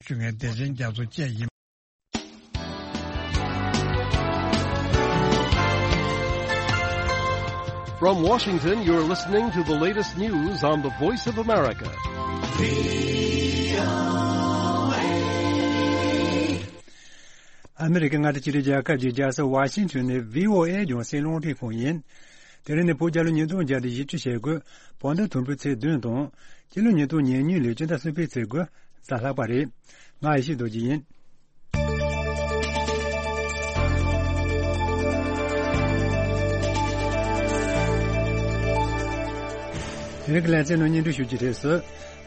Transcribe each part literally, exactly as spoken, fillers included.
ཞུ་མཁན་བདེ་ཆེན་རྒྱ་མཚོ་བཅས་ཡིན། From Washington, you're listening to the latest news on the Voice of America. ཨ་མི་རི་ཀའི་མངའ་སྡེ་ཆེ་ཤོས་རྒྱལ་ཁབ་ཀྱི་རྒྱལ་ས་ཝ་ཤིང་ཊོན་ནས་བྷི་ཨོ་ཨེ་རྒྱང་སྲིང་རླུང་འཕྲིན་ཁང་ཡིན། དེ་རིང་ནི་བོད་རྒྱལ་ལོ་ཉིས་སྟོང་བརྒྱ་དང་བཞི་བཅུ་ཞེ་དགུ། བོད་ཟླ་དང་པོའི་ཚེས་བདུན་དང་། སྤྱི་ལོ་ཉིས་སྟོང་ཉེར་གཉིས་ལོའི་སྤྱི་ཟླ་གསུམ་པའི་ཚེས་དགུ། གཟའ་ལྷག་པ་རེད། ང་ཡེ་ཤེས་རྡོ་རྗེ་ཡིན། དེ་རིང་གི་ལེ་ཚན་ནང་སྙན་སྒྲོན་ཞུ་རྒྱུའི་རྗེས་སུ།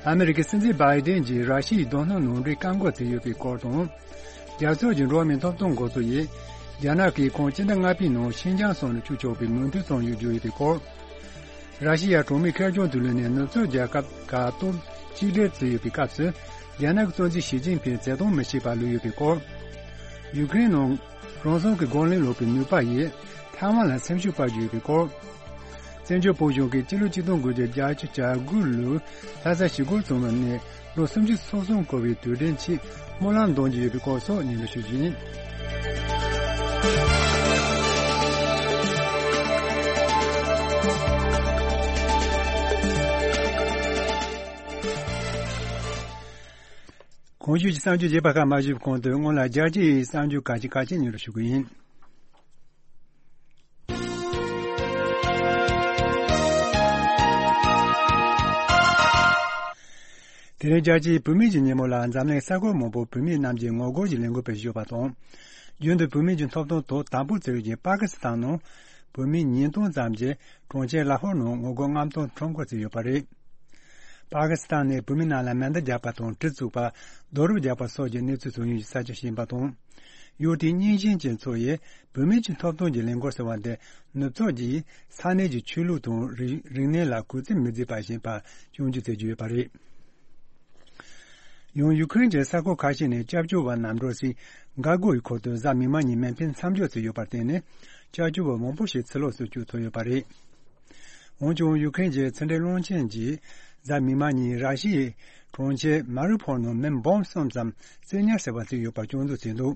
ཨ་མི་རི་ཀའི་སྲིད་འཛིན་བྷའི་ཌེན་གྱིས་ར་ཤི་ཡའི་རྡོ་སྣུམ་ནང་འདྲེན་བཀག་འགོག་བྱས་ཡོད་པའི་སྐོར་དང་། རྒྱལ་ཚོགས་ཀྱི་འགྲོ་བ་མིའི་ཐོབ་ཐང་འགོ་ཚོགས་ཡིས། རྒྱ་ནག་གིས་ཁོང་སྤྱི་ཟླ་ལྔ་པའི་ནང་ཤིན་ཅང་སོགས་ནས་བཅུག་ཆོག་པའི་མོས་མཐུན་བྱུང་ཡོད་བརྗོད་ཡོད་པའི་སྐོར། ར་ཤི་ཡ་གྲོང་མིའི་ཁེར་རྐྱང་དུ་ལུས་ནས་ནུབ་ཕྱོགས་རྒྱལ་ཁབ་ཁག་སྟོབས་གཅིག་སྒྲིལ་བྱས་ཡོད་པའི་སྐབས་སུ། རྒྱ་ནག་གི་གཙོ་འཛིན་ཞི་ཅིན་ཕིང་བརྩེ་དུང་མི་བྱེད་པར་ལུས་ཡོད་པའི་སྐོར། ཡུ་ཀེ་རེན་ནང་རང་སྲུང་གི་རྒོལ་ལན་སློག་པའི་ནུས་པ་ཡིས་ཐའེ་ཝན་ལ་སེམས་ཤུགས་སྤར་རྒྱུ་ཡོད་པའི་སྐོར། བཙན་བྱོལ་བོད་གཞུང་གིས་སྤྱི་ལོ་ཆིག་སྟོང་དགུ་བརྒྱ་བརྒྱད་ཅུ་གྱ་དགུ་ལོའི་ལྷ་ས་ཞི་རྒོལ་བྱུང་བ་ནས་ལོ་སུམ་ཅུ་སོ་གསུམ་འཁོར་བའི་དུས་དྲན་ཆེད་སྨོན་ལམ་འདོན་གྱི་ཡོད་པའི་སྐོར་སོགས་སྙན་སྒྲོན་ཞུ་རྒྱུ་ཡིན། གོང་ཞུས་ཀྱི་གསར་འགྱུར་རྒྱས་པ་ཁག་མ་ཞུས་པའི་གོང་དུ་སྔོན་ལ་རྒྱལ་སྤྱིའི་གསར་འགྱུར་ཁག་ཅིག་ཁག་ཅིག་སྙན་སྒྲོན་ཞུ་གི་ཡིན། དེ་རིང་རྒྱལ་སྤྱིའི་བུད་མེད་ཀྱི་ཉིན་མོ་ལ་འཛམ་གླིང་ས་ཁུལ་མང་པོར་བུད་མེད་རྣམས་ཀྱིས་ངོ་རྒོལ་གྱི་ལས་འགུལ་སྤེལ་བཞིན་ཡོད་པ་དང་། རྒྱུན་དུ་བུད་མེད་ཀྱི་ཐོབ་ཐང་དོ་དམ་པོ་བྱེད་ཀྱི་པ་ཀི་སི་ཐན་ནང་། བུད་མེད་ཉིས་སྟོང་ཙམ་གྱིས་གྲོང་ཁྱེར་ལ་ཧོར་ནང་ངོ་རྒོལ་མངའ་ཐང་ཁྲོམ་སྐོར་བྱས་ཡོད་པ་རེད། པ་ཀི་སི་ཐན་ནས་བུད་མེད་རྣམས་ལ་མེ་མདའ་རྒྱག་པ་དང་གྲི་བཙུགས་པ། རྡོ་རུབ་རྒྱག་པ་སོགས་ཀྱི་གནས་ཚུལ་བྱུང་ཡོད་ཅེས་གསལ་བརྗོད་བྱས་པ་དང་། ཡུལ་དེའི་རྙིང་ཞེན་ཅན་ཚོ་ཡིས་བུད་མེད་ཀྱི་ཐོབ་ཐང་གི་ལས་འགུལ་ཟེར་བ་འདི་ནུབ་ཕྱོགས་ཀྱིས་ས་གནས་ཀྱི་ཆོས་ལུགས་དང་རིག་རིག་གནས་ལ་གུས་བརྩི་མི་མཛད་པ་བཞིན་པར་སྐྱོན་བརྗོད་བྱེད་ཀྱི་ཡོད་པ་རེད། ཡང་ཡུ་ཁུ་རེན་གྱི་ས་ཁུལ་ཁ་ཤས་ནས་སྐྱབས་བཅོལ་བ་རྣམས་འགྲོ་སའི་འགག་སྒོ་ཡི་ཁུལ་དུ་གཟའ་མིག་དམར་ཉིན་མེ་འཕེན་མཚམས་འཇོག་བྱས་ཡོད་པར་བརྟེན་ནས། སྐྱབས་བཅོལ་བ་མང་པོ་ཞིག་ཕྱིར་ལོག་སུ་བསྐྱོད་ཐུབ་ཡོད་པ་རེད། འོན་ཀྱང་ཡུ་ཁུ་རེན་གྱི་ཕྱི་འབྲེལ་བློན་ཆེན་གྱིས་གཟའ་མིག་དམར་ཉིན་ར་ཤི་ཡའི་གྲོང་ཁྱེར་མ་རི་ཕོལ་ནང་མི་འབུམ་གསུམ་ཙམ་བཙན་ཉར་བྱས་པ་བརྩིས་ཡོད་པར་སྐྱོན་འཛུགས་བྱས་འདུག་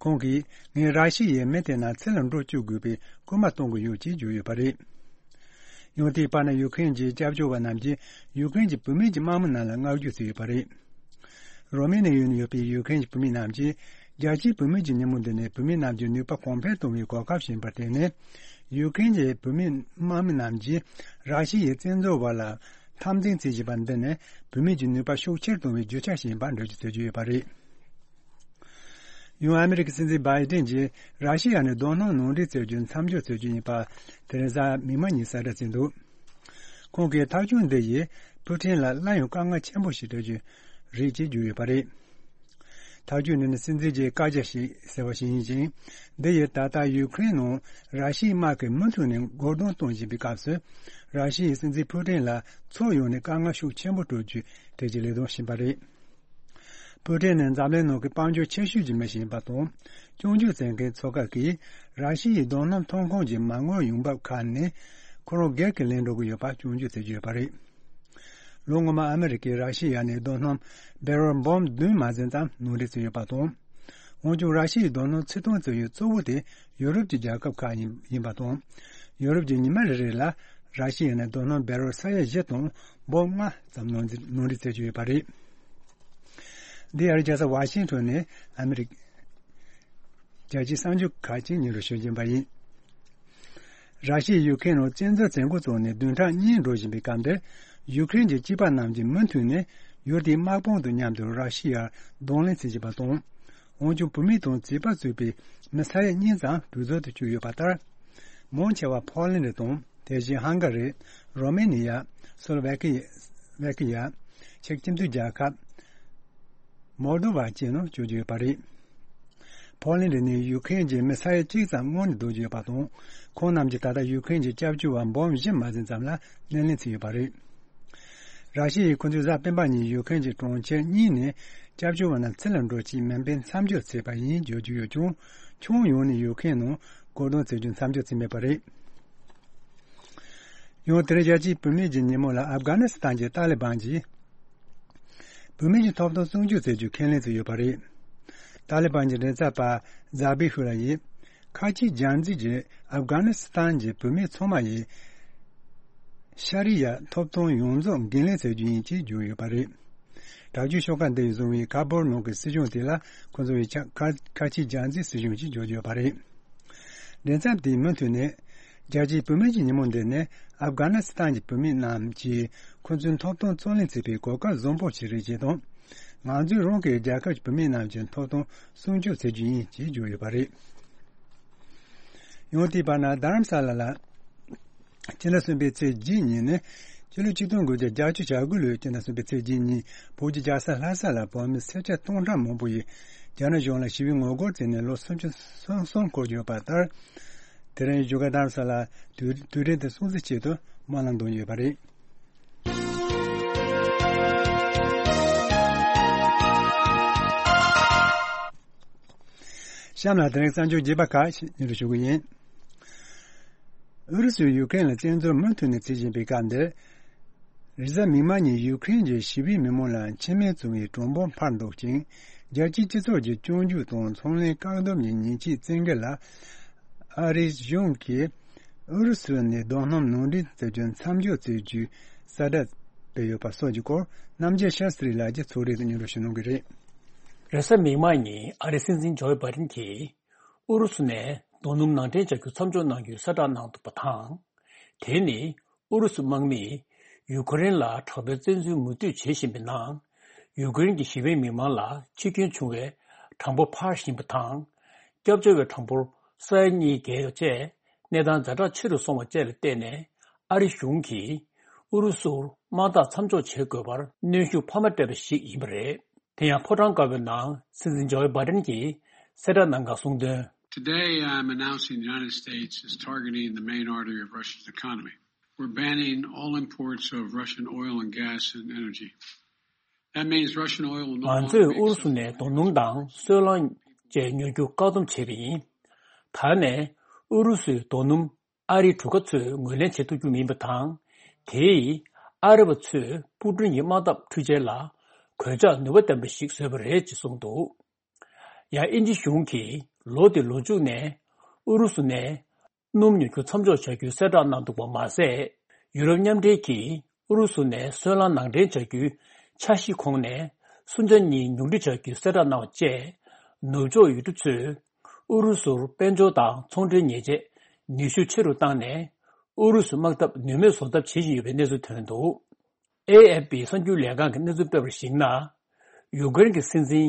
ཁོང་གིས་ངས་ར་ཤི་ཡའི་མི་དེ་རྣམས་ཕྱིར་ལ་འགྲོ་བཅུག་དགོས་པའི་སྐུལ་མ་གཏོང་གི་ཡོད་ཅེས་བརྗོད་ཡོད་པ་རེད། ཡང་དེའི་བར་ན་ཡུ་ཁུ་རེན་གྱི་སྐྱབས་བཅོལ་བ་རྣམས་ཀྱིས་ཡུ་ཁུ་རེན་གྱི་བུད་མེད་ཀྱི་དམག་མི་རྣམས་ལ་བསྔགས་བརྗོད་བྱས་ཡོད་པ་རེད། རོ་མེ་ནི་ཡ་ནང་ཡོད་པའི་ཡུ་ཁུ་རེན་གྱི་བུད་མེད་རྣམས་ཀྱིས་རྒྱལ་སྤྱིའི་བུད་མེད་ཀྱི་ཉིན་མོ་འདི་ནི་བུད་མེད་རྣམས་ཀྱི་ནུས་པ་གོང་འཕེལ་གཏོང་བའི་གོ་སྐབས་ཤིག་ཡིན་པར་བརྟེན་ནས། ཡུ་ཁུ་རེན་གྱི་བུད་མེད་དམག་མི་རྣམས་ཀྱིས་ར་ཤི་ཡའི་བཙན་འཛུལ་བ་ལ་འཐབ་འཛིང་བྱེད་བཞིན་པ་འདི་ནི་བུད་མེད་ཀྱི་ནུས་པ་ཤུགས་ཆེར་གཏོང་བའི་རྒྱུ་ཆ་ཞིག་ཡིན་པར་འགྲེལ་བརྗོད་བྱེད་ཀྱི་ཡོད་པ་རེད། ཡང་ཨ་མི་རི་ཀའི་སྲིད་འཛིན་བྷའི་ཏིན་གྱིས་ར་ཤི་ཡ་ནས་རྡོ་སྣུམ་ནང་འདྲེན་བྱེད་རྒྱུ་མཚམས་འཇོག་བྱེད་རྒྱུ་ཡིན་པ་དེ་རིང་གཟའ་མིག་དམར་ཉིན་གསལ་བསྒྲགས་བྱས་འདུག་ཁོང་གིས་ཐག་གཅོད་འདི་ཡིས་ཕུའུ་ཀྲིན་ལ་སླར་ཡང་དཀའ་ངལ་ཆེན་པོ་ཞིག་སྤྲད་རྒྱུ་རེད་ཅེས་བརྗོད་ཡོད་པ་རེད། ཐག་གཅོད་འདི་ནི་སྲིད་འཛིན་གྱི་བཀའ་རྒྱ་ཞིག་ཟེར་བ་ཞིག་ཡིན་ཅིང་། འདི་ཡིས་ད་ལྟ་ཡུ་ཁུ་རེན་ནང་ར་ཤི་ཡའི་དམག་གིས་མུ་མཐུད་ནས་རྒོལ་རྡུང་གཏོང་བཞིན་པའི་སྐབས་སུ། ར་ཤི་ཡའི་སྲིད་འཛིན་ཕུའུ་ཀྲིན་ལ་ཕྱོགས་ཡོངས་ནས་དཀའ་ངལ་ཤུགས་ཆེན་པོ་སྤྲོད་རྒྱུའི་གྲོས་ཆོད་ལས་དོན་ཕྱིན་པ་རེད། ཕུའུ་ཀྲིན་ནི་འཛམ་གླིང་ནང་གི་དཔལ་འབྱོར་ཆེ་ཤོས་ཀྱི་མི་ཞིག་ཡིན་པ་དང་། སྐྱོན་བརྗོད་བྱེད་མཁན་ཚོ་ཁག་གིས་ར་ཤི་ཡའི་རྡོ་སྣུམ་ཐོན་ཁུངས་ཀྱི་མ་དངུལ་ཡོང་འབབ་ཁག་ནས་ཁོ་རང་སྒེར་གྱིས་ལེན་འགྲོ་གི་ཡོད་པ་སྐྱོན་བརྗོད་བྱེད་ཀྱི་ཡོད་པ་རེད། ལོ་སྔོན་མ་ཨ་མི་རི་ཀས་ར་ཤི་ཡ་ནས་རྡོ་སྣུམ་བེ་རལ་འབུམ་བདུན་མ་ཟིན་ཙམ་ནང་འདྲེན་བྱས་ཡོད་པ་དང་། འོན་ཀྱང་ར་ཤི་ཡའི་རྡོ་སྣུམ་ཕྱིར་གཏོང་བྱེད་ཡུལ་གཙོ་བོ་དེ་ཡུ་རོབ་ཀྱི་རྒྱལ་ཁབ་ཁག་ཡིན་ཡིན་པ་དང་། ཡུ་རོབ་ཀྱིས་ཉི་མ་རེ་རེ་ལ་ར་ཤི་ཡ་ནས་རྡོ་སྣུམ་བེ་རལ་ས་ཡ་བཞི་དང་འབུམ་ལྔ་ཙམ་ནང་འདྲེན་ནང་འདྲེན་བྱེད་ཀྱི་ཡོད་པ་རེད། འདི་ཨ་རིའི་རྒྱལ་ས་ཝ་ཤིང་ཊོན་ནས་ཨ་མི་རི་ཀ་རྒྱལ་སྤྱིའི་གསར་འགྱུར་ཁག་ཅིག་སྙན་སྒྲོན་ཞུ་བཞིན་པ་ཡིན། ར་ཤི་ཡས་ཡུ་ཁེན་ནང་བཙན་འཛུལ་བྱེད་འགོ་བཙུགས་ནས་བདུན་ཕྲག་གཉིས་འགྲོ་བཞིན་པའི་སྐབས་འདིར། ཡུ་ཁེན་གྱི་སྐྱེས་པ་རྣམས་ཀྱིས་མུ་མཐུད་ནས་ཡུལ་དེའི་དམག་དཔུང་དང་མཉམ་དུ་ར་ཤི་ཡར་གདོང་ལེན་བྱེད་བཞིན་པ་དང་། འོན་ཀྱང་བུད་མེད་དང་བྱིས་པ་གཙོས་པའི་མི་ས་ཡ་གཉིས་ཙམ་གྲོས་ཚོགས་དུ་བཅུག་ཡོད་པ་ལྟར། མང་ཆེ་བ་ཕོ་ལན་ཌི་དང་། དེ་བཞིན་ཧང་ག་རི། རོ་མེ་ནི་ཡ། སོ་ལོ་ཝེ་ཀི་ཝེ་ཀི་ཡ། ཅེཀ་སྤྱི་མཐུན་རྒྱལ་ཁབ། མོལ་དོ་བ་བཅས་ནང་བཅུག་རྒྱུ་ཡོད་པ་རེད། ཕོ་ལན་ཌི་ནི་ཡུ་ཁེན་གྱི་མི་ས་ཡ་གཅིག་ཙམ་སྔོན་ནས་སྡོད་ཀྱི་ཡོད་པ་དང་། ཁོང་རྣམས་ཀྱིས་ད་ལྟ་ཡུ་ཁེན་གྱི་སྐྱབས་བཅོལ་བ་འབུམ་བཞི་མ་ཟིན་ཙམ་ལ་སྣེ་ལེན་བྱས་ཡོད་པ་རེད། ར་ཤི་ཡས་ཁོ་ཚོས་གཟའ་སྤེན་པ་ཉིན་ཡུ་ཁེན་གྱི་གྲོང་ཁྱེར་གཉིས་ནས་སྐྱབས་བཅོལ་བ་རྣམས་ཕྱིར་ལ་འགྲོ་ཆེད་མེ་འཕེན་མཚམས་འཇོག་བྱས་པ་ཡིན་བརྗོད་ཀྱི་ཡོད་ཀྱང་། ཁྱོན་ཡོངས་ནས་ཡུ་ཁེན་ནང་རྒོལ་རྡུང་བྱེད་རྒྱུ་མཚམས་འཇོག་བྱས་མེད་པ་རེད། ཡང་དེ་རིང་རྒྱལ་སྤྱིའི་བུད་མེད་ཀྱི་ཉིན་མོ་ལ་ཨབ་གྷ་ནི་སི་ཐན་གྱི་ཏཱ་ལི་བན་གྱིས། བུད་མེད་ཀྱི་ཐོབ་ཐང་སྲུང་སྐྱོབ་བྱེད་རྒྱུ་ཁས་ལེན་བྱས་ཡོད་པ་རེད། ཏཱ་ལི་བན་གྱི་མགྲིན་ཚབ་པ་ཛ་བི་ཧུ་ལ་ཡིས། ཁ་ཆེའི་སྦྱར་མཛུབ་ཀྱིས་ཨབ་གྷ་ནི་སི་ཐན་གྱི་བུད་མེད་ཚང་མ་ཡི་ཤ་རི་ཡ་ཐོབ་ཐང་ཡོངས་རྫོགས་འགན་ལེན་བྱ་རྒྱུ་ཡིན་ཅེས་བརྗོད་ཡོད་པ་རེད། དྲག་སྤྱོད་ཤོག་ཁག་འདི་ཡིས་བཟུང་བའི་ཁ་བོར་ནང་གི་སྲིད་གཞུང་དེ་ལ་ཁོ་ཚོ་ཡིས་ཁ་ཁ་ཆེའི་སྦྱར་མཛུབ་སྲིད་གཞུང་ཞེས་བརྗོད་ཡོད་པ་རེད། མགྲིན་ཚབ་དེས་མུ་མཐུད་ནས། རྒྱལ་སྤྱིའི་བུད་མེད་ཀྱི་ཉིན་མོ་འདི་ནི་ཨབ་གྷ་ནི་སི་ཐན་གྱི་བུད་མེད་རྣམས་ཀྱིས་ཁོ་ཚོའི་ཐོབ་ཐང་རྩོད་ལེན་བྱེད་པའི་གོ་སྐབས་བཟང་པོ་ཞིག་རེད་ཅེས་དང་། ང་ཚོས་རང་གི་རྒྱལ་ཁབ་ཀྱི་བུད་མེད་རྣམས་ཀྱི་ཐོབ་ཐང་སྲུང་སྐྱོབ་བྱེད་རྒྱུ་ཡིན་ཅེས་བརྗོད་ཡོད་པ་རེད། ཡང་དེའི་བར་ན་རྡ་རམ་ས་ལ་ལ། སྤྱི་ཟླ་གསུམ་པའི་ཚེས་བརྒྱད་ཉིན་ནི། ཕྱི་ལོ་ཆིག་སྟོང་དགུ་བརྒྱ་བརྒྱད་ཅུ་གྱ་དགུ་ལོའི་སྤྱི་ཟླ་གསུམ་པའི་ཚེས་བརྒྱད་ཉིན་བོད་ཀྱི་རྒྱལ་ས་ལྷ་ས་ལ་བོད་མི་སེར་སྐྱ་སྟོང་ཕྲག་མང་པོ་ཡིས་རྒྱ་ནག་གཞུང་ལ་ཞི་བའི་ངོ་རྒོལ་བྱས་ནས་ལོ་སུམ་ཅུ་སོ་གསུམ་འཁོར་ཡོད་པ་ལྟར། དེ་རིང་བཞུགས་སྒར་རྡ་རམ་ས་ལ་དུས་དུས་དྲན་དེ་སྲུང་བརྩི་ཆེད་དུ་དམག་ལ་འདོན་ཡོད་པ་རེད། གཤམ་ལ་དེ་རིང་གསར་འགྱུར་རྒྱས་པ་ཁག་ཞིག་སྙན་སྒྲོན་ཞུ་གི་ཡིན། ཨུ་རུ་སུས་ཡུ་ཀེ་རེན་ལ་བཙན་འཛུལ་མུ་མཐུད་ནས་བྱེད་བཞིན་པའི་སྐབས་འདིར། རེས་གཟའ་མིག་དམར་ཉིན་ཡུ་ཀེ་རེན་གྱི་ཞི་བའི་མི་མང་ལ་འཆི་རྨས་བྱུང་བའི་གྲངས་འབོར་འཕར་འདུག་ཅིང་། རྒྱལ་སྤྱིའི་སྤྱི་ཚོགས་ཀྱི་སྐྱོན་བརྗོད་དང་ཚོང་ལས་བཀག་སྡོམ་གྱི་ཉེས་ཆད་བཙན་འགེལ་ལ། ཨ་རིའི་གཞུང་གིས་ཨུ་རུ་སུ་ནས་རྡོ་སྣུམ་ནང་འདྲེན་བྱ་རྒྱུ་མཚམས་འཇོག་བྱེད་རྒྱུའི་གསལ་བསྒྲགས་སྤེལ་ཡོད་པ་སོགས་ཀྱི་སྐོར། རྣམ་རྒྱལ་ཤཱ་སི་རི་ལགས་ཀྱིས་ཚོགས་རིང་དུ་སྙན་སྒྲོན་ཞུ་གནང་གི་རེད། རེས་གཟའ་མིག་དམར་ཉིན་ཨ་རིའི་སྲིད་འཛིན་ཇོ་བྷའི་ཌེན་གྱིས། ཨུ་རུ་སུ་ནས་རྡོ་སྣུམ་ནང་འདྲེན་བྱ་རྒྱུ་མཚམས་འཇོག་གནང་རྒྱུའི་གསལ་བསྒྲགས་གནང་འདུག་པ་དང་། དེ་ནི་ཨུ་རུ་སུ་དམག་མིས་ཡུ་ཀེ་རེན་ལ་དྲག་པོའི་བཙན་འཛུལ་མུ་མཐུད་བྱེད་བཞིན་པའི་ནང་། ཡུ་ཀེ་རེན་གྱི་ཞི་བའི་མི་མང་ལ་འཆི་སྐྱོན་བྱུང་བའི་གྲངས་འབོར་འཕར་བཞིན་པ་དང་། སྐྱབས་བཅོལ་བའི་གྲངས་འབོར་ས་ཡ་གཉིས་བརྒལ་ཡོད་ཅེས་གནས་སྟངས་ཛ་དྲག་ཆེ་རུ་སོང་བ་བཅས་ལ་བརྟེན་ནས། ཨ་རི་གཞུང་གིས་ཨུ་རུ་སུར་དམག་འཐབ་མཚམས་འཇོག་བྱེད་དགོས་པར་གནོན་ཤུགས་འཕར་མ་སྤྲད་པ་ཞིག་ཡིན་པ་རེད། དེ་ཡང་ཕོ་བྲང་དཀར་པོའི་ནང་སྲིད་འཛིན་ཇོ་བྷའི་ཌེན་གྱིས་གསལ་བསྒྲགས་གནང་སྐབས་གསུངས་དོན། Today, I'm announcing the United States is targeting the main artery of Russia's economy. We're banning all imports of Russian oil and gas and energy. That means Russian oil will no longer be accepted. ང་ཚོས་ཨུ་རུ་སུ་ནས་རྡོ་སྣུམ་དང་སོལ་རླངས་བཅས་ཉོ་རྒྱུ་བཀག་སྡོམ་བྱས་པ་ཡིན། ད་ནས་ཨུ་རུ་སུའི་རྡོ་སྣུམ་ཨ་རིའི་གྲུ་ཁ་ཚོས་ངོས་ལེན་བྱེད་ཐུབ་རྒྱུ་མིན་པ་དང་། དེས་ཨ་རི་བ་ཚོས་པུ་ཏིན་གྱི་དམག་འཐབ་འཕྲུལ་ཆས་ལ་གོད་ཆག་ནུས་པ་ལྡན་པ་ཞིག་བཟོས་པ་རེད་ཅེས་གསུངས་འདུག་ཡང་དབྱིན་ཇི་གཞུང་གིས་ལོ་འདིའི་ལོ་མཇུག་ནས་ཨུ་རུ་སུ་ནས་སྣུམ་ཉོ་རྒྱུ་མཚམས་འཇོག་བྱ་རྒྱུའི་གསལ་བསྒྲགས་གནང་འདུག་པ་མ་ཟད། ཡུ་རོབ་མཉམ་འབྲེལ་གྱིས་ཨུ་རུ་སུ་ནས་སོལ་རླངས་ནང་འདྲེན་བྱ་རྒྱུའི་འཆར་གཞིའི་ཁོངས་ནས་སུམ་ཆ་གཉིས་ཉུང་འཕྲི་བྱ་རྒྱུའི་གསལ་བསྒྲགས་གནང་བ་བཅས། ནུབ་ཕྱོགས་ཡུལ་གྲུ་ཚོས་ཨུ་རུ་སུར་དཔལ་འབྱོར་དང་ཚོང་འབྲེལ་ཉེས་ཆད་ནུས་ཤུགས་ཆེ་རུ་བཏང་ནས། ཨུ་རུ་སུ་དམག་འཐབ་ནུས་མེད་བཟོ་ཐབས་བྱེད་བཞིན་ཡོད་པའི་གནས་ཚུལ་ཐོན་འདུག་ཨེ་ཨེཕ་པི་གསར་འགྱུར་ལས་ཁང་གི་གནས་ཚུལ་སྤེལ་བར་གཞིགས་ན། ཡུ་ཀེ་རེན་གྱི་སྲིད་འཛིན་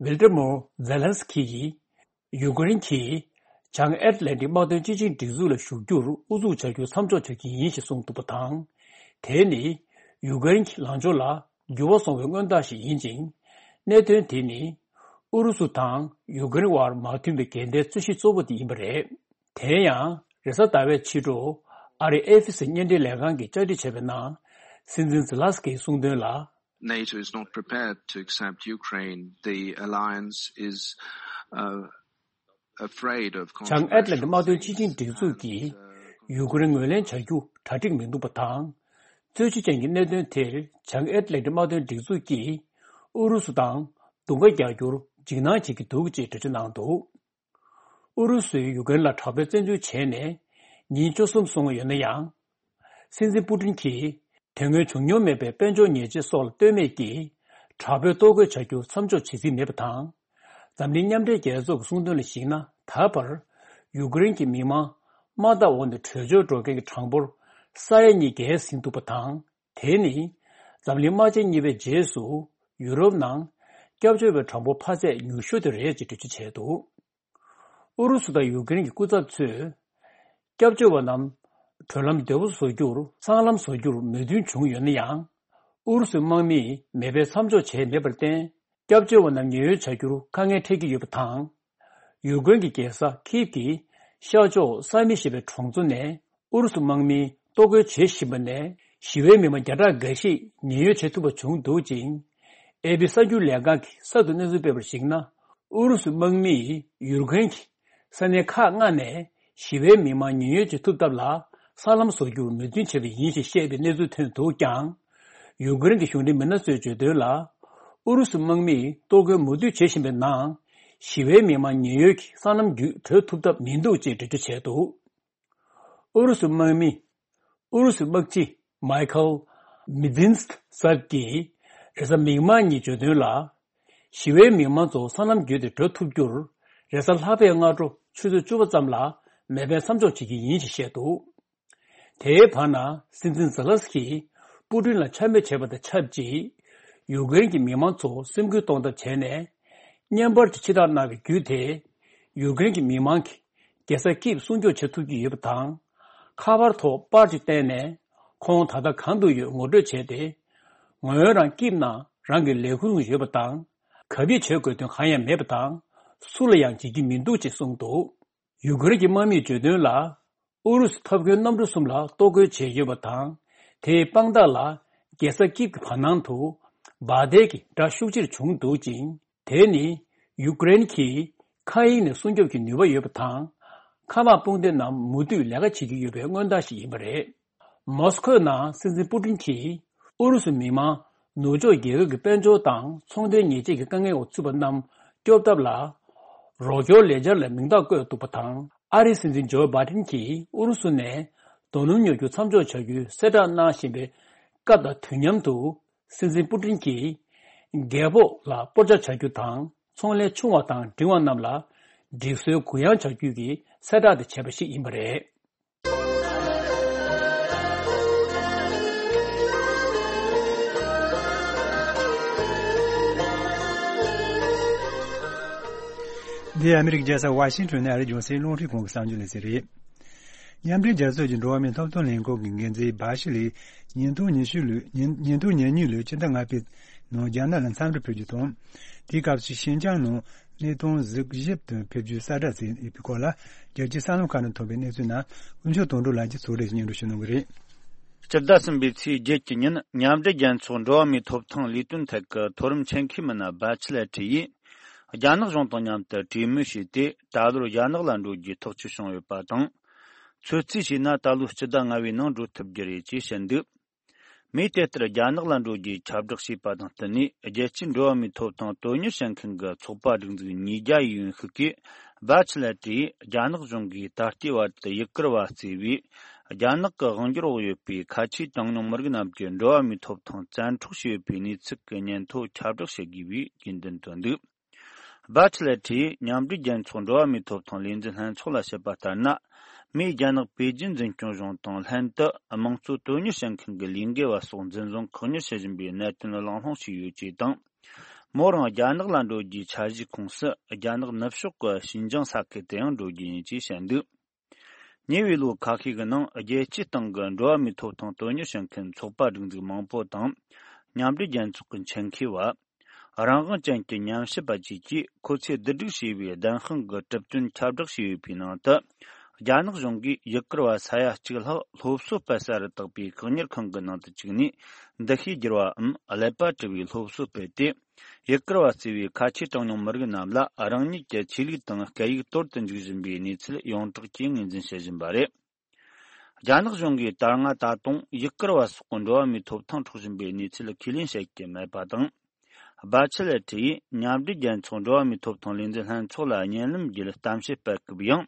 ཝིལ་ཏེ་མོར་ཛེ་ལན་སི་ཁི་ཡིས། ཡུ་ཀེ་རེན་གྱིས་བྱང་ཨེཊ་ལན་ཏིག་དམག་དོན་སྤྱི་ཆིངས་སྒྲིག་འཛུགས་ལ་ཞུགས་རྒྱུར་ཨུ་ཚུགས་བྱ་རྒྱུ་མཚམས་འཇོག་བྱ་རྒྱུ་ཡིན་ཞེས་གསུངས་འདུག་པ་དང་། དེ་ནི་ཡུ་ཀེ་རེན་གྱི་ལངས་ཕྱོགས་ལ་འགྱུར་བ་སོང་བའི་སྔོན་རྟགས་ཤིག་ཡིན་ཅིང་། གནད་དོན་དེ་ནི་ཨུ་རུ་སུ་དང་ཡུ་ཀེ་རེན་དབར་མ་མཐུན་པའི་འགལ་ཟླའི་རྩོད་གཞི་གཙོ་བོ་དེ་ཡིན་པ་རེད། དེ་ཡང་། རེས་གཟའ་ཟླ་བའི་ཕྱི་དྲོ། ཨ་རིའི་ཨེ་ཨེཕ་སི་བརྙན་འཕྲིན་ལས་ཁང་གིས་བཅར་འདྲི་བྱས་པའི་ནང་། སྲིད་འཛིན་ཛི་ལ་སི་ཀིས་གསུངས་དོན་ལ། NATO is not prepared to accept Ukraine. The alliance is, uh, afraid of བྱང་ཨེཊ་ལན་ཊིག་དམག་དོན་སྤྱི་ཆིངས་སྒྲིག་འཛུགས་ཀྱིས་ཡུ་ཀེ་རེན་ངོས་ལེན་བྱ་རྒྱུ་གྲ་སྒྲིག་མི་འདུག་པ་དང་། རྩོད་གཞི་ཅན་གྱི་གནད་དོན་དེར་བྱང་ཨེཊ་ལན་ཊིག་དམག་དོན་སྒྲིག་འཛུགས་ཀྱིས་ཨུ་རུ་སུ་དང་དུང་དཀར་རྒྱག་རྒྱུར་འཇིགས་སྣང་བྱེད་ཀྱི་འདུག་ཅེས་འགྲེལ་བརྗོད་གནང་འདུག་ཨུ་རུ་སུས་ཡུ་ཀེ་རེན་ལ་དྲག་པོའི་བཙན་འཛུལ་བྱས་ནས་ཉིན་བཅུ་གསུམ་སོང་ཡོད་ན་ཡང་། སྲིད་འཛིན་པུ་ཏིན་གྱིས་དེ་སྔོན་བྱུང་མྱོང་མེད་པའི་དཔལ་འབྱོར་ཉེས་ཆད་སོགས་ལ་ལྟོས་མེད་ཀྱིས། དྲག་པོའི་ལྟོ་གོས་བྱ་རྒྱུ་མཚམས་འཇོག་བྱེད་རྩིས་མེད་པ་དང་། འཛམ་གླིང་མཉམ་འབྲེལ་རྒྱལ་ཚོགས་ཀྱི་གསུངས་དོན་ལ་གཞིགས་ན། ད་བར་ཡུ་ཀེ་རེན་གྱི་མི་མང་དམག་འཐབ་འོག་ནས་བྲོས་བྱོལ་འགྲོ་མཁན་གྱི་གྲངས་འབོར་ས་ཡ་གཉིས་བརྒལ་ཟིན་འདུག་པ་དང་། དེ་ནི་འཛམ་གླིང་དམག་ཆེན་གཉིས་པའི་རྗེས་སུ་ཡུ་རོབ་ནང་སྐྱབས་བཅོལ་བའི་གྲངས་འབོར་འཕར་ཚད་ཉུང་ཤོས་དེ་རེད་ཅེས་འགྲེལ་བརྗོད་བྱས་འདུག་ཨུ་རུ་སུ་དང་ཡུ་ཀེ་རེན་གྱི་སྐུ་ཚབ་ཚོས་སྐྱབས་བཅོལ་བ་རྣམས་བགྲོད་ལམ་བདེ་པོ་བཟོ་རྒྱུར་སྲང་ལམ་བཟོ་རྒྱུར་མོས་མཐུན་བྱུང་ཡོད་ན་ཡང་། ཨུ་རུ་སུའི་དམག་མིས་མེ་འཕེན་མཚམས་འཇོག་བྱས་མེད་པར་བརྟེན། སྐྱབས་བཅོལ་བ་རྣམས་ཉེན་གཡོལ་བྱ་རྒྱུར་དཀའ་ངལ་འཕྲད་ཀྱི་ཡོད་པ་དང་། ཡུ་ཀེ་རེན་གྱི་རྒྱལ་ས་ཁིབ་ཀྱི་ཤར་ཕྱོགས་ས་མི་ཞེས་པའི་གྲོང་ཚོ་ནས། ཨུ་རུ་སུ་དམག་མིས་གཏོར་རྒོལ་བྱེད་བཞིན་པ་ནས་ཞི་བའི་མི་མང་བརྒྱ་ཕྲག་འགའ་ཞིག་ཉེན་གཡོལ་བྱེད་ཐུབ་པ་བྱུང་འདུག་ཅིང་། ཨེ་པི་གསར་འགྱུར་ལས་ཁང་གིས་གསར་དུ་གནས་ཚུལ་སྤེལ་བར་གཞིགས་ན། ཨུ་རུ་སུ་དམག་མིས་ཡུ་ཀེ་རེན་གྱི་ས་གནས་ཁག་ལྔ་ནས་ཞི་བའི་མི་མང་ཉེན་གཡོལ་བྱེད་ཐུབ་ཐབས་ལ་སྲང་ལམ་བཟོ་རྒྱུར་མོས་མཐུན་བྱས་པ་ཡིན་ཞེས་བཤད་པའི་གནས་ཚུལ་ཐོན་འདུག་ཀྱང་། ཡུ་ཀེ་རེན་གྱི་གཞུང་འབྲེལ་མི་སྣ་ཚོས་བརྗོད་དོན་ལ། ཨུ་རུ་སུ་དམག་མིས་གཏོར་རྒོལ་མུ་མཐུད་བྱེད་བཞིན་པའི་ནང་། ཞི་བའི་མི་མང་ཉེན་གཡོལ་གྱིས་སྲང་ལམ་བརྒྱུད་བྲོས་ཐུབ་ཐབས་མི་འདུག་ཅེས་འགྲེལ་བརྗོད་བྱས་འདུག་ཨུ་རུ་སུ་དམག་མི། ཨུ་རུ་སུའི་དམག་སྤྱི་མའི་ཁལ་མི་ཛིན་སི་ཟབ་ཀྱིས་རེས་གཟའ་མིག་དམར་ཉིན་བརྗོད་དོན་ལ། ཞི་བའི་མི་མང་ཚོ་སྲང་ལམ་བརྒྱུད་དེ་བྲོས་ཐུབ་རྒྱུར། རེས་གཟའ་ལྷག་པའི་སྔ་དྲོ་ཆུ་ཚོད་བཅུ་པ་ཙམ་ལ་མེ་འཕེན་མཚམས་འཇོག་བྱེད་ཀྱི་ཡིན་ཞེས་བཤད་འདུག་དེའི་བར་ན། སྲིད་འཛིན་ཛེ་ལན་སི་ཀིས་པུ་ཏིན་ལ་ཆ་མེད་བྱས་པ་དང་ཆབས་ཅིག་ཡུཀ་རེན་གྱི་མི་མང་ཚོ་སེམས་འགུལ་གཏོང་ཐབས་བྱས་ནས། བརྙན་པར་གྱི་ཕྱིར་བསྒྲགས་གནང་བའི་བརྒྱུད་དེ། ཡུཀ་རེན་གྱི་མི་མང་གིས་རྒྱལ་ས་ཀིབ་སྲུང་སྐྱོབ་བྱེད་ཐུབ་ཀྱི་ཡོད་པ་དང་། ཁ་པར་ཐོག་པར་ཅིག་བསྟན་ནས། ཁོང་ད་ལྟ་གང་དུ་ཡོད་ངོ་སྤྲོད་བྱས་ཏེ། ངོས་རང་ཀིབ་ནང་རང་གི་ལས་ཁུངས་ཡོད་པ་དང་། གབ་ཡིབ་བྱེད་དགོས་དོན་གང་ཡང་མེད་པ་དང་། སུ་ལ་ཡང་བརྗེད་ཀྱི་མི་འདུག་ཅེས་གསུངས་འདུག་ཡུ་ཀེ་རེན་གྱི་དམག་མིས་བརྗོད་དོན་ལ། ཨུ་རུ་སུའི་ཐབ་མཁས་གནམ་གྲུ་གསུམ་ལ་གཏོར་རྒོལ་བྱས་ཡོད་པ་དང་། དེའི་དཔང་རྟགས་ལ། རྒྱལ་ས་ཀིབ་ཀྱི་བར་སྣང་དུ། འབར་མདེལ་གྱི་སྒྲ་ཤུགས་ཆེར་བྱུང་འདུག་ཅིང་། དེ་ནི། ཡུ་ཀེ་རེན་གྱིས། མཁའ་དབྱིངས་ནས་སྲུང་སྐྱོབ་ཀྱི་ནུས་པ་ཡོད་པ་དང་། མཁའ་དམག་དཔུང་སྡེ་རྣམས་མུ་མཐུད་ལས་ཀ་བྱེད་ཀྱི་ཡོད་པའི་མངོན་རྟགས་ཤིག་ཡིན་པ་རེད། མོ་སི་ཁོའི་ནང་སྲིད་འཛིན་པུ་ཏིན་གྱིས། ཨུ་རུ་སུའི་མི་མང་། ནུབ་ཕྱོགས་རྒྱལ་ཁབ་ཀྱི་དཔལ་འབྱོར་དང་ཚོང་དོན་ཉེས་ཆད་ཀྱི་དཀའ་ངལ་འོག་ཚུད་པ་རྣམས་སྐྱོབ་ཐབས་ལ། རོགས་སྐྱོར་ལས་འཆར་ལ་མིང་རྟགས་བཀོད་འདུག་པ་དང་། ཨ་རིའི་སྲིད་འཛིན་ཇོ་བྷའི་ཏིན་གྱིས་ཨུ་རུ་སུ་ནས་རྡོ་སྣུམ་ཉོ་རྒྱུ་མཚམས་འཇོག་བྱ་རྒྱུའི་གསལ་བསྒྲགས་གནང་བཞིན་པའི་སྐབས་དང་དུས་མཉམ་དུ། སྲིད་འཛིན་པུ་ཏིན་གྱིས། རྒད་པོ་ལ་སྤོར་ཆ་བྱ་རྒྱུ་དང་། ཚོང་ལས་ཆུང་བ་དང་འབྲིང་བ་རྣམས་ལ། སྒྲིག་སྲོལ་གུ་ཡངས་བྱ་རྒྱུ་གི་གསལ་བསྒྲགས་དེ་བྱས་པ་ཞིག་ཡིན་པ་རེད། འདི་ཨ་མི་རི་ཀའི་རྒྱལ་ས་ཝ་ཤིང་ཊོན་ནས་ཨ་རིའི་རྒྱང་སྲིང་རླུང་འཕྲིན་ཁང་གི་གསར་འགྱུར་ལ་ཟེར་རེད། མཉམ་འབྲེལ་རྒྱལ་ཚོགས་ཀྱི་འགྲོ་བ་མིའི་ཐོབ་ཐང་ལས་ཁུངས་ཀྱི་འགན་འཛིན་སྦ་ཤི་ལིས་ཉིས་སྟོང་ཉི་ཤུ་ལོའི་ཕྱི་ཟླ་ལྔ་པའི་ནང་རྒྱ་ནག་ལ་འཚམས་འདྲི་ཕེབས་རྒྱུ་དང་། དེའི་སྐབས་སུ་ཤིན་ཅང་ནང་གནས་སྟངས་གཟིགས་ཞིབ་དུ་ཕེབས་རྒྱུའི་གསལ་བསྒྲགས་མཛད་ཡོད་པའི་སྐོར་ལ། རྒྱལ་སྤྱིའི་གསར་ལམ་ཁག་ནས་ཐོན་པའི་གནས་ཚུལ་རྣམས་དཀོན་མཆོག་དོན་གྲུབ་ལགས་ཀྱིས་ཚོགས་སྒྲིག་སྙན་སྒྲོན་ཞུ་གནང་གི་རེད། སྤྱི་ཟླ་གསུམ་པའི་ཚེས་བརྒྱད་ཀྱི་ཉིན། མཉམ་འབྲེལ་རྒྱལ་ཚོགས་འགྲོ་བ་མིའི་ཐོབ་ཐང་ལས་དོན་ཐད་ཀྱི་མཐོ་རིམ་ཆེད་མཁས་མི་སྣ་སྦ་ཆི་ལེ་ཁྲི་ཡིས། རྒྱ་ནག་གཞུང་དང་མཉམ་དུ་གྲོས་མོལ་བྱས་ཏེ། ད་ལོར་རྒྱ་ནག་ལ་འགྲོ་རྒྱུའི་ཐག་གཅོད་བྱུང་ཡོད་པ་དང་། ཚོད་རྩིས་བྱས་ན། ད་ལོའི་སྤྱི་ཟླ་ལྔ་པའི་ནང་འགྲོ་ཐུབ་རྒྱུ་རེད་ཅེས་བཤད་འདུག་མིས་དེ་ལྟར་རྒྱ་ནག་ལ་འགྲོ་རྒྱུའི་ཁྱབ་བསྒྲགས་བྱས་པ་དང་བསྟུན་ནས། རྒྱལ་སྤྱིའི་འགྲོ་བ་མིའི་ཐོབ་ཐང་དོན་གཉེར་བྱེད་མཁན་གྱི་ཚོགས་པ་སྒྲིག་འཛུགས་ཉིས་བརྒྱ་ཡི་ཡོན་ཤུགས་ཀྱིས། སྦ་ཆི་ལེ་ཏྲིས་རྒྱ་ནག་གཞུང་གིས་ད་ལྟའི་བར་དུ་ཡུ་གུར་བ་བརྩིས་པའི་རྒྱ་ནག་གི་དབང་སྒྱུར་འོག་ཡོད་པའི་ཁ་ཆེའི་གྲངས་ཉུང་མི་རིགས་རྣམས་ཀྱི་འགྲོ་བ་མིའི་ཐོབ་ཐང་བཙན་འཕྲོག་བྱས་ཡོད་པའི་གནས་ཚུལ་གྱི་སྙན་ཐོ་ཁྱབ་བསྒྲགས་བྱེད་དགོས་པའི་རྒྱུན་འདོན་བཏོན་འདུག་སྦ་ཆི་ལེ་ཁྲིས་མཉམ་འབྲེལ་རྒྱལ་ཚོགས་འགྲོ་བ་མིའི་ཐོབ་ཐང་ལས་འཛིན་ལྷན་ཚོགས་ལ་བཤད་པ་ལྟར་ན། མིས་རྒྱ་ནག་པེ་ཅིན་འཛིན་སྐྱོང་གཞུང་དང་ལྷན་དུ་དམངས་གཙོ་དོན་གཉེར་བྱེད་མཁན་གྱི་ལས་འགུལ་བ་སོགས་འཛིན་བཟུང་བཀག་ཉར་བྱེད་བཞིན་པའི་གནད་དོན་གླེང་སློང་བྱས་ཡོད་ཅེས་དང་། མོ་རང་རྒྱ་ནག་ལ་འགྲོ་རྒྱུའི་འཆར་གཞིའི་ཁོངས་སུ། རྒྱ་ནག་ནུབ་ཕྱོགས་ཀྱི་ཤིན་ཅང་ས་ཁུལ་དུ་ཡང་འགྲོ་རྒྱུ་ཡིན་ཅེས་བཤད་འདུག་ཉེ་བའི་ལོ་ཁ་ཤས་ཀྱི་ནང་རྒྱལ་སྤྱིའི་སྟེང་གི་འགྲོ་བ་མིའི་ཐོབ་ཐང་དོན་གཉེར་བྱེད་མཁན་ཚོགས་པ་སྒྲིག་འཛུགས་མང་པོ་དང་། མཉམ་འབྲེལ་རྒྱལ་ཚོགས་ཀྱི་ཆེད་མཁས་པ། རང་དབང་ཅན་གྱི་ཉམས་ཞིབ་པ་བཅས་ཀྱིས་ཁོ་ཚོས་བསྡུ་སྒྲིག་བྱས་པའི་བདེན་དཔང་གི་གྲུབ་དོན་ཁྱབ་བསྒྲགས་བྱས་ཡོད་པའི་ནང་དུ། རྒྱ་ནག་གཞུང་གིས་ཡུ་གུར་བ་ས་ཡ་གཅིག་ལྷག་སློབ་གསོ་སྤེལ་ས་རུ་བཏགས་པའི་བཀག་ཉར་ཁང་གི་ནང་དུ་བཅུག་ནས། འདུ་ཤེས་བསྒྱུར་བའམ་ཀླད་པ་གྲུལ་བའི་སློབ་གསོ་སྤེལ་ཏེ། ཡུ་གུར་བ་གཙོས་པའི་ཁ་ཆེའི་གྲངས་ཉུང་མི་རིགས་རྣམས་ལ་རང་ཉིད་ཀྱི་ཆོས་ལུགས་དང་སྐད་ཡིག་གཏོར་དུ་འཇུག་བཞིན་པའི་གནས་ཚུལ་ཡོངས་གྲགས་ཀྱིས་ངོས་འཛིན་བྱེད་བཞིན་པ་རེད། རྒྱ་ནག་གཞུང་གིས་ད་སྔ་ད་དུང་ཡུ་གུར་བ་སོགས་འགྲོ་བ་མིའི་ཐོབ་ཐང་འཕྲོག་བཞིན་པའི་གནས་ཚུལ་ཁས་ལེན་བྱེད་ཀྱི་མེད་པ་དང་། སྦ་ཆི་ལེ་ཁྲི་ཡིས་མཉམ་འབྲེལ་རྒྱལ་ཚོགས་འགྲོ་བ་མིའི་ཐོབ་ཐང་ལས་འཛིན་ལྷན་ཚོགས་ལ་བརྙན་ལམ་བརྒྱུད་གཏམ་བཤད་སྤེལ་སྐབས་ཡང་།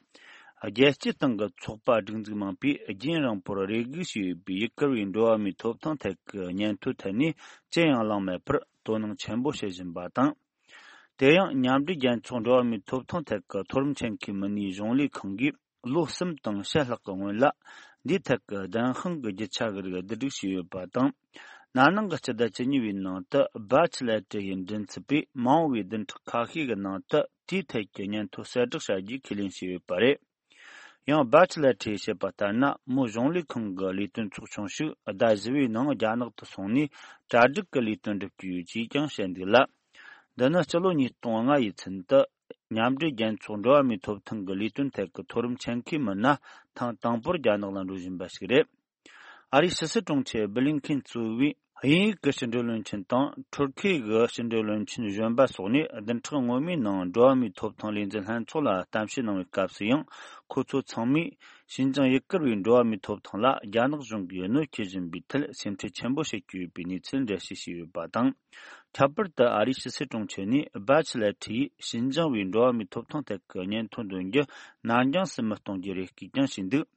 རྒྱལ་སྤྱིའི་སྟེང་གི་ཚོགས་པ་སྒྲིག་འཛུགས་མང་པོས་རྒྱུན་རིང་པོར་རེ་སྒུག་བྱས་ཡོད་པའི་ཡུ་གུར་བའི་འགྲོ་བ་མིའི་ཐོབ་ཐང་ཐད་ཀྱི་སྙན་ཐོའི་ཐད་ནས་ཅི་ཡང་གླེང་མེད་པར་དོ་སྣང་ཆེན་པོ་བྱེད་བཞིན་པ་དང་། དེ་ཡང་མཉམ་འབྲེལ་རྒྱལ་ཚོགས་འགྲོ་བ་མིའི་ཐོབ་ཐང་ཐད་ཀྱི་མཐོ་རིམ་ཆེད་མཁས་མི་སྣའི་གཞུང་ལས་ཁང་གིས། ལོ་གསུམ་དང་ཕྱེད་ལྷག་གི་སྔོན་ལ། འདིའི་ཐད་ཀྱི་བདེན་དཔང་གི་རྒྱུ་ཆ་གི་རིགས་བསྡུ་སྒྲིག་བྱས་ཡོད་པ་དང་། ན་ནིང་གི་སྤྱི་ཟླ་བཅུ་གཉིས་པའི་ནང་དུ་སྦ་ཆི་ལེ་ཏྲི་ཡི་མགྲིན་ཚབ་པས་མ་འོངས་པའི་བདུན་ཕྲག་ཁ་ཤས་ཀྱི་ནང་དུ་དེའི་ཐད་ཀྱི་སྙན་ཐོ་གསལ་བསྒྲགས་བྱ་རྒྱུའི་ཁས་ལེན་བྱས་ཡོད་པ་རེད། ཡང་སྦ་ཆི་ལེ་ཏྲིས་བཤད་པ་ལྟར་ན། མོ་གཞུང་ལས་ཁང་གི་ལས་དོན་ཚོགས་ཆུང་ཞིག་ཟླ་བཞི་པའི་ནང་རྒྱ་ནག་ཏུ་སོང་ནས་གྲ་སྒྲིག་གི་ལས་དོན་སྒྲུབ་ཀྱི་ཡོད་ཅེས་ཀྱང་བཤད་འདུག་ལ། འདི་ནི་སྤྱི་ལོ་ཉིས་སྟོང་ལྔ་ཡི་ཚུན་དུ། མཉམ་འབྲེལ་རྒྱལ་ཚོགས་འགྲོ་བ་མིའི་ཐོབ་ཐང་གི་ལས་དོན་ཐད་ཀྱི་མཐོ་རིམ་ཆེད་མཁས་མི་སྣ་ཐེངས་དང་པོར་རྒྱ་ནག་ལ་འགྲོ་བཞིན་པ་ཞིག་རེད། ཨ་རིའི་ཕྱི་སྲིད་དྲུང་ཆེ་བྷི་ལིན་ཁེན་གཙོས་པའི་ དབྱིན་ཡིག་གི་ཕྱི་འབྲེལ་བློན་ཆེན་དང་ཐུར་ཁེ་གི་ཕྱི་འབྲེལ་བློན་ཆེན་གཞོན་པ་སོགས་ནས་བདུན་ཕྲག་སྔོན་མའི་ནང་འགྲོ་བ་མིའི་ཐོབ་ཐང་ལས་འཛིན་ལྷན་ཚོགས་ལ་གཏམ་བཤད་གནང་བའི་སྐབས་སུ་ཡང་། ཁོ་ཚོ་ཚང་མས་ཞིན་ཅང་ཡུ་གུར་བའི་འགྲོ་བ་མིའི་ཐོབ་ཐང་ལ་རྒྱ་ནག་གཞུང་གིས་གནོད་སྐྱེལ་བཞིན་པའི་ཐད་སེམས་ཁྲལ་ཆེན་པོ་བྱེད་ཀྱི་ཡོད་པའི་གནས་ཚུལ་འགྲེལ་བཤད་བྱས་ཡོད་པ་དང་། ཁྱད་པར་དུ་ཨ་རིའི་ཕྱི་སྲིད་དྲུང་ཆེ་ནས་སྦ་ཆི་ལེ་ཁྲི་ཡིས་ཞིན་ཅང་བའི་འགྲོ་བ་མིའི་ཐོབ་ཐང་ཐད་ཀྱི་སྙན་ཐོ་འདོན་རྒྱུ་ནར་འགྱངས་སུ་མི་གཏོང་རྒྱུའི་རེ་སྐུལ་ཀྱང་བྱས་འདུག།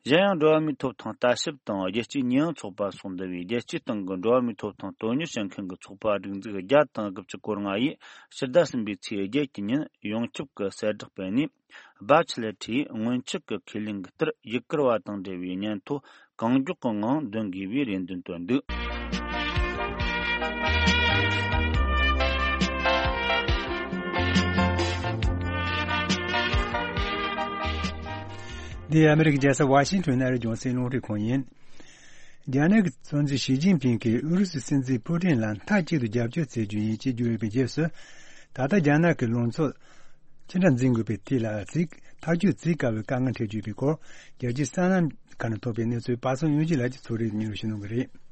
གཞན་ཡང་འགྲོ་བ་མིའི་ཐོབ་ཐང་ལྟ་ཞིབ་དང་རྒྱལ་སྤྱིའི་ཉེས་ཡངས་ཚོགས་པ་སོགས་འདུ་བའི་རྒྱལ་སྤྱིའི་སྟེང་གི་འགྲོ་བ་མིའི་ཐོབ་ཐང་དོན་གཉེར་བྱེད་མཁན་གྱི་ཚོགས་པ་སྒྲིག་འཛུགས་བརྒྱ་དང་དགུ་བཅུ་གོ་ལྔ་ཡིས་ཕྱི་ཟླ་གསུམ་པའི་ཚེས་བརྒྱད་ཀྱི་ཉིན་ཡོངས་ཁྱབ་ཀྱི་གསལ་བསྒྲགས་སྤེལ་ནས། སྦ་ཆི་ལེ་ཁྲིས་སྔོན་ཆད་ཀྱི་ཁས་ལེན་གྱི་ལྟར་ཡུ་གུར་བ་དང་འབྲེལ་བའི་སྙན་ཐོ་གང་མགྱོགས་ཀྱི་ངང་འདོན་དགོས་པའི་རེ་འདུན་བཏོན་འདུག། འདི་ཨ་མི་རི་ཀའི་རྒྱལ་ས་ཝ་ཤིང་ཊོན་ཨ་རིའི་རྒྱང་སྲིང་རླུང་འཕྲིན་ཁང་ཡིན། རྒྱ་ནག་གི་སྲིད་འཛིན་ཞི་ཅིན་ཕིང་གིས་ཨུ་རུ་སུའི་སྲིད་འཛིན་ཕུ་ཏིན་ལ་མཐའ་གཅིག་ཏུ་རྒྱབ་སྐྱོར་བྱེད་རྒྱུ་ཡིན་ཅེས་བརྗོད་ཡོད་པའི་རྗེས་སུ། ད་ལྟ་རྒྱ་ནག་གི་ལངས་ཕྱོགས་ཅི་འདྲ་འཛིན་དགོས་པའི་ཐད་ལ་གཟིགས་ཐག་གཅོད་བྱེད་དཀའ་བའི་དཀའ་ངལ་འཕྲད་ཀྱི་ཡོད་པའི་སྐོར། རྒྱལ་སྤྱིའི་གསར་ལམ་ཁག་ནས་ཐོབ་པའི་གནས་ཚུལ་པ་སངས་དབྱངས་སྐྱིད་ལགས་ཀྱིས་ཚོགས་རིས་སྙན་སྒྲོན་ཞུ་གནང་གི་རེད།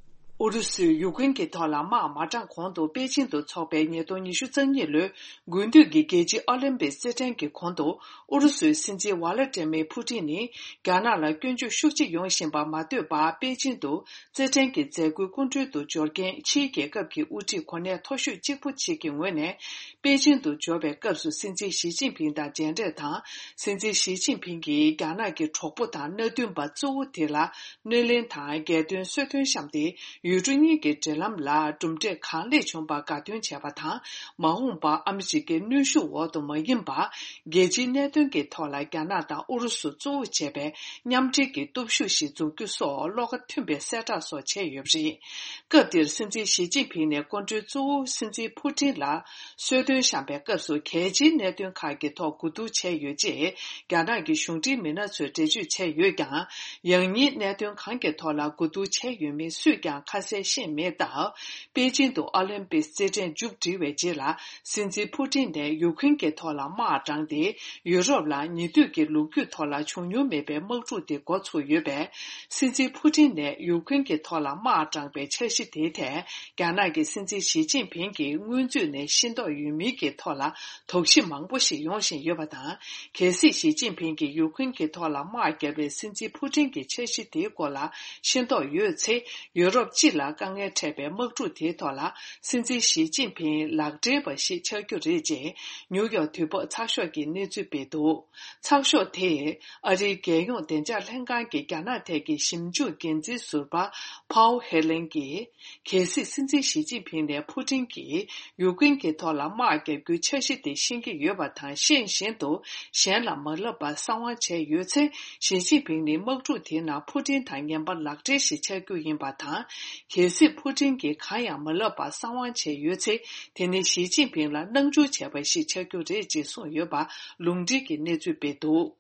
ཨུ་རུ་སུས་ཡུཀ་རེན་གྱི་ཐོག་ལ་དམག་མ་དྲངས་གོང་དུ་པེ་ཅིན་དུ་འཚོགས་པའི་ཉིས་སྟོང་ཉི་ཤུ་རྩ་གཉིས་ལོའི་དགུན་དུས་ཀྱི་རྒྱལ་སྤྱིའི་ཨོ་ལིམ་པིག་རྩེད་འགྲན་གྱི་གོང་དུ། ཨུ་རུ་སུའི་སྲིད་འཛིན་ཝ་ལ་ཏྲེ་མེ་ཕུ་ཏིན་ནི་རྒྱ་ནག་ལ་སྐྱོན་བརྗོད་ཤུགས་ཆེ་ཡོང་བཞིན་པ་མ་ཐོས་པར། པེ་ཅིན་དུ་རྩེད་འགྲན་གྱི་མཛད་སྒོའི་སྐུ་མགྲོན་དུ་འབྱོར་མཁན་ཕྱིའི་རྒྱལ་ཁབ་ཀྱི་དབུ་ཁྲིད་གོ་གནས་མཐོ་ཤོས་གཅིག་པུ་ཞིག་གི་ངོས་ནས། པེ་ཅིན་དུ་འབྱོར་བའི་སྐབས་སུ་སྲིད་འཛིན་ཞི་ཅིན་ཕིང་དང་མཇལ་འཕྲད་དང་། སྲིད་འཛིན་ཞི་ཅིན་ཕིང་གིས་རྒྱ་ནག་གི་གྲོགས་པོ་དང་མནའ་མཐུན་པ་གཙོ་བོ་དེ་ལ་སྣེ་ལེན་དང་རྒྱལ་དོན་གསོལ་སྟོན་བཤམས་ཏེ། ཡུལ་གྲུ་གཉིས་ཀྱི་འབྲེལ་ལམ་ལ་གྲུབ་འབྲས་གང་ལེགས་བྱུང་བར་དགའ་སྟོན་བྱས་པ་དང་། མ་འོངས་པར་ཨ་མི་རི་ཀའི་གནོན་ཤུགས་འོག་ཏུ་མ་ཡིན་པར། རྒྱལ་སྤྱིའི་གནད་དོན་གྱི་ཐོག་ལ་རྒྱ་ནག་དང་ཨུ་རུ་སུ་གཙོ་བོ་བྱས་པའི་མཉམ་འབྲེལ་གྱི་སྟོབས་ཤུགས་ཤིག་འཛུགས་རྒྱུ་སོགས་བློ་ཁ་མཐུན་པའི་གསལ་བསྒྲགས་སོགས་བྱས་ཡོད་པ་རེད། སྐབས་དེར་སྲིད་འཛིན་ཞི་ཅིན་ཕིང་ནས་སྐུ་མགྲོན་གཙོ་བོ་སྲིད་འཛིན་ཕུ་ཏིན་ལ་གསོལ་སྟོན་བཤམས་པའི་སྐབས་སུ། གལ་ཆེའི་གནད་དོན་ཁག་གི་ཐོག་གོ་བསྡུར་བྱས་ཡོད་ཅེས་རྒྱ་ནག་གི་གཞུང་འབྲེལ་མི་སྣ་ཚོས་འགྲེལ་བརྗོད་བྱས་ཡོད་ཀྱང་། ཡང་སྙིང་གནད་དོན་གང་གི་ཐོག་ལ་གོ་བསྡུར་བྱས་ཡོད་མེད་སུས་ཀྱང་ཁ་གསལ་ཤེས་མེད་སྟབས། པེ་ཅིན་དུ་ཨོ་ལིམ་པིག་རྩེད་འགྲན་མཇུག་བསྒྲིལ་བའི་རྗེས་ལ། སྲིད་འཛིན་ཕུ་ཏིན་ནས་ཡུཀ་རེན་གྱི་ཐོག་ལ་དམག་དྲངས་ཏེ། ཡུ་རོབ་ལ་ཉེ་དུས་ཀྱི་ལོ་རྒྱུས་ཐོག་ལ་བྱུང་མྱོང་མེད་པའི་དམག་འཁྲུག་དེ་འགོ་ཚུགས་ཡོད་པས། སྲིད་འཛིན་ཕུ་ཏིན་ནས་ཡུཀ་རེན་གྱི་ཐོག་ལ་དམག་དྲངས་པའི་འཆར་གཞི་དེའི་ཐད། རྒྱ་ནག་གི་སྲིད་འཛིན་ཞི་ཅིན་ཕིང་གིས་སྔོན་ཚུད་ནས་ཤེས་རྟོགས་ཡོད་མིན་གྱི་ཐོག་ལ་དོགས་གཞི་མང་པོ་ཞིག་ཡོང་བཞིན་ཡོད་པ་དང་། གལ་སྲིད་ཞི་ཅིན་ཕིང་གིས་ཡུཀ་རེན་གྱི་ཐོག་ལ་དམག་བརྒྱབ་པའི་སྲིད་འཛིན་ཕུ་ཏིན་གྱི་འཆར་གཞི་དེའི་སྐོར་ལ་ཤེས་རྟོགས་ཡོད་ཚེ། ཡུ་རོབ་སྤྱི་ལ་དཀའ་ངལ་འཕྲད་པའི་དམག་འཁྲུག་དེའི་ཐོག་ལ། སྲིད་འཛིན་ཞི་ཅིན་ཕིང་ལག་འབྲེལ་བ་ཞིག་ཆགས་རྒྱུ་རེད་ཅེས་ནིའུ་ཡོག་དུས་བབ་ཚགས་ཤོག་གིས་གནས་ཚུལ་སྤེལ་འདུག། ཚགས་ཤོག་དེས་ཨ་རིའི་རྒྱལ་ཡོངས་བདེ་འཇགས་ལྷན་ཁང་གི་རྒྱ་ནག་ཐད་ཀྱི་ཞིབ་འཇུག་འགན་འཛིན་ཟུར་པ་ཕའོ་ཧེ་ལེན་གྱིས། གལ་སྲིད་སྲིད་འཛིན་ཞི་ཅིན་ཕིང་ནས་ཕུ་ཏིན་གྱིས་ཡུཀ་རེན་གྱི་ཐོག་ལ་དམག་བརྒྱབ་རྒྱུའི་འཆར་གཞི་དེ་ཤེས་ཀྱི་ཡོད་པ་དང་། ཤེས་བཞིན་དུ་གཞན་ལ་མ་ལབ་པར་གསང་བ་བྱས་ཡོད་ཚེ། ཞི་ཅིན་ཕིང་ནི་དམག་འཁྲུག་དེའི་ནང་ཕུ་ཏིན་དང་ངན་པ་ལག་འབྲེལ་ཞིག་ཆགས་རྒྱུ་ཡིན་པ་དང་། གལ་སྲིད་ཕུ་ཏིན་གྱིས་གང་ཡང་མ་ལབ་པར་གསང་བ་བྱས་ཡོད་ཚེ། དེ་ནི་ཞི་ཅིན་ཕིང་ལ་སྣང་ཆུང་བྱས་པ་ཞིག་ཆགས་རྒྱུ་རེད་ཅེས་གསུངས་ཡོད་པ་ལུང་འདྲེན་གྱི་གནས་ཚུལ་སྤེལ་འདུག།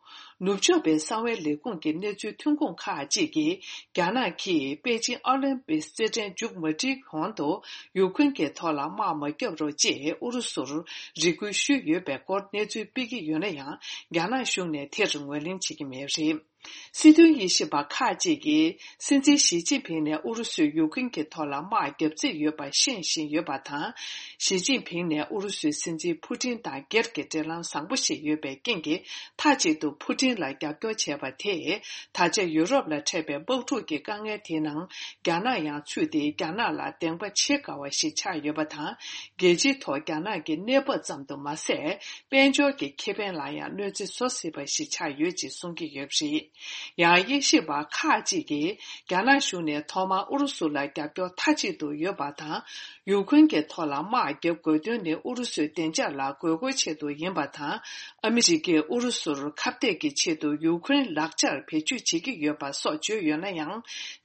ནུབ་ཕྱོགས་པའི་གསང་བའི་ལས་ཁུངས་ཀྱི་གནས་ཚུལ་ཐོན་ཁུངས་ཁག་ཅིག་གིས། རྒྱ་ནག་གིས་པེ་ཅིན་ཨོ་ལིམ་པིག་རྩེད་འགྲན་མཇུག་མ་སྒྲིལ་གོང་དུ། ཡུཀ་རེན་གྱི་ཐོག་ལ་དམག་མ་བརྒྱབ་རོགས་ཅེས་ཨུ་རུ་སུར་རེ་སྐུལ་ཞུས་ཡོད་པའི་སྐོར་གནས་ཚུལ་སྤེལ་གྱི་ཡོད་ན་ཡང་། རྒྱ་ནག་གཞུང་ནས་དེར་ངོས་ལེན་བྱེད་ཀྱི་མེད་པ་རེད། སྲིད་དོན་དབྱེ་ཞིབ་པ་ཁག་ཅིག་གིས། སྲིད་འཛིན་ཞི་ཅིན་ཕིང་ནས་ཨུ་རུ་སུས་ཡུཀ་རེན་གྱི་ཐོག་ལ་དམག་བརྒྱབ་རྩིས་ཡོད་པ་ཤེས་བཞིན་ཡོད་པ་དང་། ཞི་ཅིན་ཕིང་ནས་ཨུ་རུ་སུའི་སྲིད་འཛིན་ཕུ་ཏིན་དང་སྒེར་གྱི་འབྲེལ་ལམ་བཟང་པོ་ཞིག་ཡོད་པའི་རྐྱེན་གྱིས། མཐའ་གཅིག་ཏུ་ཕུ་ཏིན་ལ་རྒྱབ་སྐྱོར་བྱས་པ་དེས། ད་ཆ་ཡུ་རོབ་ལ་འཕྲད་པའི་དམག་འཁྲུག་གི་དཀའ་ངལ་དེའི་ནང་། རྒྱ་ནག་ཡང་ཚུད་དེ། རྒྱ་ནག་ལ་བདེན་པ་བྱེད་དཀའ་བ་ཞིག་ཆགས་ཡོད་པ་དང་། རྒྱལ་སྤྱིའི་ཐོག་རྒྱ་ནག་གི་གནས་བབ་ཙམ་དུ་མ་ཟད། དཔལ་འབྱོར་གྱི་ཁེ་ཕན་ལ་ཡང་གནོད་འཚེ་བཟོ་སྲིད་པ་ཞིག་ཆགས་ཡོད་ཅེས་གསུང་གི་ཡོད་པ་རེད། ཡང་དབྱེ་ཞིབ་པ་ཁག་ཅིག་གིས། རྒྱ་ནག་གཞུང་ནས་ཐོག་མར་ཨུ་རུ་སུ་ལ་རྒྱབ་སྐྱོར་མཐའ་གཅིག་ཏུ་ཡོད་པ་དང་། ཡུཀ་རེན་གྱི་ཐོག་ལ་དམག་བརྒྱབ་དགོས་དོན་ནི། ཨུ་རུ་སུའི་བདེ་འཇགས་ལ་དགོས་མཁོའི་ཆེད་དུ་ཡིན་པ་དང་། ཨ་མི་རི་ཀས་ཨུ་རུ་སུར་ཁ་གཏད་ཀྱི་ཆེད་དུ་ཡུཀ་རེན་ལག་ཆར་བེད་སྤྱོད་བྱེད་ཀྱི་ཡོད་པ་སོགས་བརྗོད་ཡོད་ན་ཡང་།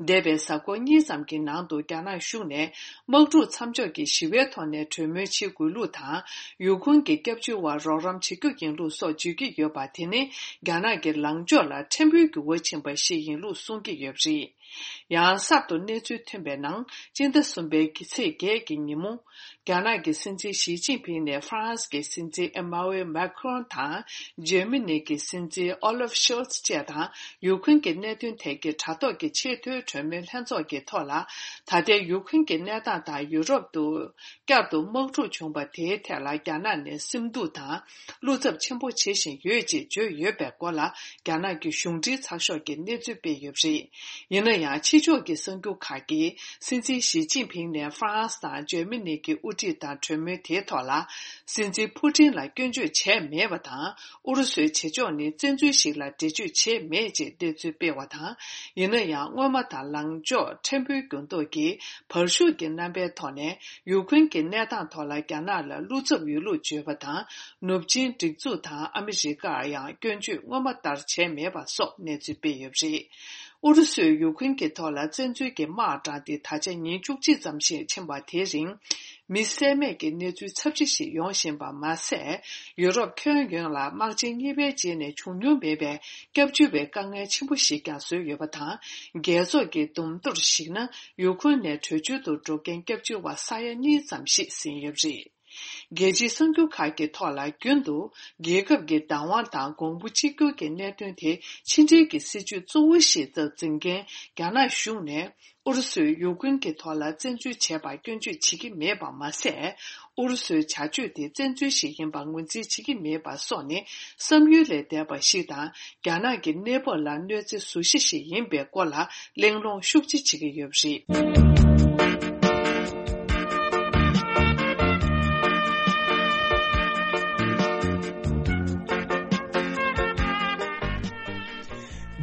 འདས་པའི་གཟའ་འཁོར་གཉིས་ཙམ་གྱི་ནང་དུ། རྒྱ་ནག་གཞུང་ནས། དམག་འཁྲུག་མཚམས་འཇོག་གིས་ཞི་བའི་ཐོག་ནས་གྲོས་མོལ་བྱེད་དགོས་ལུགས་དང་། ཡུ་ཁུན་གྱི་སྐྱབས་བཅོལ་བར་རོགས་རམ་བྱེད་རྒྱུ་ཡིན་ལུགས་སོགས་བརྗོད་ཀྱི་ཡོད་པ། དེ་ནི་རྒྱ་ནག་གི་ལངས་ཕྱོགས་ལ་ཕྲན་བུའི་འགྱུར་བ་ཕྱིན་པ་ཞིག་ཡིན་ལུགས་གསུང་གི་ཡོད་པ་རེད། ཡང་གསར་དུ་གནས་ཚུལ་ཐོན་པའི་ནང་སྤྱི་ཟླ་གསུམ་པའི་ཚེས་བརྒྱད་ཀྱི་ཉིན་མོ། རྒྱ་ནག་གི་སྲིད་འཛིན་ཞི་ཅིན་ཕིང་ནས་ཧྥ་རན་སི་གི་སྲིད་འཛིན་ཨེ་མ་ཝེ་མཱ་ཁི་རོན་དང་འཇར་མ་ནི་གི་སྲིད་འཛིན་ཨོ་ལབ་ཤོལ་ཚ་བཅས་དང་ཡུ་ཁུན་གྱི་གནད་དོན་ཐད་ཀྱི་དྲ་ཐོག་གི་ཆེས་མཐོའི་གྲོས་མོལ་ལྷན་ཚོགས་ཀྱི་ཐོག་ལ། ད་ལྟའི་ཡུ་ཁུན་གྱི་གནས་སྟངས་དང་ཡུ་རོབ་ཏུ་བསྐྱར་དུ་དམག་འཁྲུག་བྱུང་བ་དེའི་ཐད་ལ་རྒྱ་ནག་ནས་སེམས་སྡུག་དང་བློ་འཚབ་ཆེན་པོ་བྱེད་བཞིན་ཡོད་ཅེས་བརྗོད་ཡོད་པའི་སྐོར་ལ། རྒྱ་ནག་གི་གཞུང་འབྲེལ་ཚགས་ཤོག་གིས་གནས་ཚུལ་སྤེལ་ཡོད་པ་རེད། ཡིན་ན་ཡང་ཕྱི་ཕྱོགས་ཀྱི་གསར་འགྱུར་ཁག་གིས་སྲིད་འཛིན་ཞི་ཅིན་ཕིང་ནས་ཧྥ་རན་སི་དང་འཇར་མ་ནི་གི་དབུ་ཁྲིད་དང་གྲོས་མོལ་དེའི་ཐོག་ལ། སྲིད་འཛིན་ཕུ་ཏིན་ལ་སྐྱོན་བརྗོད་བྱས་མེད་པ་དང་། ཨུ་རུ་སུའི་བྱེད་ཕྱོགས་ནི་བཙན་འཛུལ་ཞིག་ལ་འགྲེལ་བརྗོད་བྱས་མེད་ཅེས་གནས་ཚུལ་སྤེལ་བ་དང་། ཡིན་ན་ཡང་སྔོན་མ་དང་ལངས་ཕྱོགས་ཕྲན་བུའི་འགྱུར་ལྡོག་གིས་བར་ཞུགས་ཀྱི་རྣམ་པའི་ཐོག་ནས་ཡུ་ཁུན་གྱི་གནས་སྟངས་ཐོག་ལ་རྒྱ་ནག་ལ་བློ་འཚབ་ཡོད་ལུགས་བརྗོད་པ་དང་། ནུབ་ཆིངས་སྒྲིག་འཛུགས་དང་ཨ་མི་རི་ཀར་ཡང་སྐྱོན་བརྗོད་སྔོན་མ་ལྟར་བྱས་མེད་པ་སོགས་གནས་ཚུལ་སྤེལ་ཡོད་པ་རེད། ཨུ་རུ་སུས་ཡུ་ཁུན་གྱི་ཐོག་ལ་བཙན་འཛུལ་གྱི་དམག་དྲངས་ཏེ་ད་ཆ་ཉིན་བཅུ་གཅིག་ཙམ་ཞིག་ཕྱིན་པ་དེའི་རིང་། མི་བསད་རྨས་ཀྱི་གནས་ཚུལ་ཚབས་ཆེ་ཞིག་ཡོང་བཞིན་པ་མ་ཟད། ཡུ་རོབ་ཁྱོན་ཡོངས་ལ་དམག་ཆེན་གཉིས་པའི་རྗེས་ནས་བྱུང་མྱོང་མེད་པའི་སྐྱབས་བཅོལ་བའི་དཀའ་ངལ་ཆེན་པོ་ཞིག་ཀྱང་བཟོས་ཡོད་པ་དང་། རྒྱལ་ཚོགས་ཀྱི་བསྡོམས་ཐོར་གཞིགས་ན། ཡུ་ཁུན་ནས་བྲོས་བྱོལ་དུ་འགྲོ་མཁན་སྐྱབས་བཅོལ་བ་ས་ཡ་གཉིས་ཙམ་ཞིག་ཟིན་ཡོད་པ་རེད། རྒྱལ་སྤྱིའི་གསར་འགྱུར་ཁག་གི་ཐོག་ལ་རྒྱུན་དུ་རྒྱལ་ཁབ་ཀྱི་བདག་དབང་དང་གོང་བུ་གཅིག་གྱུར་གྱི་གནད་དོན་དེ་ཕྱི་འབྲེལ་གྱི་སྲིད་ཇུས་གཙོ་བོ་ཞིག་ཏུ་འཛིན་མཁན་རྒྱ་ནག་གཞུང་ནས་ཨུ་རུ་སུས་ཡུ་ཀེ་རེན་གྱི་ཐོག་ལ་བཙན་འཛུལ་བྱས་པར་སྐྱོན་བརྗོད་བྱེད་ཀྱི་མེད་པ་མ་ཟད། ཨུ་རུ་སུའི་བྱ་སྤྱོད་དེ་བཙན་འཛུལ་ཞིག་ཡིན་པར་ངོས་འཛིན་བྱེད་ཀྱི་མེད་པ་སོགས་ནི་བསམ་ཡུལ་ལས་འདས་པ་ཞིག་དང་། རྒྱ་ནག་གི་གནས་བབ་ལ་གནོད་འཚེ་བཟོ་གཞི་ཞིག་ཡིན་པའི་སྐོར་ལ་གླེང་སློང་ཤུགས་ཆེ་བྱེད་ཀྱི་ཡོད་པ་རེད།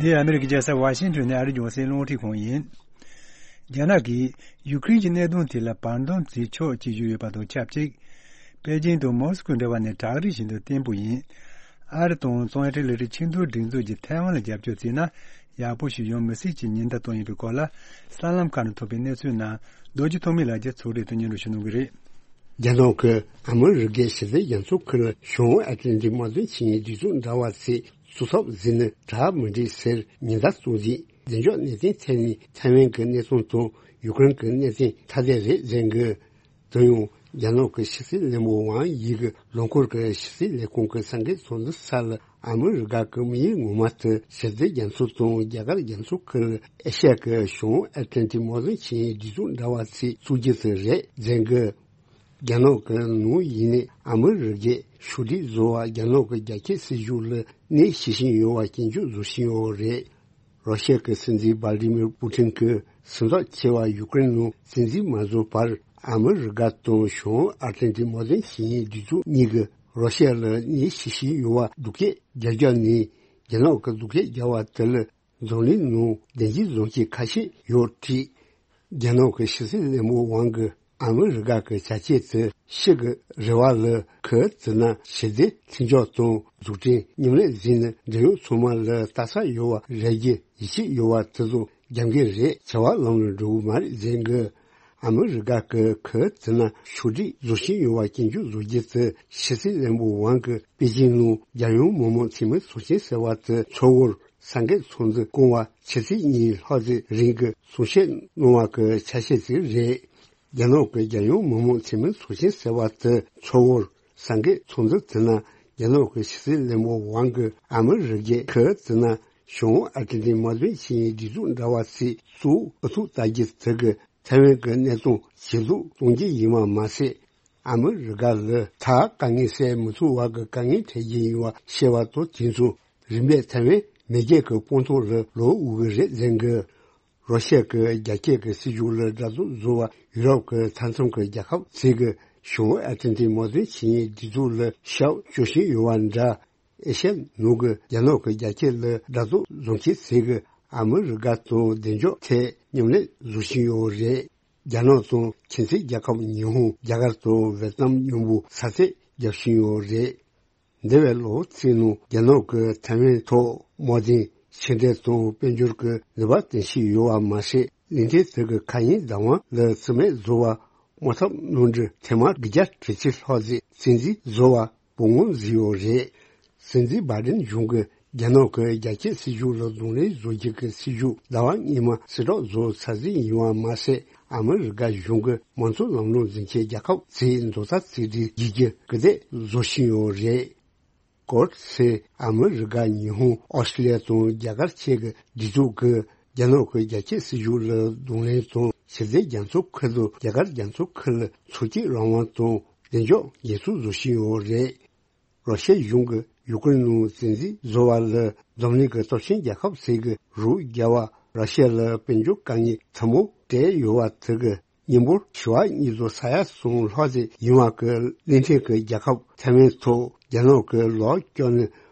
འདི་ཨ་མེ་རི་ཀའི་རྒྱལ་ས་ཝ་ཤིང་ཊོན་ནས་ཨ་རིའི་རྒྱང་སྲིང་རླུང་འཕྲིན་ཁང་ཡིན། རྒྱ་ནག་གིས་ཡུ་ཀེ་རེན་གྱི་གནད་དོན་དེ་ལ་བར་འདུམ་བྱེད་ཆོག་ཅེས་ཞུས་ཡོད་པ་དང་ཆབས་ཅིག་པེ་ཅིང་དང་མོ་སི་ཀོའི་འབྲེལ་བ་ནི་བྲག་རི་བཞིན་དུ་བརྟན་པོ་ཡིན། ཨ་རི་དང་ཙོང་ཡ་ཊའེ་ལི་ཏི་ཆིང་ཏུའུ་སྒྲིག་འཛུགས་ཀྱིས་ཐའེ་ཝན་ལ་རྒྱབ་སྐྱོར་བྱས་ན་ཡག་པོ་ཞིག་ཡོང་མི་སྲིད་ཅེས་ཉེན་བརྡ་བཏང་ཡོད་པའི་སྐོར་ལ། གསར་ལམ་ཁག་ནས་ཐོབ་པའི་གནས་ཚུལ་ནང་རྡོ་རྗེ་ཐོགས་མེད་ལགས་ཀྱིས་ཚོགས་སྒྲིག་ཏུ་སྙན་སྒྲོན་ཞུ་གནང་གི་རེད། རྒྱ་ནག་གིས་ཨ་མི་རི་ཀའི་ཞི་བདེ་རྒྱ་མཚོ་ཁུལ་བྱང་ཨེ་ཏི་ལན་ཏིག་དམག་དོན་ཆིངས་ཡིག་སྒྲིག་འཛུགས་འདྲ་བ་ཚོས་བཙུགས་ཐབས་ཟིན་ནི་དྲག་མི་འགྲིག་ཟེར་ཉེན་བརྡ་གཏོང་རྗེས་བདེ་འཇགས་གནད་དོན་ཐད་ནས་ཐའེ་ཝན་གྱི་གནས་སྟངས་དང་ཡུ་ཀེ་རེན་གྱི་གནད་དོན་ཐ་དད་རེད་ཟེར་གི། དེ་ཡང་རྒྱ་ནག་གི་ཕྱི་སྲིད་བློན་པོ་ཝང་དབྱི་གིས་ལོ་འཁོར་གྱི་ཕྱི་སྲིད་ལས་ཁུངས་ཀྱི་གསར་འགོད་ཚོགས་འདུ་སར་ཨ་མི་རི་ཀ་གི་དམིགས་ཡུལ་ངོ་མ་དེ་ཞི་བདེ་རྒྱ་མཚོ་དང་རྒྱ་གར་རྒྱ་མཚོ་ཁུལ་ཨེ་ཤ་ཡ་གི་བྱང་ཨེ་ཏི་ལན་ཏིག་དམག་དོན་ཆིངས་ཡིག་སྒྲིག་འཛུགས་འདྲ་བ་ཚོས་བཙུགས་རྒྱུ་དེ་རེད་ཟེར་གི། རྒྱ་ནག་གི་ནང་ཡིན་ནའི་ཨ་མི་རི་ཀས་ཕྱོགས་སྒྲིག་བཟོ་བར་རྒྱ་ནག་གི་རྒྱ་སྐྱེད་སྲིད་གཞུང་ལ་གནོད་བྱེད་བཞིན་ཡོད་པ་སྐྱོན་བརྗོད་བཟོ་བཞིན་ཡོད་རེད། རོ་ཤ་གི་སྲིད་འཛིན་བྷ་ལ་ཏི་མིར་པུ་ཏིན་གྱིས་སེམས་ཐག་ཆོད་པར་ཡུ་ཀེ་རེན་ནང་བཙན་འཛུལ་མ་བཟོ་བར་ཨ་མི་རི་ཀ་དང་བྱང་ཨར་ཏི་ལན་ཏིག་དམག་དོན་ཆིངས་ཡིག་སྒྲིག་འཛུགས་གཉིས་ཀྱིས་རོ་ཤ་ལ་གནོད་བྱེད་བཞིན་ཡོད་པ་སྡུག་སྐད་རྒྱག་རྒྱུ་ནི། རྒྱ་ནག་གིས་སྡུག་སྐད་རྒྱག་པ་དེ་ལ་འཛམ་གླིང་ནང་བདེན་རྫུན་བཟང་ཤོས་ཁ་ཤས་ཡོད་དྲིས། རྒྱ་ནག་གི་ཕྱི་སྲིད་བློན་པོ་ཝང་གིས་ཨ་མི་རི་ཀ་གི་བྱ་སྤྱོད་དེ་ཕྱི་གི་རེ་བ་ལ་ཁོས་བརྩིས་ན་ཞི་བདེ་མཐུན་སྦྱོར་དང་འཛུགས་སྐྲུན་མཉམ་ལས་བཟོས་ནས་འབྲེལ་ཡོད་ཚང་མ་ལ་ལྟ་ས་ཡོད་པ་རེད་རྒྱུ་ཡིད་ཆེས་ཡོད་པ་དེ་ཚོ་རྒྱབ་འགལ་རེད། བྱ་བ་ལམ་ལ་འགྲོ་གི་མ་རེད་ཟེར་གི། ཨ་མི་རི་ཀ་གིས་ཁོས་བརྩིས་ན་ཕྱོགས་སྒྲིག་བཟོ་བཞིན་ཡོད་པ་སྐྱོན་བརྗོད་བཟོ་རྒྱུ་དེ་ཕྱི་སྲིད་བློན་པོ་ཝང་གིས་པེ་ཅིང་ནང་རྒྱལ་ཡོངས་མི་དམངས་འཐུས་མི་ཚོགས་ཆེན་ཟེར་བ་དེ་འཚོགས་སྐོར་གསར་འགོད་ཚོགས་འདུ་བསྐོང་བ་ཕྱི་ཚེས་གཉིས་ལྷག་ཙམ་རིང་གི་གསུང་བཤད་གནང་བ་གི་ཆ་ཤས་ཤིག་རེད། རྒྱ་ནག་གི་རྒྱལ་ཡོངས་མི་དམངས་འཐུས་མི་ཚོགས་ཆེན་ཟེར་བ་དེ་འཚོགས་སྐོར་གསར་འགོད་ཚོགས་འདུ་དེ་ན་རྒྱ་ནག་གི་ཕྱི་སྲིད་བློན་པོ་ཝང་གིས་ཨ་མི་རི་ཀས་ཁོས་བརྩིས་ན་བྱང་ཨ་ཏི་ལན་ཏིག་དམག་དོན་ཆིངས་ཡིག་སྒྲིག་འཛུགས་འདྲ་བ་ཞིག་བཙུགས་ཨུ་ཐུག་ལྟ་རྒྱུ་དེ་གིས་ཐའེ་ཝན་གྱི་གནད་དོན་ཇེ་སྡུག་གཏོང་རྒྱུ་ཡིན་པ་མ་ཟད། ཨ་མི་རི་ཀ་ལ་ད་དཀའ་ངལ་སེལ་མི་ཐུབ་པ་གི་དཀའ་ངལ་འཕྲད་རྒྱུ་ཡིན་པ་ཤེས་པ་དང་དུས་མཚུངས་རིམ་པས་ཐའེ་ཝན་མེས་རྒྱལ་གྱི་དཔང་རྟགས་ལ་ལོག་འོས་ཀྱི་རེད་ཟེར་གི། རོ་ཤ་གི་རྒྱ་སྐྱེད་ཀྱི་སྲིད་ཇུས་ལ་དགྲ་བཟོ་བཟོ་བ་ཡུ་རོབ་ཀྱི་མཐའ་མཚམས་ཀྱི་རྒྱལ་ཁབ་ཚོས་ཀྱི་བྱང་ཨ་ཏི་ལན་ཏིག་དམག་དོན་ཆིངས་ཡིག་སྒྲིག་འཛུགས་ལ་ཞབས་ཞུ་བཞིན་ཡོད་པ་འདྲ། ཨེ་ཤ་ཡ་ནང་གི་རྒྱ་ནག་གི་རྒྱ་སྐྱེད་ལ་དགྲ་བཟོ་བཟོ་མཁན་ཚོས་ཀྱི་ཨ་མི་རི་ཀ་དང་བདེ་འཇགས་ཐད་མཉམ་ལས་བཟོ་བཞིན་ཡོད་རེད། རྒྱ་ནག་དང་ཁྱིམ་མཚེས་རྒྱལ་ཁབ་ཉི་ཧོང་རྒྱ་གར་དང་ཝེ་ཏི་ནམ་མཉམ་པོ་ས་ཚིགས་རྒྱག་བཞིན་ཡོད་རེད། འདས་པའི་ལོ་ཚིགས་ནང་རྒྱ་ནག་གིས་ཐའེ་ཝན་ཐོག་དམག་དོན་ཕྱི་འབྲེལ་དང་དཔལ་འབྱོར་གྱི་ནུས་པ་བཏོན་བཞིན་ཡོད་པ་མ་ཟད། ལུང་ཐེ་ཐེ་གི་མཁའ་དབྱིངས་བདག་དབང་ལ་རྩིས་མེད་བཟོ་བ་དམག་འཐབ་གནམ་གྲུ་ཐེངས་མ་དགུ་བརྒྱ་དྲུག་ཅུ་ལྷག་ཙམ་རྩིས་འཛིན་བཟོ་བ་བོད་ངོས་འཛིན་ཡོད་རེད། སྲིད་འཛིན་བྷ་དན་གཞུང་གི་ རྒྱ་ནག་གི་རྒྱ་སྐྱེད་སྲིད་ཇུས་ལ་གདོང་ལེན་བཟོ་རྒྱུ་གི་སྲིད་ཇུས་ཟླ་བ་སྔོན་མ་གསལ་བསྒྲགས་བཟོ་ཚར་ཟིན་ཡིན་པ་མ་ཟད། ཨ་མི་རི་ཀ་གཞུང་གི་མང་གཙོ་ལམ་ལུགས་འཛིན་ཆེད་རྒྱལ་ཁབ་ཚོས་མདོ་རྩ་གཅིག་སྒྲིལ་བྱེད་རྒྱུ་སྐུལ་འདེད་བཟོ་བཞིན་ཡོད་རེད། ཀོར་སི་ཨ་མི་རི་ཀ་ཉི་ཧོང་ཨོ་སི་ཀྲི་ལི་ཡ་དང་རྒྱ་གར་བཅས་ཀྱི་སྒྲིག་འཛུགས་ཀྱིས་རྒྱ་ནག་གི་རྒྱ་སྐྱེད་སྲིད་ཇུས་ལ་གདོང་ལེན་དང་ཕྱི་སྲིད་རྒྱ་མཚོ་ཁུལ་དང་རྒྱ་གར་རྒྱ་མཚོ་ཁུལ་ལ་ཚོགས་སྐྱིད་རང་དབང་དང་བདེ་འཇགས་འགན་སྲུང་བཟོ་བཞིན་ཡོད་རེད། རོ་ཤི་ཡ་གཞུང་གིས་ཡུ་ཀེ་རེན་ནང་བཙན་འཛུལ་བཟོ་བ་ལ་འཛམ་གླིང་གི་སྟོབས་ཆེན་རྒྱལ་ཁབ་ཚོས་ཀྱི་རོགས་རྒྱབ་པ་རོ་ཤི་ཡ་ལ་དཔལ་འབྱོར་དཀའ་ངལ་ཚ་མོ་སྤྲད་ཡོད་པ་དེ་གི་གཉིས་འབོར་ཞི་བ་ཉིས་སྟོང་ས་ཡ་གསུམ་ལྷག་ཙམ་ཡིན་པ་གི་གླིང་ཕྲན་གྱི་རྒྱལ་ཁབ་ཐའེ་ཝན་ཐོག་རྒྱ་ནག་གི་ལོག་སྐྱོན་ནི་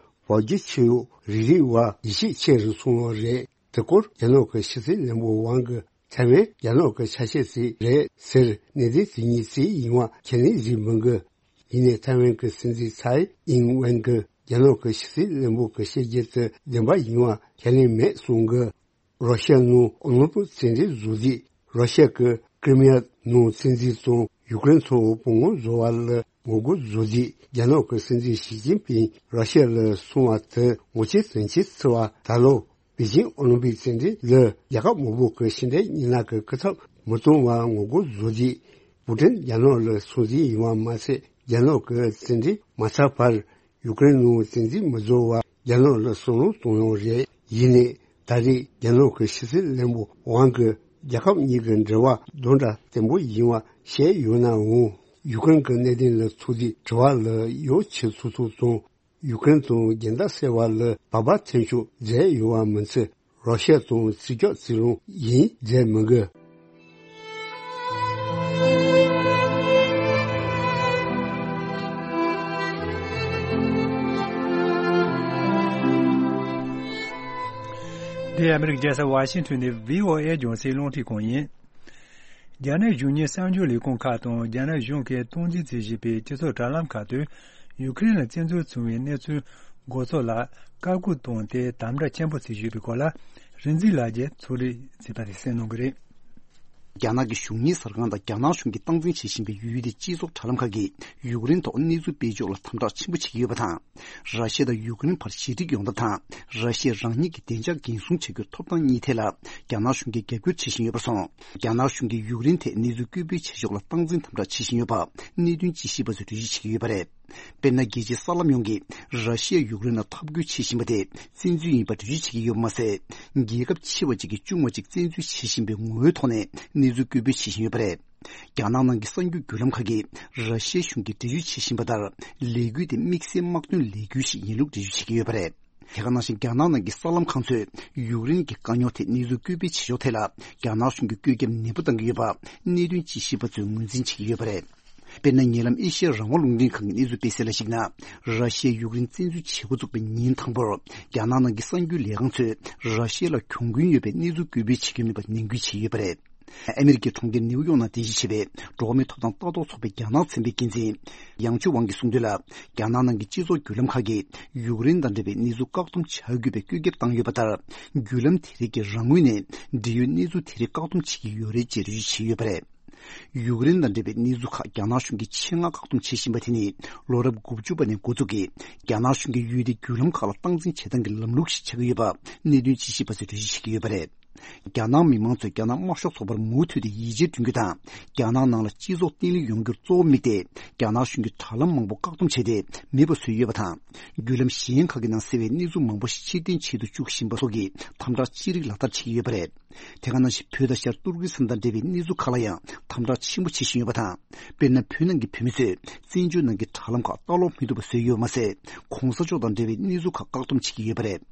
བོད་བརྒྱུད་ཆོས་ལུགས་རིག་རིགས་བ་ཡིད་ཆེས་ཆེ་རུ་སོང་བ་རེད། དེ་སྐོར་རྒྱ་ནག་གི་ཕྱི་སྲིད་བློན་པོ་ཝང་གིས་ཐའེ་ཝན་རྒྱ་ནག་གི་ཆ་ཤས་ཤིག་རེད་ཟེར་གནད་དོན་དེ་ཉིད་ཅིག་ཡིན་པ་ཁས་ལེན་བྱེད་མི་དགོས། ཡིན་ནའི་ཐའེ་ཝན་གྱི་སྲིད་འཛིན་ཚའེ་ཨིན་ཝེན་གྱིས་རྒྱ་ནག་གི་ཕྱི་སྲིད་བློན་པོ་གྱི་བཤད་རྒྱུ་དེ་བདེན་པ་ཡིན་པ་ཁས་ལེན་མེད་གསུངས་གི། རོ་ཤི་ཡ་ནང་ཨོ་ལིམ་པིག་རྩེད་འགྲན་བཟོ་དུས་རོ་ཤི་ཡ་གི་ཀི་རི་མི་ཡ་ནང་བཙན་འཛུལ་དང་ཡུ་ཀེ་རེན་ཐོག་བོད་དབང་བཟོ་བ་ལ་ངོ་རྒོལ་བཟོ་དུས་རྒྱ་ནག་གི་སྲིད་འཛིན་ཞི་ཅིན་ཕིང་རོ་ཤི་ཡ་ལ་སོང་བ་དེ་ངོ་ཆེ་དོན་ཆེ་ཆེ་བ། ད་ལོ་པེ་ཅིང་ཨོ་ལིམ་པིག་རྩེད་འགྲན་ལ་རྒྱལ་ཁབ་མང་པོ་གི་ཕྱི་འབྲེལ་མི་སྣ་གི་སྐུ་ཚབ་མི་གཏོང་བ་ངོ་རྒོལ་བཟོ་དུས་པུ་ཏིན་རྒྱ་ནག་ལ་སོང་ཟིན་ཡིན་པ་མ་ཟད། རྒྱ་ནག་གི་རྩེད་འགྲན་མ་ཚར་བར་ཡུ་ཀེ་རེན་ནང་བཙན་འཛུལ་མི་བཟོ་བར་རྒྱ་ནག་ལ་བསམ་བློ་གཏོང་ཡོང་རེད། ཡིན་ནའི་ད་རེས་རྒྱ་ནག་གི་ཕྱི་སྲིད་བློན་པོ་ཝང་གིས་རྒྱལ་ཁབ་གཉིས་ཀྱི་འབྲེལ་བ་དོན་དང་བརྟན་པོ་ཡིན་པ་བཤད་ཡོད་ནའང་། ཡུ་ཀེ་རེན་གྱི་གནད་དོན་ལ་ཐུག་དུས་དྲི་བ་ལ་ཡོ་ཆེ་ཚུགས་ཚུགས་དང་། ཡུ་ཀེ་རེན་དང་རྒྱལ་ཟླ་སེ་བ་ལ་བབ་པ་ཐེབས་ཆོག་མཛད་ཡོད་པ་མིན་ཚེ། རོ་ཤི་ཡ་དང་རྩིས་རྒྱག་རྩིས་རུང་ཡིན་མཛད་མི་དགོས། འདི་ཨ་མི་རི་ཀའི་རྒྱལ་ས་ཝ་ཤིང་ཊོན་ནས་བྷི་ཨོ་ཨེ་རྒྱང་སྲིང་རླུང་འཕྲིན་ཁང་ཡིན། རྒྱ་ནག་གཞུང་གཉེར་གསར་འགྱུར་ལས་ཁུངས་ཁག་དང་རྒྱ་ནག་གཞུང་གིས་སྟངས་འཛིན་བྱེད་བཞིན་པའི་སྤྱི་ཚོགས་དྲ་ལམ་ཁག་ཏུ་ཡུ་ཀེ་རེན་ལ་བཙན་འཛུལ་བྱུང་བའི་གནས་ཚུལ་འགོ་ཚུགས་ལ་བཀའ་བཀོད་བཏང་སྟེ་དམ་དྲག་ཆེན་པོ་བྱེད་བཞིན་ཡོད་པའི་སྐོར་ལ་རིག་འཛིན་ལགས་ཀྱིས་ཕྱོགས་སྒྲིག་བྱས་པ་རེད། གསན་གནང་གི་རེད། རྒྱ་ནག་གི་གཞུང་གཉེར་གསར་ཁང་དང་རྒྱ་ནག་གཞུང་གིས་སྟངས་འཛིན་བྱེད་བཞིན་པའི་ཡུལ་དེའི་སྤྱི་ཚོགས་དྲ་ལམ་ཁག་གིས་ཡུཀ་རེན་ཐོག་གནས་ཚུལ་སྤེལ་ཕྱོགས་ལ་དམ་དྲག་ཆེན་པོ་བྱེད་ཀྱི་ཡོད་པ་དང་། ར་ཤི་ཡ་དང་ཡུཀ་རེན་བར་ཞི་འགྲིག་ཡོང་ཐབས་དང་། ར་ཤི་ཡ་རང་ཉིད་ཀྱི་བདེ་འཇགས་འགན་སྲུང་བྱ་རྒྱུའི་ཐོབ་ཐང་གཉིས་ཐད་ལ་རྒྱ་ནག་གཞུང་གིས་རྒྱབ་སྐྱོར་བྱེད་བཞིན་ཡོད་པར་སོང་། རྒྱ་ནག་གཞུང་གིས་ཡུཀ་རེན་ཐད་གནས་ཚུལ་སྐུལ་སྤེལ་བྱེད་ཕྱོགས་ལ་སྟངས་འཛིན་དམ་དྲག་བྱེད་བཞིན་ཡོད་པ་གནད་དོན་དཔྱད་ཞིབ་པ་ཚོས་འགྲེལ་བརྗོད་བྱེད་ཀྱི་ཡོད་པ་རེད། དཔེར་ན། རྒྱལ་སྤྱིའི་གསར་ལམ་ཡོངས་ཀྱིས་ར་ཤི་ཡས་ཡུཀ་རེན་ལ་འཐབ་རྒོལ་བྱེད་བཞིན་པ་དེ་བཙན་འཛུལ་ཡིན་པར་འགྲེལ་བརྗོད་བྱེད་ཀྱི་ཡོད་པ་མ་ཟད། རྒྱལ་ཁབ་ཆེ་བ་གཅིག་གིས་ཆུང་བ་གཅིག་བཙན་འཛུལ་བྱེད་བཞིན་པའི་ངོ་བོའི་ཐོག་ནས་གནས་ཚུལ་སྐུལ་སྤེལ་བྱེད་བཞིན་ཡོད་པ་རེད། རྒྱ་ནག་ནང་གི་གསར་འགྱུར་བརྒྱུད་ལམ་ཁག་གིས་ར་ཤི་ཡའི་གཞུང་གིས་འགྲེལ་བརྗོད་བྱེད་བཞིན་པ་ལྟར། ལས་འགུལ་དེ་དམིགས་བསལ་དམག་དོན་ལས་འགུལ་ཞིག་ཡིན་ལུགས་འགྲེལ་བརྗོད་བྱེད་ཀྱི་ཡོད་པ་རེད། དེ་ག་ནང་བཞིན་རྒྱ་ནག་ནང་གི་གསར་ལམ་ཁང་ཚོས་ཡུཀ་རེན་གྱི་དཀའ་རྙོག་ཐད་གནས་ཚུལ་སྐུལ་སྤེལ་བྱེད་ཕྱོགས་ཐད་ལ་རྒྱ་ནག་གཞུང་གིས་བཀོད་ཁྱབ་ནན་པོ་བཏང་གི་ཡོད་པ་གནད་དོན་དཔྱད་ཞིབ་པ་ཚོས་ངོས་འཛིན་བྱེད་ཀྱི་ཡོད་པ་རེད། དཔེར་ན། ཉེ་ལམ་ཨེ་ཤི་ཡ་རང་དབང་རླུང་འཕྲིན་ཁང་གི་གནས་ཚུལ་སྤེལ་གསལ་ལ་གཞིགས་ན། ར་ཤི་ཡས་ཡུཀ་རེན་བཙན་འཛུལ་བྱེད་འགོ་བཙུགས་པའི་ཉིན་དང་པོར། རྒྱ་ནག་ནང་གི་གསར་འགྱུར་ལས་ཁང་ཚོས་ར་ཤི་ཡ་ལ་གྱོང་གུན་ཡོད་པའི་གནས་ཚུལ་སྐུལ་སྤེལ་བྱེད་ཀྱི་མེད་པར་ནན་སྐུལ་བྱས་ཡོད་པ་རེད། ཨ་མི་རི་ཀའི་གྲོང་ཁྱེར་ནེའུ་ཡོག་ནང་རྟེན་གཞི་བྱས་པའི་འགྲོ་བ་མིའི་ཐོབ་ཐང་ལྟ་རྟོག་ཚོགས་པའི་རྒྱ་ནག་ཚན་པའི་འགན་འཛིན་ཡང་ཆུ་ཝང་གིས་གསུངས་དོན་ལ། རྒྱ་ནག་ནང་གི་སྤྱི་ཚོགས་བརྒྱུད་ལམ་ཁག་གིས་ཡུཀ་རེན་དང་འབྲེལ་བའི་གནས་ཚུལ་བཀག་སྡོམ་བྱ་དགོས་པའི་བཀོད་ཁྱབ་བཏང་ཡོད་པ་ལྟར། བརྒྱུད་ལམ་དེ་རིགས་ཀྱིས་རང་ངོས་ནས་འབྲེལ་ཡོད་གནས་ཚུལ་དེ་རིགས་བཀག་སྡོམ་བྱེད་ཀྱི་ཡོད་རེད་ཅེས་འགྲེལ་བརྗོད་བྱས་ཡོད་པ་རེད། ཡུཀ་རེན་དང་འབྲེལ་བའི་གནས་ཚུལ་ཁག་རྒྱ་ནག་གཞུང་གིས་ཆེད་མངགས་བཀག་སྡོམ་བྱེད་བཞིན་པ་དེ་ནི་ལོ་རབས་དགུ་བཅུ་པ་ནས་འགོ་བཙུགས་ཀྱིས་རྒྱ་ནག་གཞུང་གིས་ཡུལ་དེའི་བརྒྱུད་ལམ་ཁག་ལ་སྟངས་འཛིན་བྱེད་སྟངས་ཀྱི་ལམ་ལུགས་ཤིག་ཆགས་ཀྱི་ཡོད་པ་གནད་དོན་དཔྱད་ཞིབ་པ་ཚོས་འགྲེལ་བརྗོད་བྱེད་ཀྱི་ཡོད་པ་རེད། རྒྱ་ནག་མི་མང་ཚོས་རྒྱ་ནག་དམར་ཤོག་ཚོགས་པར་མུ་མཐུད་དེ་ཡིད་ཆེས་བསྐྲུན་རྒྱུ་དང་། རྒྱ་ནག་ནང་ལ་སྤྱི་ཚོགས་བརྟན་ལྷིང་ཡོང་རྒྱུར་གཙོ་བོ་དམིགས་ཏེ། རྒྱ་ནག་གཞུང་གིས་དྲ་ལམ་མང་པོ་བཀག་སྡོམ་བྱས་ཏེ་མེད་པ་བཟོས་ཡོད་པ་དང་། བརྒྱུད་ལམ་གཞན་ཁག་གི་ནང་གསལ་བའི་གནས་ཚུལ་མང་པོ་ཞིག་ཕྱིར་འཐེན་བྱེད་དུ་བཅུག་བཞིན་པ་སོགས་ཀྱི་དམ་དྲག་ཅི་རིགས་ལག་བསྟར་བྱེད་ཀྱི་ཡོད་པ་རེད། དེ་ག་ནང་བཞིན་བོད་དང་ཤར་ཏུར་ཀི་སི་ཐན་དང་འབྲེལ་བའི་གནས་ཚུལ་ཁག་ལ་ཡང་དམ་དྲག་ཆེན་པོ་བྱེད་བཞིན་ཡོད་པ་དང་། དཔེར་ན། བོད་ནང་གི་བོད་མི་ཚོས་བཙན་བྱོལ་ནང་གི་དྲ་ལམ་ཁག་ལྟ་ཀློག་མི་ཐུབ་པ་བཟོས་ཡོད་མ་ཟད། གོང་ས་མཆོག་དང་འབྲེལ་བའི་གནས་ཚུལ་ཁག་བཀག་སྡོམ་བྱེད་ཀྱི་ཡོད་པ་རེད།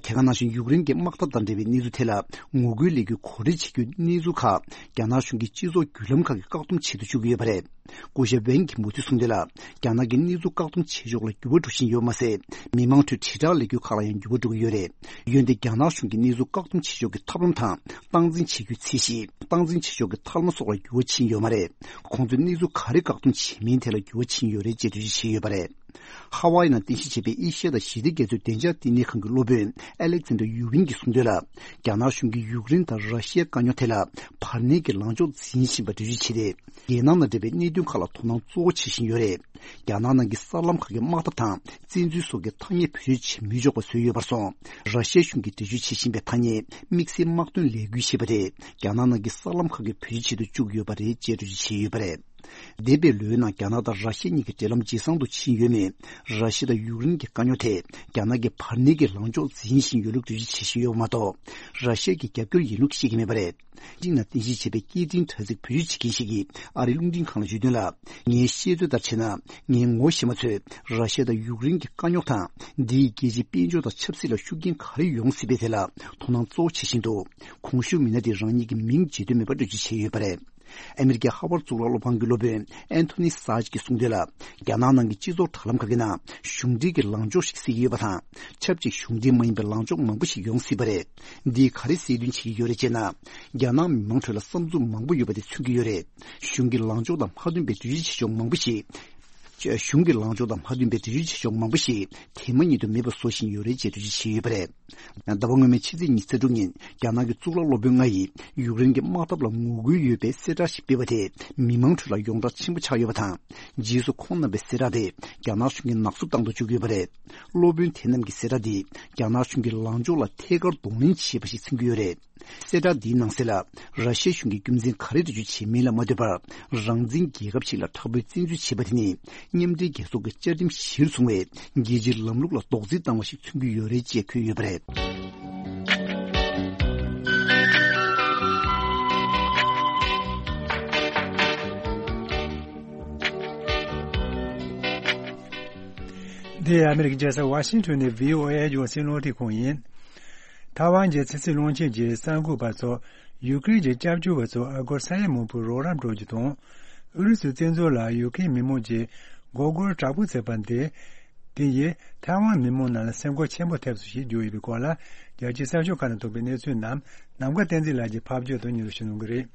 དེ་ག་ནང་བཞིན་ཡུཀ་རེན་གྱི་དམག་འཐབ་དང་འབྲེལ་བའི་གནས་ཚུལ་ཐད་ལ་ངོ་རྒོལ་ལས་འགུལ་གོ་སྒྲིག་བྱེད་རྒྱུའི་གནས་ཚུལ་ཁག་རྒྱ་ནག་གཞུང་གིས་སྤྱི་ཚོགས་བརྒྱུད་ལམ་ཁག་གིས་བཀག་སྡོམ་བྱེད་དུ་བཅུག་གི་ཡོད་པ་རེད། སྐུ་ཞབས་ཝེན་གྱི་མུ་མཐུད་གསུངས་དོན་ལ། རྒྱ་ནག་གི་གནས་ཚུལ་བཀག་སྡོམ་བྱེད་ཕྱོགས་ལ་འགྱུར་བ་འགྲོ་བཞིན་ཡོད་མ་ཟད། མི་མང་ཁྲོད་དྲིལ་བསྒྲགས་ལས་འགུལ་ཁག་ལ་ཡང་འགྱུར་བ་འགྲོ་གི་ཡོད་རེད། འོན་ཏེ་རྒྱ་ནག་གཞུང་གིས་གནས་ཚུལ་བཀག་སྡོམ་བྱེད་ཕྱོགས་ཀྱི་ཐབས་ལམ་དང་། སྟངས་འཛིན་བྱེད་རྒྱུའི་ཚད་གཞི། སྟངས་འཛིན་བྱེད་ཕྱོགས་ཀྱི་ཐབས་ལམ་སོགས་ལ་འགྱུར་བ་ཕྱིན་ཡོད་མ་རེད། ཁོང་ཚོས་གནས་ཚུལ་ག་རེ་བཀག་སྡོམ་བྱས་མིན་ཐད་ལ་འགྱུར་བ་ཕྱིན་ཡོད་རེད་ཅེས་འགྲེལ་བརྗོད་བྱས་ཡོད་པ་རེད། ཧ་ཝཱ་ཡི་ནང་རྟེན་གཞི་བྱས་པའི་ཨེ་ཤི་ཡ་དང་ཞི་བདེ་རྒྱ་མཚོའི་བདེ་འཇགས་བསྟི་གནས་ཁང་གི་སློབ་དཔོན་ཨ་ལེག་ཛན་ཌར་ཡུ་ཝིན་གྱིས་གསུངས་དོན་ལ། རྒྱ་ནག་གཞུང་གིས་ཡུཀ་རེན་དང་ར་ཤི་ཡའི་དཀའ་རྙོག་དེ་ལ་བར་གནས་ཀྱི་ལངས་ཕྱོགས་འཛིན་བཞིན་པ་འགྲེལ་བརྗོད་བྱས་ཏེ། རྒྱལ་ནང་ནང་འབྲེལ་བའི་གནད་དོན་ཁག་ལ་དོ་སྣང་གཙོ་བོ་བྱེད་བཞིན་ཡོད་རེད། རྒྱ་ནག་ནང་གི་གསར་ལམ་ཁག་གི་དམག་འཐབ་དང་བཙན་འཛུལ་སོགས་ཀྱི་ཐ་སྙད་བེད་སྤྱོད་བྱེད་མི་ཆོག་པ་བཟོས་ཡོད་པར་སོང་། ར་ཤི་ཡའི་གཞུང་གིས་འགྲེལ་བརྗོད་བྱེད་བཞིན་པའི་ཐ་སྙད་དམིགས་བསལ་དམག་དོན་ལས་འགུལ་ཞེས་པ་དེ་རྒྱ་ནག་ནང་གི་གསར་ལམ་ཁག་གི་བེད་སྤྱོད་བྱེད་དུ་བཅུག་ཡོད་པ་རེད་ཅེས་འགྲེལ་བརྗོད་བྱས་ཡོད་པ་རེད། འདས་པའི་ལོའི་ནང་རྒྱ་ནག་དང་ར་ཤི་ཡ་གཉིས་ཀྱི་འབྲེལ་ལམ་ཇེ་བཟང་དུ་ཕྱིན་ཡོད་མོད། ར་ཤི་ཡ་དང་ཡུཀ་རེན་གྱི་དཀའ་རྙོག་དེ་རྒྱ་ནག་གིས་བར་གནས་ཀྱི་ལངས་ཕྱོགས་འཛིན་བཞིན་ཡོད་ལུགས་འགྲེལ་བརྗོད་བྱེད་བཞིན་ཡོད་པ་མ་གཏོགས། ར་ཤི་ཡ་གི་རྒྱབ་སྐྱོར་ཡིན་ལུགས་བཤད་ཀྱི་མེད་པ་རེད། ཅིག་ནང་རྟེན་གཞི་བྱས་པའི་སྐད་འཕྲིན་དྲ་ཚིགས་བེད་སྤྱོད་བྱེད་མཁན་ཞིག་གིས་ཨ་རིའི་རླུང་འཕྲིན་ཁང་ལ་ཞུས་དོན་ལ། ངའི་ཤེས་ཚོད་ལྟར་བྱས་ན། ངའི་ངོ་ཤེས་མ་ཚོས་ར་ཤི་ཡ་དང་ཡུཀ་རེན་གྱི་དཀའ་རྙོག་དང་། འདིས་རྒྱལ་སྤྱིའི་དཔལ་འབྱོར་དང་ཆབ་སྲིད་ལ་ཤུགས་རྐྱེན་ག་རེ་ཡོང་སྲིད་པའི་ཐད་ལ་དོ་སྣང་གཙོ་བོ་བྱེད་བཞིན་འདུག། གོང་ཞུས་མི་སྣ་དེས་རང་ཉིད་ཀྱི་མིང་བརྗོད་འདོད་མེད་པར་འགྲེལ་བརྗོད་བྱས་ཡོད་པ་རེད། ཨ་མི་རི་ཀའི་ཧ་ཝར་གཙུག་ལག་སློབ་ཁང་གི་སློབ་དཔོན་ཨན་ཐོ་ནི་སཱ་ཅི་གིས་གསུངས་དོན་ལ། རྒྱ་ནག་ནང་གི་སྤྱི་ཚོགས་དྲ་ལམ་ཁག་གི་ནང་གཞུང་འབྲེལ་གྱི་ལངས་ཕྱོགས་ཤིག་གསལ་གྱི་ཡོད་པ་དང་། ཆབས་ཅིག་གཞུང་འབྲེལ་མ་ཡིན་པའི་ལངས་ཕྱོགས་མང་པོ་ཞིག་ཡོང་སྲིད་པ་རེད། འདིས་ག་རེ་གསལ་སྟོན་བྱེད་ཀྱི་ཡོད་རེད་ཅེ་ན། རྒྱ་ནག་མི་མང་ཁྲོད་ལ་བསམ་ཚུལ་མང་པོ་ཡོད་པ་དེ་མཚོན་གྱི་ཡོད་རེད། གཞུང་གི་ལངས་ཕྱོགས་དང་མ་མཐུན་པའི་འགྲེལ་བརྗོད་བྱེད་ཕྱོགས་མང་པོ་ཞིག་གཞུང་གི་ལངས་ཕྱོགས་དང་མ་མཐུན་པའི་འགྲེལ་བརྗོད་བྱེད་ཕྱོགས་མང་པོ་ཞིག་དེ་མ་ཉིད་དུ་མེད་པ་བཟོ་བཞིན་ཡོད་རེད་ཅེས་འགྲེལ་བརྗོད་བྱས་ཡོད་པ་རེད། ཟླ་བ་སྔོན་མའི་ཕྱི་ཚེས་ཉི་ཤུ་རྩ་དྲུག་ཉིན་རྒྱ་ནག་གི་གཙུག་ལག་སློབ་དཔོན་ལྔ་ཡིས་ཡུཀ་རེན་གྱི་དམག་འཐབ་ལ་ངོ་རྒོལ་ཡོད་པའི་གསལ་བསྒྲགས་ཤིག་སྤེལ་བ་དེ་མི་མང་ཁྲོད་ལ་ཡོངས་གྲགས་ཆེན་པོ་ཆགས་ཡོད་པ་དང་། རྗེས་སུ་ཁོང་རྣམ་པའི་གསལ་བསྒྲགས་དེ་རྒྱ་ནག་གཞུང་གིས་ནག་བསུབ་བཏང་དུ་བཅུག་ཡོད་པ་རེད། སློབ་དཔོན་དེ་རྣམས་ཀྱི་གསལ་བསྒྲགས་འདིས་རྒྱ་ནག་གཞུང་གི་ལངས་ཕྱོགས་ལ་ཐད་ཀར་གདོང་ལེན་བྱས་པ་ཞིག་མཚོན་གྱི་ཡོད་རེད། གསལ་བསྒྲགས་འདིའི་ནང་གསལ་ལ། ར་ཤི་ཡའི་གཞུང་གིས་རྒྱུ་མཚན་ག་རེ་འགྲེལ་བརྗོད་བྱེད་མིན་ལ་མ་ལྟོས་པར། རང་བཙན་རྒྱལ་ཁབ་ཞིག་ལ་དྲག་པོའི་བཙན་འཛུལ་བྱས་པ་དེ་ནི། མཉམ་འབྲེལ་རྒྱལ་ཚོགས་ཀྱི་བཅའ་ཁྲིམས་གཞིར་བཟུང་བའི་རྒྱལ་སྤྱིའི་ལམ་ལུགས་ལ་རྡོག་རྫིས་བཏང་བ་ཞིག་མཚོན་གྱི་ཡོད་རེད་ཅེས་འཁོད་ཡོད་པ་རེད། འདི་ཨ་མི་རི་ཀའི་རྒྱལ་ས་ཝ་ཤིང་ཊོན་ནས་བྷི་ཨོ་ཨེ་རྒྱང་སྲིང་རླུང་འཕྲིན་ཁང་ཡིན། ཐའེ་ཝན་གྱི་ཕྱི་སྲིད་བློན་ཆེན་གྱིས་གསར་འགོད་པ་ཚོར་ཡུ་ཀེ་རེན་གྱི་སྐྱབས་བཅོལ་བ་ཚོར་ཨ་སྒོར་ས་ཡ་མང་པོའི་རོགས་རམ་སྤྲོད་རྒྱུ་དང་། ཨུ་རུ་སུའི་བཙན་འཛུལ་ལ་ཡུ་ཀེ་རེན་མི་མང་གྱིས་མགོ་སྒུར་དྲག་པོ་བྱས་པ་འདི། དེ་ཡིས་ཐའེ་ཝན་མི་མང་ནང་ལ་སེམས་ཁུར་ཆེན་པོ་ཐེབས་སོང་ཞེས་བརྗོད་ཡོད་པའི་སྐོར་ལ། རྒྱལ་སྤྱིའི་གསར་ཤོག་ཁག་ནང་ཐོན་པའི་གནས་ཚུལ་རྣམས་ནམ་མཁའ་བསྟན་འཛིན་ལགས་ཀྱིས་ཕབ་བསྒྱུར་དང་སྙན་སྒྲོན་ཞུ་གནང་གི་རེད།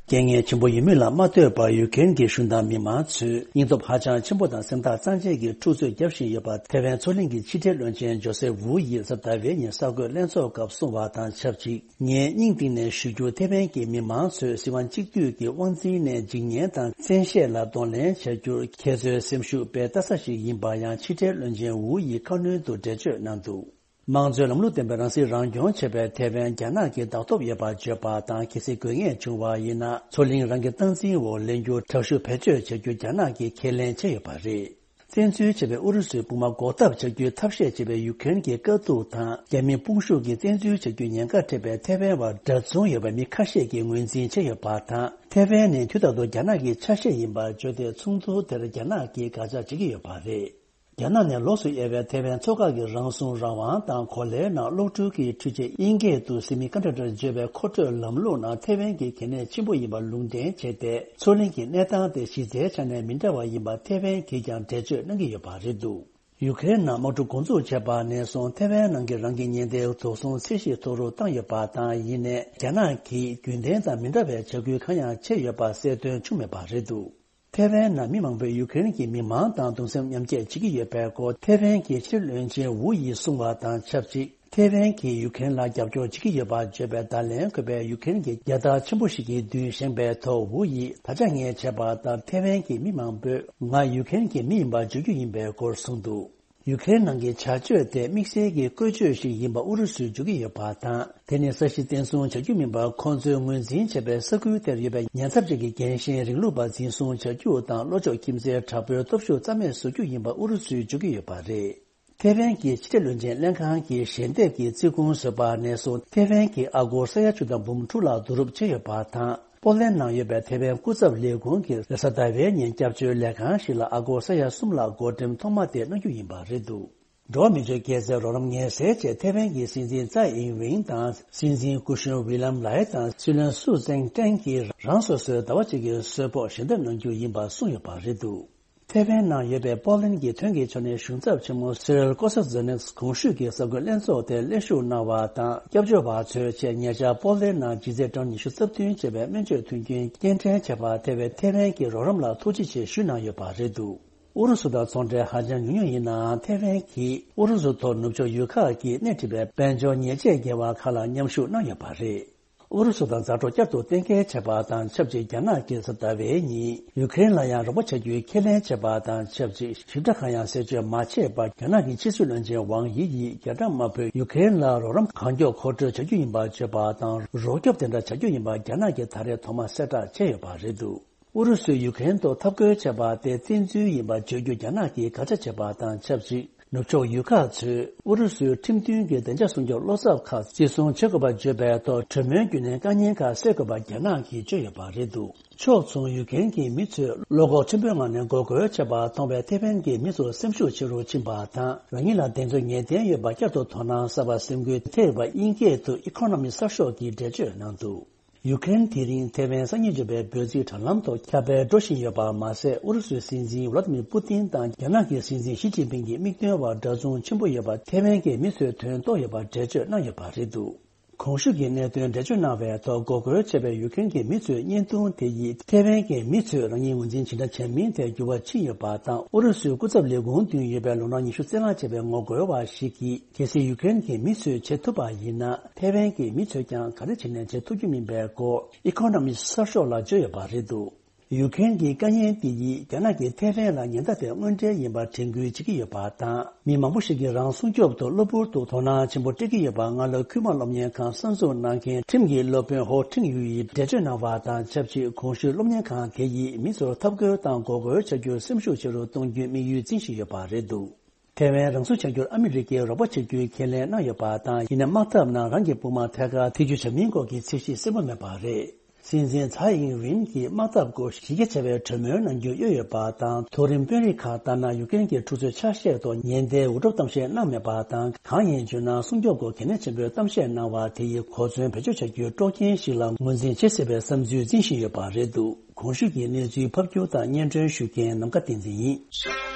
རྐྱེན་ངན་ཆེན་པོ་ཡོད་མུས་ལ་མ་ལྟོས་པར་ཡུ་ཀེ་རེན་གྱི་གཞུང་དང་མི་མང་ཚོས་སྙིང་སྟོབས་ཧ་ཅང་ཆེན་པོ་དང་སེམས་ཐག་གཙང་བཅད་ཀྱིས་འཁྲུག་རྩོད་བརྒྱབ་བཞིན་ཡོད་པ་ཐེ་ཝན་མཚོ་གླིང་གི་ཕྱི་འབྲེལ་བློན་ཆེན་ཇོ་སེ་ཝུ་ཡིས་གཟའ་ཟླ་བའི་ཉིན་གསར་འགོད་ལྷན་ཚོགས་སྐབས་གསུངས་པ་དང་ཆབས་ཅིག་ངས་སྙིང་གཏིང་ནས་ཞུ་རྒྱུ། ཐེ་ཝན་གྱི་མི་མང་ཚོས་སྲིད་དབང་གཅིག་སྡུད་ཀྱི་དབང་འཛིན་ནས་འཇིག་ཉེན་དང་བཙན་ཤེད་ལ་གདོང་ལེན་བྱ་རྒྱུར་ཁྱེད་ཚོའི་སེམས་ཤུགས་དཔེ་ལྟ་ས་ཞིག་ཡིན་པ་ཡང་ཕྱི་འབྲེལ་བློན་ཆེན་ཝུ་ཡིས་ཁ་སྣོན་དུ་འགྲེལ་བརྗོད་གནང་འདུག་དམངས་གཙོའི་ལམ་ལུགས་ལྡན་པའི་རང་སྲིད་རང་སྐྱོང་བྱེད་པའི་ཐེ་ཝན་རྒྱ་ནག་གིས་བདག་ཐོབ་ཡོད་པར་བརྗོད་པ་དང་། གལ་སྲིད་དགོས་ངེས་བྱུང་བ་ཡིན་ན། མཚོ་གླིང་རང་གི་སྟངས་འཛིན་འོག་ལེན་རྒྱུར་དྲག་ཤུགས་བེད་སྤྱོད་བྱ་རྒྱུ་རྒྱ་ནག་གིས་ཁས་ལེན་བྱས་ཡོད་པ་རེད། བཙན་འཛུལ་བྱས་པའི་ཨུ་རུ་སུའི་དཔུང་དམག་འགོག་ཐབས་བྱ་རྒྱུའི་ཐབས་ཤེས་བྱེད་པའི་ཡུ་ཀེ་རེན་གྱི་དཀའ་སྡུག་དང་། རྒྱ་མིའི་དཔུང་ཤུགས་ཀྱིས་བཙན་འཛུལ་བྱ་རྒྱུའི་ཉེན་ཁ་འཕྲད་པའི་ཐེ་ཝན་བར་འདྲ་མཚུངས་ཡོད་པའི་མི་ཁ་ཤས་ཀྱིས་ངོས་འཛིན་བྱས་ཡོད་པ་དང་། ཐེ་ཝན་ནི་དུས་རྟག་ཏུ་རྒྱ་ནག་གི་ཆ་ཤས་ཡིན་པར་བརྗོད་དེ། ཚོགས་འདུ་དེར་རྒྱ་ནག་གིས་དགག་བྱ་བྱེད་ཀྱི་ཡོད་པ་རེད། རྒྱ་ནག་ནས་ལོགས་སུ་གཡེར་བའི་ཐེ་ཝན་མཚོ་ཁག་གི་རང་སྲུང་རང་དབང་དང་གོ་ལའི་ནང་གློག་འཕྲུལ་གྱི་འཕྲུལ་ཆས་དབྱིན་སྐད་དུ་སེ་མི་ཀོན་ཌག་ཊར་བརྗོད་པའི་མཁོ་སྤྲོད་ལམ་ལུགས་ནང་ཐེ་ཝན་གྱི་གལ་གནད་ཆེན་པོ་ཡིན་པར་ལུང་འདྲེན་བྱས་ཏེ། མཚོ་གླིང་གི་གནས་སྟངས་དེ་གཞི་རྩའི་ཆ་ནས་མི་འདྲ་བ་ཡིན་པ་ཐེ་ཝན་གྱིས་ཀྱང་འགྲེལ་བརྗོད་གནང་གི་ཡོད་པ་རེད་འདུག་ཡུ་ཀེ་རེན་ནང་དམག་འཁྲུག་འགོ་འཛུགས་བྱས་པ་ནས་བཟུང་ཐེ་ཝན་ནང་གི་རང་གི་ཉེན་བརྡའི་དོགས་ཟོན་ཚད་གཞི་མཐོ་རུ་བཏང་ཡོད་པ་དང་། ཡིན་ནའི་རྒྱ་ནག་གིས་རྒྱུན་ལྡན་དང་མི་འདྲ་བའི་བྱ་འགུལ་གང་ཡང་བྱས་ཡོད་པ་གསལ་སྟོན་བྱུང་མེད་པ་རེད་འདུག་ཐེ་ཝན་ནང་མི་མང་པོས་ཡུ་ཀེ་རེན་གྱི་མི་མང་དང་གདུང་སེམས་མཉམ་སྐྱེད་བྱེད་ཀྱི་ཡོད་པའི་སྐོར་ཐེ་ཝན་གྱི་ཕྱིར་བློན་ཆེན་ཝུ་ཡིས་གསུངས་པ་དང་ཆབས་ཅིག་ཐེ་ཝན་གྱིས་ཡུ་ཀེ་རེན་ལ་རྒྱབ་སྐྱོར་བྱེད་ཀྱི་ཡོད་པར་བརྗོད་པའི་བརྡ་ལན་འཁོད་པའི་ཡུ་ཀེ་རེན་གྱི་རྒྱལ་དར་ཆེན་པོ་ཞིག་གི་མདུན་བཞེངས་པའི་ཐོག་ཝུ་ཡིས། ད་ཆ་ངས་བྱས་པ་ལྟར་ཐེ་ཝན་གྱི་མི་མང་པོས་ང་ཡུ་ཀེ་རེན་གྱི་མི་ཡིན་པར་བརྗོད་རྒྱུ་ཡིན་པའི་སྐོར་གསུངས་འདུག་ཡུ་ཀེ་རེན་ནང་གི་བྱ་སྤྱོད་དེ་དམིགས་བསལ་གྱི་བཀོལ་སྤྱོད་ཞིག་ཡིན་པ་ཨུ་རུ་སུས་བརྗོད་ཀྱི་ཡོད་པ་དང་། དེ་ནི་ས་གཞི་བཙན་བཟུང་བྱ་རྒྱུ་མིན་པར། ཁོང་ཚོས་ངོས་འཛིན་བྱས་པའི་ས་ཁུལ་དེར་ཡོད་པའི་ཉེན་ཚབས་ཅན་གྱི་རྒན་གཞོན་རིང་ལུགས་པ་འཛིན་བཟུང་བྱ་རྒྱུ་དང་། ལྷོ་ཕྱོགས་ཁྱིམ་མཚེས་དྲག་པོའི་སྟོབས་ཤུགས་རྩ་མེད་བཟོ་རྒྱུ་ཡིན་པ་ཨུ་རུ་སུས་བརྗོད་ཀྱི་ཡོད་པ་རེད། ཐེ་ཝན་གྱི་ཕྱི་འབྲེལ་བློན་ཆེན་ལྷན་ཁང་གིས་ཞལ་འདེབས་ཀྱི་རྩིས་ཁུངས་བཟོས་པ་ནས་བཟུང་ཐེ་ཝན་གྱིས་ཨ་སྒོར་ས་ཡ་བཅུ་དང་འབུམ་དྲུག་ལྷག་བསྡུ་རུབ་བྱས་ཡོད་པ་དང་། པོ་ལན་ནང་ཡོད་པའི་ཐེ་ཝན་སྐུ་ཚབ་ལས་ཁུངས་ཀྱིས་རེས་གཟའ་ཟླ་བའི་ཉིན་སྐྱབས་བཅོལ་ལས་ཁང་ཞིག་ལ་ཨ་སྒོར་ས་ཡ་གསུམ་ལྷག་སྒོར་འགྲེམས་ཐོག་མ་དེ་གནང་རྒྱུ་ཡིན་པ་རེད་འདུག་འགྲོ་བ་མིའི་སྒེར་གྱི་རོགས་རམ་ཉེན་སེལ་ཆེད་ཐེ་ཝན་གྱི་སྲིད་འཛིན་ཙའེ་ཨིན་ཝིན་དང་སྲིད་འཛིན་སྐུ་གཞོན་ཝི་ལམ་ལའེ་དང་སྲིད་བློན་སུའུ་ཙེང་ཀྲེང་གིས་རང་སོ་སོའི་ཟླ་བ་གཅིག་གི་གསོལ་ཕོགས་ཞལ་འདེབས་གནང་རྒྱུ་ཡིན་པ་གསུངས་ཡོད་པ་རེད་འདུག་ཐེ་ཝན་ནང་ཡོད་པའི་པོ་ལན་གྱི་ཐོན་སྐྱེད་ཕྱོགས་ནས་གཞུང་ཚབ་ཆེན་མོ་སི་རིལ་ཀོ་སི་ཛེ་ནེག་གོང་ཞུས་ཀྱི་གསར་འགོད་ལྷན་ཚོགས་དེར་སླེབས་ཞུགས་གནང་བ་དང་། སྐྱབས་བཅོལ་བ་ཚོའི་ཆེད་ཉེ་ཆར་པོ་ལན་ནང་ལྗིད་ཚད་གྲངས་ཉི་ཤུ་རྩ་བདུན་བྱས་པའི་སྨན་བཅོས་མཐུན་རྐྱེན་སྐྱེལ་འདྲེན་བྱས་པར་ཐེ་བའི་ཐེ་ཝན་གྱི་རོགས་རམ་ལ་ཐུགས་རྗེ་ཆེ་ཞུས་གནང་ཡོད་པ་རེད་འདུག་ཨུ་རུ་སུ་དང་ཚོང་འབྲེལ་ཧ་ཅང་ཉུང་ཉུང་ཡིན་ནའང་ཐེ་ཝན་གྱིས་ཨུ་རུ་སུ་ཐོག་ནུབ་ཕྱོགས་ཡུལ་ཁག་གིས་སྣེ་ཁྲིད་པའི་དཔལ་འབྱོར་ཉེས་ཆད་འགེལ་བ་ཁག་ལ་མཉམ་ཞུགས་གནང་ཡོད་པ་རེད། ཨུ་རུ་སུ་དང་མཛའ་གྲོགས་བསྐྱར་དུ་གཏན་འཁེལ་བྱས་པ་དང་ཆབས་ཅིག་རྒྱ་ནག་གིས་གཟའ་ཟླ་བའི་ཉིན་ཡུ་ཀེ་རེན་ལ་ཡང་རོགས་པ་བྱ་རྒྱུའི་ཁས་ལེན་བྱས་པ་དང་ཆབས་ཅིག་ཞིབ་ཕྲ་གང་ཡང་གསལ་བརྗོད་མ་བྱས་པར། རྒྱ་ནག་གི་ཕྱི་སྲིད་བློན་ཆེན་ཝང་དབྱི་ཡིས་རྒྱ་ནག་དམར་པོས་ཡུ་ཀེ་རེན་ལ་རོགས་རམ་གང་མགྱོགས་མཁོ་སྤྲོད་བྱ་རྒྱུ་ཡིན་པ་བརྗོད་པ་དང་། རོགས་སྐྱོབ་དེ་འདྲ་བྱ་རྒྱུ་ཡིན་པ་རྒྱ་ནག་གིས་ད་རེས་ཐོག་མ་གསལ་བསྒྲགས་བྱས་ཡོད་པ་རེད་འདུག་ཨུ་རུ་སུས་ཡུ་ཀེ་རེན་ཐོག་འཐབ་རྒོལ་བྱས་པ་དེ་བཙན་འཛུལ་ཡིན་པ་བརྗོད་རྒྱུ་རྒྱ་ནག་གིས་དགག་བྱ་བྱས་པ་དང་ཆབས་ཅིག་ནུབ་ཕྱོགས་ཡུལ་ཁག་ཚོས་ཨུ་རུ་སུའི་ཁྲིམས་མཐུན་གྱི་བདེ་འཇགས་སྲུང་སྐྱོབ་བློ་འཚབ་ཁག་གཅིག་མཚུངས་བྱེད་དགོས་པ་བརྗོད་པའི་ཐོག་གྲོས་མོལ་བརྒྱུད་ནས་དཀའ་ཉེན་ཁག་སེལ་དགོས་པ་རྒྱ་ནག་གིས་བརྗོད་ཡོད་པ་རེད་འདུག་ཕྱོགས་མཚུངས་ཡུ་ཀེ་རེན་གྱི་མི་ཚོས་བློ་ཁོག་ཆེན་པོའི་ངང་ནས་འགོག་རྒོལ་བྱས་པ་མཐོང་བས་ཐེ་ཝན་གྱི་མི་ཚོ་སེམས་ཤུགས་ཆེ་རུ་ཕྱིན་པ་དང་། རང་ཉིད་ལ་དེ་ཚོ་ངེས་གཏན་ཡོད་པ་བསྐྱར་དུ་དོ་སྣང་གསར་པ་སེམས་འགུལ་ཐེབས་པ་དབྱིན་སྐད་དུ་Economy གསར་ཤོག་གིས་འགྲེལ་བརྗོད་གནང་འདུག་ཡུ་ཀེ་རེན་དེ་རིང་ཐེ་ཝན་སང་ཉིན་འབྱོར་བའི་འབོད་ཚིག་དྲ་ལམ་ཐོག་ཁྱབ་སྤེལ་འགྲོ་བཞིན་ཡོད་པ་མ་ཟད། ཨུ་རུ་སུའི་སྲིད་འཛིན་ཝླ་ཏི་མིར་པུ་ཏིན་དང་རྒྱ་ནག་གི་སྲིད་འཛིན་ཞི་ཅིན་ཕིང་གི་དམིགས་དོན་བར་འདྲ་མཚུངས་ཆེན་པོ་ཡོད་པ་ཐེ་ཝན་གྱི་མི་ཚོས་དོན་རྟོགས་ཡོད་པར་འགྲེལ་བརྗོད་གནང་ཡོད་པ་རེད་འདུག་གོང་ཞུས་ཀྱི་གནད་དོན་འགྲེལ་བརྗོད་གནང་བའི་ཐོག་འགོག་རྒོལ་བྱས་པའི་ཡུ་ཀེ་རེན་གྱི་མི་ཚོའི་བརྙན་ཐུང་དེ་ཡིས་ཐེ་ཝན་གྱི་མི་ཚོས་རང་ཉིད་ངོས་འཛིན་ཇི་འདྲ་བྱས་མིན་ཐད་འགྱུར་བ་ཕྱིན་ཡོད་པ་དང་། ཨུ་རུ་སུའི་སྐུ་ཚབ་ལས་ཁུངས་མདུན་ཡོད་པའི་ལོ་ན་ཉི་ཤུ་རྩ་ལྔ་བྱས་པའི་ངོ་རྒོལ་བ་ཞིག་གིས། གལ་སྲིད་ཡུ་ཀེ་རེན་གྱི་མི་ཚོས་བྱེད་ཐུབ་པ་ཡིན་ན། ཐེ་ཝན་གྱི་མི་ཚོས་ཀྱང་ག་རེ་བྱས་ནས་བྱེད་ཐུབ་རྒྱུ་མིན་པའི་སྐོར་ཨི་ཁོ་ནོ་མི་གསར་ཤོག་ལ་བརྗོད་ཡོད་པ་རེད་འདུག་ཡུ་ཀེ་རེན་གྱི་དཀའ་ངལ་འདི་ཡིས་རྒྱ་ནག་གིས་ཐེ་ཝན་ལ་ཉེན་བརྡ་དེ་དངོས་འབྲེལ་ཡིན་པར་དྲན་སྐུལ་བྱེད་ཀྱི་ཡོད་པ་དང་། མི་མང་པོ་ཞིག་གིས་རང་སྲུང་སྐྱོབ་ཐོག་གློ་བུར་དུ་དོ་སྣང་ཆེན་པོ་སྤྲད་ཀྱི་ཡོད་པ་སྔ་ལོ་ཁུལ་མ་སློབ་གཉེར་ཁང་གསར་འཛུགས་གནང་མཁན་ཁྲིམས་ཀྱི་སློབ་དཔོན་ཧོ་ཁྲིང་ཡུའི་འགྲེལ་བརྗོད་གནང་བ་དང་ཆབས་ཅིག་གོང་ཞུས་སློབ་གཉེར་ཁང་དེ་ཡིས་མི་ཚོར་འཐབ་རྒོལ་དང་འགོག་རྒོལ་བྱ་རྒྱུར་སེམས་ཤུགས་ཆེ་རུ་གཏོང་རྒྱུའི་དམིགས་ཡུལ་འཛིན་བཞིན་ཡོད་པ་རེད་འདུག་ཐེ་ཝན་རང་སྲུང་བྱ་རྒྱུར་ཨ་མི་རི་ཀས་རོགས་པ་བྱེད་རྒྱུའི་ཁས་ལེན་གནང་ཡོད་པ་དང་། ཡིན་ནའི་དམག་འཐབ་ནང་རང་གི་དཔུང་དམག་ཐད་ཀར་ཐེ་བྱུས་བྱ་མིན་སྐོར་གྱི་ཚད་གཞི་གསལ་པོ་མེད་པ་རེད། སྲིད་འཛིན་ཚའེ་ཨིན་ཝིན་གྱིས་དམག་འཐབ་སྐོར་གཞི་རྒྱ་ཆེ་བའི་གྲོས་མོལ་གནང་རྒྱུ་གཡོལ་ཡོད་པ་དང་། མཐོ་རིམ་དཔོན་རིགས་ཁག་ལྟར་ན། ཡུ་ཀེ་རེན་གྱི་འཁྲུག་རྩོད་ཆ་ཤས་ཐོག་ཉེན་བརྡའི་འུར་སྒྲོག་གཏམ་བཤད་གནང་མེད་པ་དང་། གང་ཡིན་བརྗོད་ན། སྲུང་སྐྱོབ་སྐོར་གལ་གནད་ཆེན་པོའི་གཏམ་བཤད་གནང་བ་དེ་ཡིས་གོ་མཚོན་བེད་སྤྱོད་བྱ་རྒྱུའི་དཀྲོག་རྐྱེན་ཞིག་ལ་ངོས་འཛིན་བྱེད་སྲིད་པའི་བསམ་ཚུལ་འཛིན་བཞིན་ཡོད་པ་རེད་འདུག་གོང་ཞུས་ཀྱི་གནས་ཚུལ་ཕབ་སྒྱུར་དང་སྙན་སྒྲོན་ཞུ་མཁན་ནམ་མཁའ་བསྟན་འཛིན་ཡིན།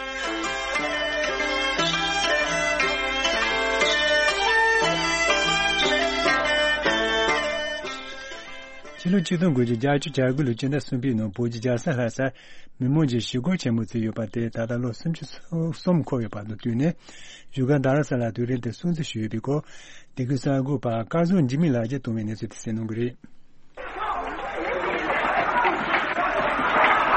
ཕྱི་ལོ་ཆིག་སྟོང་དགུ་བརྒྱ་བརྒྱད་ཅུ་གྱ་དགུ་ལོའི་སྤྱི་ཟླ་གསུམ་པའི་ནང་བོད་ཀྱི་རྒྱལ་ས་ལྷ་སར་མི་མང་གིས་ཞི་རྒོལ་ཆེན་མོ་བྱས་ཡོད་པ་དེ་ད་ལྟ་ལོ་སུམ་ཅུ་སོ་གསུམ་འཁོར་ཡོད་པ་དང་བསྟུན་ནས། བཞུགས་སྒར་རྡ་རམ་ས་ལར་དུས་རིམ་དེ་སྲུང་བརྩི་ཞུས་ཡོད་པའི་སྐོར། འདི་གའི་གསར་འགོད་པ་སྐལ་བཟང་འཇིགས་མེད་ལགས་ཀྱིས་བཏང་བའི་གནས་ཚུལ་དེ་གསན་གནང་གི་རེད།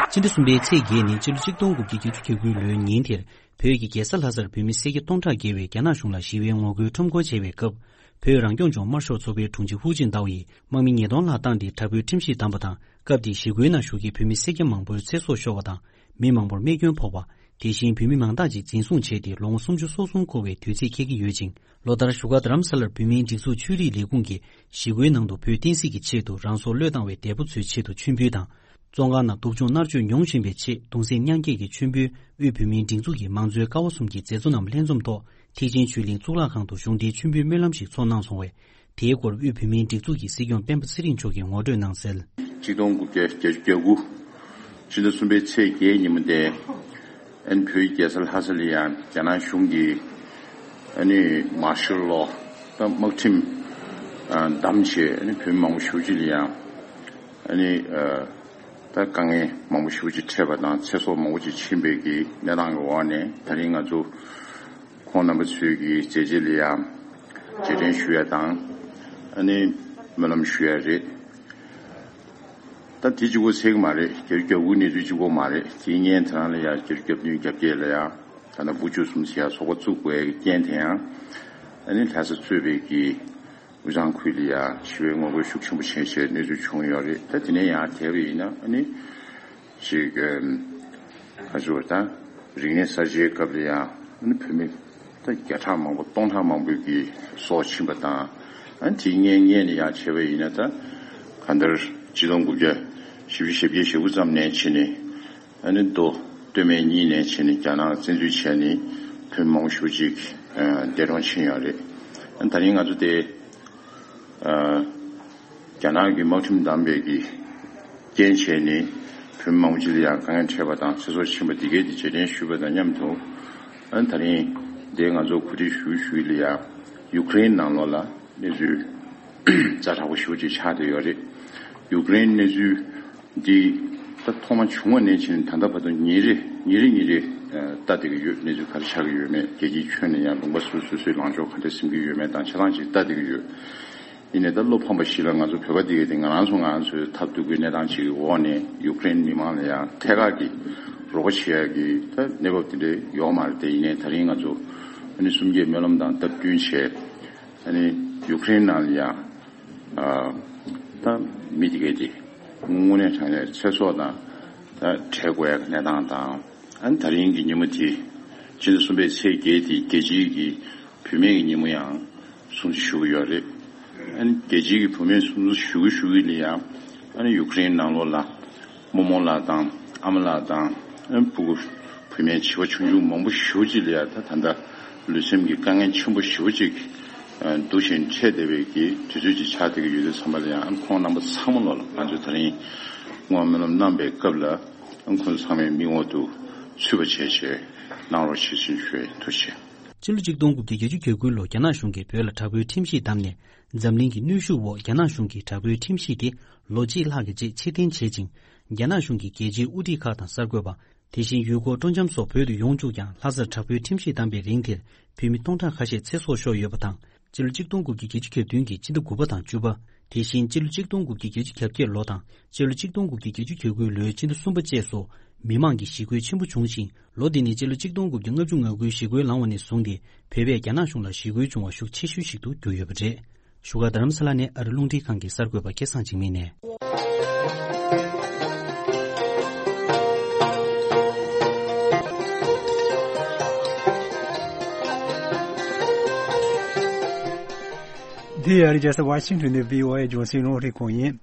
སྤྱི་ཟླ་གསུམ་པའི་ཚེས་བརྒྱད་ནི་སྤྱི་ལོ་ཆིག་སྟོང་དགུ་བརྒྱ་བརྒྱད་ཅུ་གྱ་དགུའི་ལོའི་ཉིན་དེར། བོད་ཀྱི་རྒྱལ་ས་ལྷ་སར་བོད་མི་སེར་སྐྱ་སྟོང་ཕྲག་བརྒལ་བས་རྒྱ་ནག་གཞུང་ལ་ཞི་བའི་ངོ་རྒོལ་ཁྲོམ་སྐོར་བྱས་པའི་སྐབས། བོད་རང་སྐྱོང་ལྗོངས་དམར་ཤོག་ཚོགས་པའི་དྲུང་ཆེ་ཧུའུ་ཅིན་ཏའོ་ཡིས་དམག་མི་ཉིས་སྟོང་ལྷག་བཏང་སྟེ་དྲག་པོའི་ཁྲིམས་གཞི་བསྡམས་པ་དང་། སྐབས་དེའི་ཞི་རྒོལ་ནང་ཞུགས་མཁན་བོད་མི་སེར་སྐྱ་མང་པོར་ཚེ་སྲོག་ཤོར་བ་དང་། མི་མང་པོར་རྨས་སྐྱོན་ཕོག་པ། དེ་བཞིན་བོད་མི་མང་དག་ཅིག་འཛིན་བཟུང་བྱས་ཏེ་ལོ་ངོ་སུམ་ཅུ་སོ་གསུམ་འཁོར་བའི་དུས་ཚིགས་འཁེལ་གྱི་ཡོད་ཅིང་། ལོ་ལྟར་བཞུགས་སྒར་རྡ་རམ་ས་ལར་བོད་མིའི་སྒྲིག་འཛུགས་ཆོས་རིག་ལས་ཁུངས་ཀྱིས་ཞི་རྒོལ་ནང་དུ་བོད་བསྟན་སྲིད་ཀྱི་ཆེད་དུ་རང་སྲོག་བློས་བཏང་བའི་འདས་པོ་ཚོའི་ཆེད་དུ་མཆོད་འབུལ་དང་། བཙོན་ཁང་ནང་སྡུག་སྦྱོང་མནར་གཅོད་མྱོང་བཞིན་པའི་ཆེད་གདུང་སེམས་མཉམ་སྐྱེད་ཀྱི་མཆོད་འབུལ། དབུས་བོད་མིའི་སྒྲིག་འཛུགས་ཀྱི་མང་གཙོའི་ཀ་བ་གསུམ་གྱི་མཛད་གཙོ་རྣམས་ལྷན་འཛོམས་ཐོག་ཐེག་ཆེན་ཆོས་གླིང་གཙུག་ལག་ཁང་དུ་གཞུང་འབྲེལ་མཆོད་འབུལ་སྨོན་ལམ་ཞིག་ཚོགས་གནང་སོང་བས། དེའི་སྐོར་དབུས་བོད་མིའི་སྒྲིག་འཛུགས་ཀྱི་སྲིད་སྐྱོང་སྤེན་པ་ཚེ་རིང་མཆོག་གིས་ངོ་སྤྲོད་གནང་གསལ། ཆིག་སྟོང་དགུ་བརྒྱ་བརྒྱད་ཅུ་གྱ་དགུ། ཕྱི་ཟླ་གསུམ་པའི་ཚེས་བརྒྱད་ཉིན་མོ་དེ། ཨ་ནི་བོད་ཀྱི་རྒྱལ་ས་ལྷ་ས་ལ་ཡང་རྒྱ་ནག་གཞུང་གིས་ཨ་ནི་མར་ཤལ་ལོ་དང་དམག་ཁྲིམས་བསྡམས་བྱས། ཨ་ནི་བོད་མི་མང་པོ་ཞེ་པོ་ཅིག་ལ་ཡང་ཨ་ནི་ད་དཀའ་ངལ་མང་པོ་ཞེ་པོ་ཅིག་འཕྲད་པ་དང་། ཚེ་སྲོག་མང་པོ་ཅིག་ཕྱིན་པའི་གི་གནས་སྟངས་ཀྱི་འོག་ནས། ད་རིང་ང་ཚོ་ཁོང་རྣམ་པ་ཚོའི་གི་མཛད་རྗེས་ལ་ཡང་རྗེས་དྲན་ཞུ་ཡ་དང་། ཨ་ནི་སྨོན་ལམ་ཞུ་ཡ་རེད། ད་དེ་གཅིག་པོ་ཚད་ཀྱི་མ་རེད། བརྒྱད་ཅུ་གྱ་དགུ་གནས་ཚུལ་གཅིག་པོ་མ་རེད། དེའི་སྔོན་དེ་རང་ལ་ཡང་བརྒྱད་ཅུ་གྱ་བདུན་གྱ་བརྒྱད་ལ་ཡང་ད་ལྟ་བུ་བཅུ་གསུམ་ཟེར་ཡ་ཚོགས་པ་བཙུགས་དགོས་ཡ་གི་རྐྱེན་དེ་ཡང་། ཨ་ནི་ལྷ་ས་གཙོས་པའི་གི་དབུས་གཙང་ཁུལ་ལ་ཡང་ཞི་བའི་ངོ་རྒོལ་ཤུགས་ཆེན་པོ་བྱས་བྱས་གནས་ཚུལ་བྱུང་ཡོད་རེད། ད་དེ་ནས་ཡང་དེ་བས་ཡིན་ན་ཨ་ནི་ཅིག་ཨམ། ཁ་ཆུ་བ་དང་རིག་གནས་གསར་བརྗེའི་སྐབས་ལ་ཡང་ཨ་ནི་བོད་མི་ད་བརྒྱ་ཕྲག་མང་པོ་སྟོང་ཕྲག་མང་པོའི་གི་སྲོག་ཕྱིན་པ་དང་། ཨ་ནི་དེའི་སྔོན་སྔོན་ནས་ཡང་བྱས་པ་ཡིན་ན། ད་གང་ལྟར་ཆིག་སྟོང་དགུ་བརྒྱ་བཞི་བཅུ་ཞེ་བརྒྱད་ཞེ་དགུ་ཙམ་ནས་བྱས་ནས། ཨ་ནི་མདོ་སྟོད་སྨད་གཉིས་ནས་བྱས་ནས་རྒྱ་ནག་བཙན་འཛུལ་བྱས་ནས་བོད་མི་མང་པོ་ཞེ་པོ་ཅིག་ཨ་འདས་གྲོངས་ཕྱིན་ཡོད་རེད། ཨ་ནི་ད་རིང་ང་ཚོ་དེ་ཨ་རྒྱ་ནག་གི་དམག་ཁྲིམས་བསྡམས་པའི་གི་རྐྱེན་བྱས་ནས་བོད་མི་མང་པོ་ཅིག་ལ་ཡང་དཀའ་ངལ་འཕྲད་པ་དང་ཚེ་སྲོག་ཕྱིན་པ་འདི་གའི་དེ་རྗེས་དྲན་ཞུས་པ་དང་མཉམ་དུ། ཨ་ནི་ད་རིང་འདི་ང་ཚོ་གོ་སྒྲིག་ཞུ་ཞུས་ལ་ཡང་ཡུ་ཀེ་རེན་ནང་ལོགས་ལ་གནས་ཚུལ་ཛ་དྲག་པོ་ཞེ་པོ་ཅིག་ཆགས་བསྡད་ཡོད་རེད། ཡུ་ཀེ་རེན་གནས་ཚུལ་འདི་ ད་ཐོག་མ་བྱུང་བ་ནས་བྱས་ནས་ད་ལྟ་བར་དུ་ཉིན་རེ་ཉིན་རེ་ཉིན་རེ་ལྟ་བསྡད་ཀྱི་ཡོད། གནས་ཚུལ་ག་རེ་ཆགས་ཀྱི་ཡོད་མེད། རྒྱལ་སྤྱིའི་ཁྱོན་ནས་ཡང་ལུང་པ་སོ་སོ་སོ་སོའི་ལངས་ཕྱོགས་ག་འདྲ་འཛིན་གྱི་ཡོད་མེད་དང་ཆ་ཚང་ཅིག་ལྟ་བསྡད་ཀྱི་ཡོད། ཡིན་ནའི་ད་བློ་ཕམ་པ་ཞིག་ལ་ང་ཚོ་བོད་པ་འདི་གས་དེ་ང་རང་ཚོ་ང་རང་ཚོའི་ཐབས་སྡུག་གི་གནས་སྟངས་ཅིག་གི་འོག་ནས་ཡུཀ་རེན་མི་མང་ལ་ཡང་ཐད་ཀར་གྱི་རོགས་པ་བྱེད་ཡག་གི་ད་གནས་བབ་དེ་འདྲ་ཡོད་མ་རེད་དེ། ཡིན་ནའི་ད་རིང་ང་ཚོ་ཨ་ནི་གསུམ་བརྒྱད་སྨོན་ལམ་དང་སྟབས་བསྟུན་བྱས། ཨ་ནི་ཡུཀ་རེན་ནང་ལ་ཡང་ཨ་ད་མི་དེ་གས་དེ་དངོས་གནས་དྲང་གནས་ཚེ་སྲོག་དང་ད་བྲལ་དགོས་ཡག་གི་གནས་སྟངས་དང་། ཨ་ནི་ད་རིང་གི་ཉིན་མོ་དེ་སྤྱི་ཟླ་གསུམ་པའི་ཚེས་བརྒྱད་དེ་རྒྱལ་སྤྱིའི་གི་བུད་མེད་ཀྱི་ཉིན་མོ་ཡང་སྲུང་བརྩི་ཞུ་གི་ཡོད་རེད། ཨ་ནི་རྒྱལ་སྤྱིའི་གི་བུད་མེད་སྲུང་བརྩི་ཞུ་གི་ཞུ་གི་ལ་ཡང་ཨ་ནི་ཡུཀ་རེན་ནང་ལོགས་ལ་རྨོ་མོ་ལགས་དང་ཨ་མ་ལགས་དང་ཨ་ནི་ཕྲུ་གུ་བུད་མེད་བྱིས་པ་ཆུང་ཆུང་མང་པོ་ཞེ་པོ་ཅིག་ལ་ཡང་ད་ད་ལྟ་ལུས་སེམས་ཀྱི་དཀའ་ངལ་ཆེན་པོ་ཞེ་པོ་ཅིག་འདུག་བཞིན་འཕྲད་བསྡད་པའི་གི་དུས་ཚོད་ཅིག་ཆགས་བསྡད་ཀྱི་ཡོད་དུས་ཙམ་པ་ལ་ཡང་ཨ་ནི་ཁོང་རྣམ་པ་ཚང་མ་ལོགས་ལ་ང་ཚོས་ད་རིང་བསྔོ་བ་སྨོན་ལམ་གནང་བའི་སྐབས་ལ་ཨ་ནི་ཁོང་ཚོ་ཚང་མའི་མིག་འོག་ཏུ་ཚུད་པ་བྱས་བྱས་གནང་རོགས་ཞེས་ཞུ་ཞུ་ཡས། ཐུགས་རྗེ་ཆེ། སྤྱི་ལོ་གཅིག་སྟོང་དགུ་བརྒྱ་བརྒྱད་ཅུ་གྱ་དགུའི་ལོ་རྒྱ་ནག་གཞུང་གིས་བོད་ལ་དྲག་པོའི་ཁྲིམས་གཞི་བསྡམས་ནས་འཛམ་གླིང་གི་གནོན་ཤུགས་འོག་རྒྱ་ནག་གཞུང་གིས་དྲག་པོའི་ཁྲིམས་གཞི་དེ་ལོ་གཅིག་ལྷག་གི་རྗེས་ཕྱིར་འཐེན་བྱེད་ཅིང་། རྒྱ་ནག་གཞུང་གིས་རྒྱལ་སྤྱིའི་དབུ་ཁྲིད་ཁག་དང་གསར་འགོད་པ། དེ་བཞིན་ཡུལ་སྐོར་སྤྲོ་འཆམ་སོགས་བོད་དུ་ཡོང་བཅུག་ཀྱང་ལྷ་སར་དྲག་པོའི་ཁྲིམས་གཞི་བསྡམས་པའི་རིང་དེར་བོད་མི་སྟོང་ཕྲག་ཁ་ཤས་ཚེ་སྲོག་ཤོར་ཡོད་པ་དང་། སྤྱི་ལོ་གཅིག་སྟོང་དགུ་བརྒྱ་བརྒྱད་ཅུ་གྱ་བདུན་གྱི་སྤྱི་ཟླ་དགུ་པ་དང་བཅུ་པ། དེ་བཞིན་སྤྱི་ལོ་གཅིག་སྟོང་དགུ་བརྒྱ་བརྒྱད་ཅུ་གྱ་བརྒྱད་ལོ་དང་སྤྱི་ལོ་གཅིག་སྟོང་དགུ་བརྒྱ་བརྒྱད་ཅུ་གྱ་དགུའི་ལོའི་སྤྱི་ཟླ་གསུམ་པ་བཅས་སུ་མི་མང་གི་ཞི་རྒོལ་ཆེན་པོ་བྱུང་ཞིང་། ལོ་འདི་ནི་སྤྱི་ལོ་གཅིག་སྟོང་དགུ་བརྒྱ་ལྔ་བཅུ་ང་དགུའི་ཞི་རྒོལ་ལངས་པ་ནས་བཟུང་སྟེ་བོད་པས་རྒྱ་ནག་གཞུང་ལ་ཞི་རྒོལ་བྱུང་བ་ཤུགས་ཆེ་ཤོས་ཤིག་ཏུ་གྱུར་ཡོད་པ་རེད། བཞུགས་སྒར་རྡ་རམ་ས་ལ་ནས་ཨ་རི་རླུང་འཕྲིན་ཁང་གི་གསར་འགོད་པ་སྐལ་བཟང་འཇིགས་མེད་ནས། འདི་ཨ་རི་རྒྱལ་ས་ཝ་ཤིང་ཊོན་ནས་བྷི་ཨོ་ཨེ་རྒྱང་སྲིང་རླུང་འཕྲིན་ཁང་ཡིན།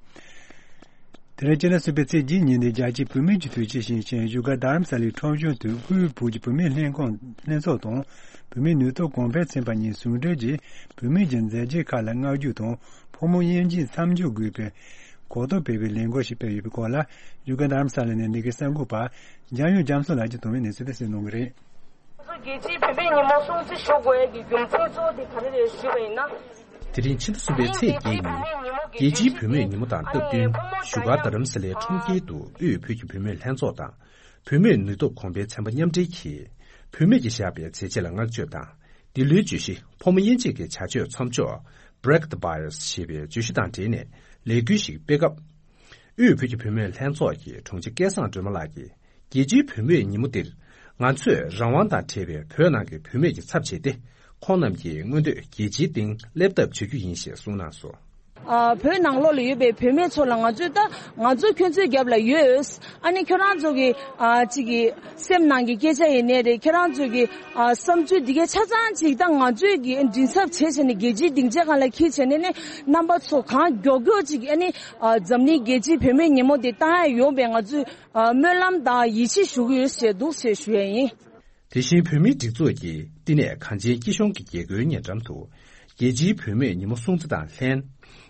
དེ་རིང་སྤྱི་ཟླ་གསུམ་པའི་ཚེས་གཅིག་ཉིན་ནི་རྒྱལ་སྤྱིའི་བུད་མེད་ཀྱི་དུས་ཆེན་ཞིག་ཡིན་ཞིང་། བཞུགས་སྒར་རྡ་རམ་ས་ལའི་ཁྲོམ་གཞུང་དུ་དབུས་བོད་ཀྱི་བུད་མེད་ལྷན་ཁང་ལྷན་ཚོགས་དང་བུད་མེད་ནུས་སྟོབས་གོང་འཕེལ་ཚན་པ་གཉིས་ཟུང་འབྲེལ་གྱིས་བུད་མེད་ཀྱི་མཛད་རྗེས་ཁག་ལ་བསྔགས་བརྗོད་དང་ཕོ་མོ་དབྱེ་འབྱེད་མཚམས་འཇོག་དགོས་པའི་གོ་རྟོགས་སྤེལ་བའི་ལས་འགུལ་ཞིག་སྤེལ་ཡོད་པའི་སྐོར་ལ། བཞུགས་སྒར་རྡ་རམ་ས་ལ་ནས་འདི་གའི་གསར་འགོད་པ་འཇམ་དབྱངས་རྒྱ་མཚོ་ལགས་ཀྱིས་དོན་ཡོད་གནས་ཚུལ་དེ་གསན་གནང་གི་རེད། རྒྱལ་སྤྱིའི་བུད་མེད་ཉིན་མོ་སྲུང་བརྩི་ཞུ་དགོས་ཡས་ཀྱི་རྒྱུ་མཚན་གཙོ་བོ་དེ་ག་རེ་རེད་ཞུས་པ་ཡིན་ན། དེ་རིང་ཕྱི་ཟླ་གསུམ་པའི་ཚེས་བརྒྱད་ཉིན། རྒྱལ་སྤྱིའི་བུད་མེད་ཉིན་མོ་དང་སྟབས་བསྟུན་བཞུགས་སྒར་རྡ་རམ་ས་ལའི་ཁྲོམ་དཀྱིལ་དུ་དབུས་བོད་ཀྱི་བུད་མེད་ལྷན་ཚོགས་དང་། བུད་མེད་ནུས་སྟོབས་གོང་འཕེལ་ཚན་པ་མཉམ་འབྲེལ་གྱིས། བུད་མེད་ཀྱིས་བཞག་པའི་མཛད་རྗེས་ལ་བསྔགས་བརྗོད་དང་། འདི་ལོའི་བརྗོད་གཞི་ཕོ་མོ་དབྱེ་འབྱེད་ཀྱི་བྱ་སྤྱོད་མཚམས་འཇོག Break the Bias ཞེས་པའི་བརྗོད་གཞི་དང་འབྲེལ་ནས་ལས་འགུལ་ཞིག་སྤེལ་སྐབས། དབུས་བོད་ཀྱི་བུད་མེད་ལྷན་ཚོགས་ཀྱི་དྲུང་ཆེ་སྐལ་བཟང་སྒྲོལ་མ་ལགས་ཀྱིས། རྒྱལ་སྤྱིའི་བུད་མེད་ཉིན་མོ་འདིར། ང་ཚོས་རང་དབང་དང་བྲལ་བའི་བོད་ནང་གི་བུད་མེད་ཀྱི་ཚབ་བྱས་ཏེ། ཁོང་རྣམས་ཀྱི་མངོན་འདོད་རྒྱལ་སྤྱིའི་སྟེང་སླེབས་ཐབས་བྱ་རྒྱུ་ཡིན་ཞེས་གསུངས་གནང་སོང་། ཨ། བོད་ནང་ལོགས་ལ་ཡོད་པའི་བུད་མེད་ཚོ་ལ་ང་ཚོས་ད་ང་ཚོ་ཁྱོད་ཚོའི་རྒྱབ་ལ་ཡོད། ཨ་ནི་ཁྱོད་རང་ཚོ་གི་ཨ་ཅིག་གི་སེམས་ནང་གི་སྐད་ཆ་ཡིན་ནའི་རེད། ཁྱོད་རང་ཚོ་གི་ཨ་བསམ་ཚུལ་འདི་གའི་ཆ་ཚང་ཅིག་ད་ང་ཚོས་གི་མགྲིན་ཚབ་བྱས་བྱས་ནས་རྒྱལ་སྤྱིའི་སྡིངས་ཆ་སྒང་ལ་འཁྱེར་བྱས་ནས་ནི་རྣམ་པ་ཚོ་གང་མགྱོགས་མགྱོགས་ཅིག་ཨ་ནི་ཨ་འཛམ་གླིང་རྒྱལ་སྤྱིའི་བུད་མེད་ཉིན་མོ་འདི་བཏང་ཡ་ཡོང་བའི་ང་ཚོས་ཨ་སྨོན་ལམ་དང་ཡིད་ཆེས་ཞུ་གི་ཡོད་ཞེས་འདུག་ཞེས་ཞུ་ཡ་ཡིན། དེ་བཞིན་བོད་མིའི་སྒྲིག་འཛུགས་ཀྱི་བསྟི་གནས་གངས་ཅན་སྐྱིད་གཤོངས་ཀྱི་རྒྱལ་སྒོའི་ཉེ་འགྲམ་དུ། རྒྱལ་སྤྱིའི་བུད་མེད་ཉིན་མོ་སྲུང་བརྩི་དང་ལྷན།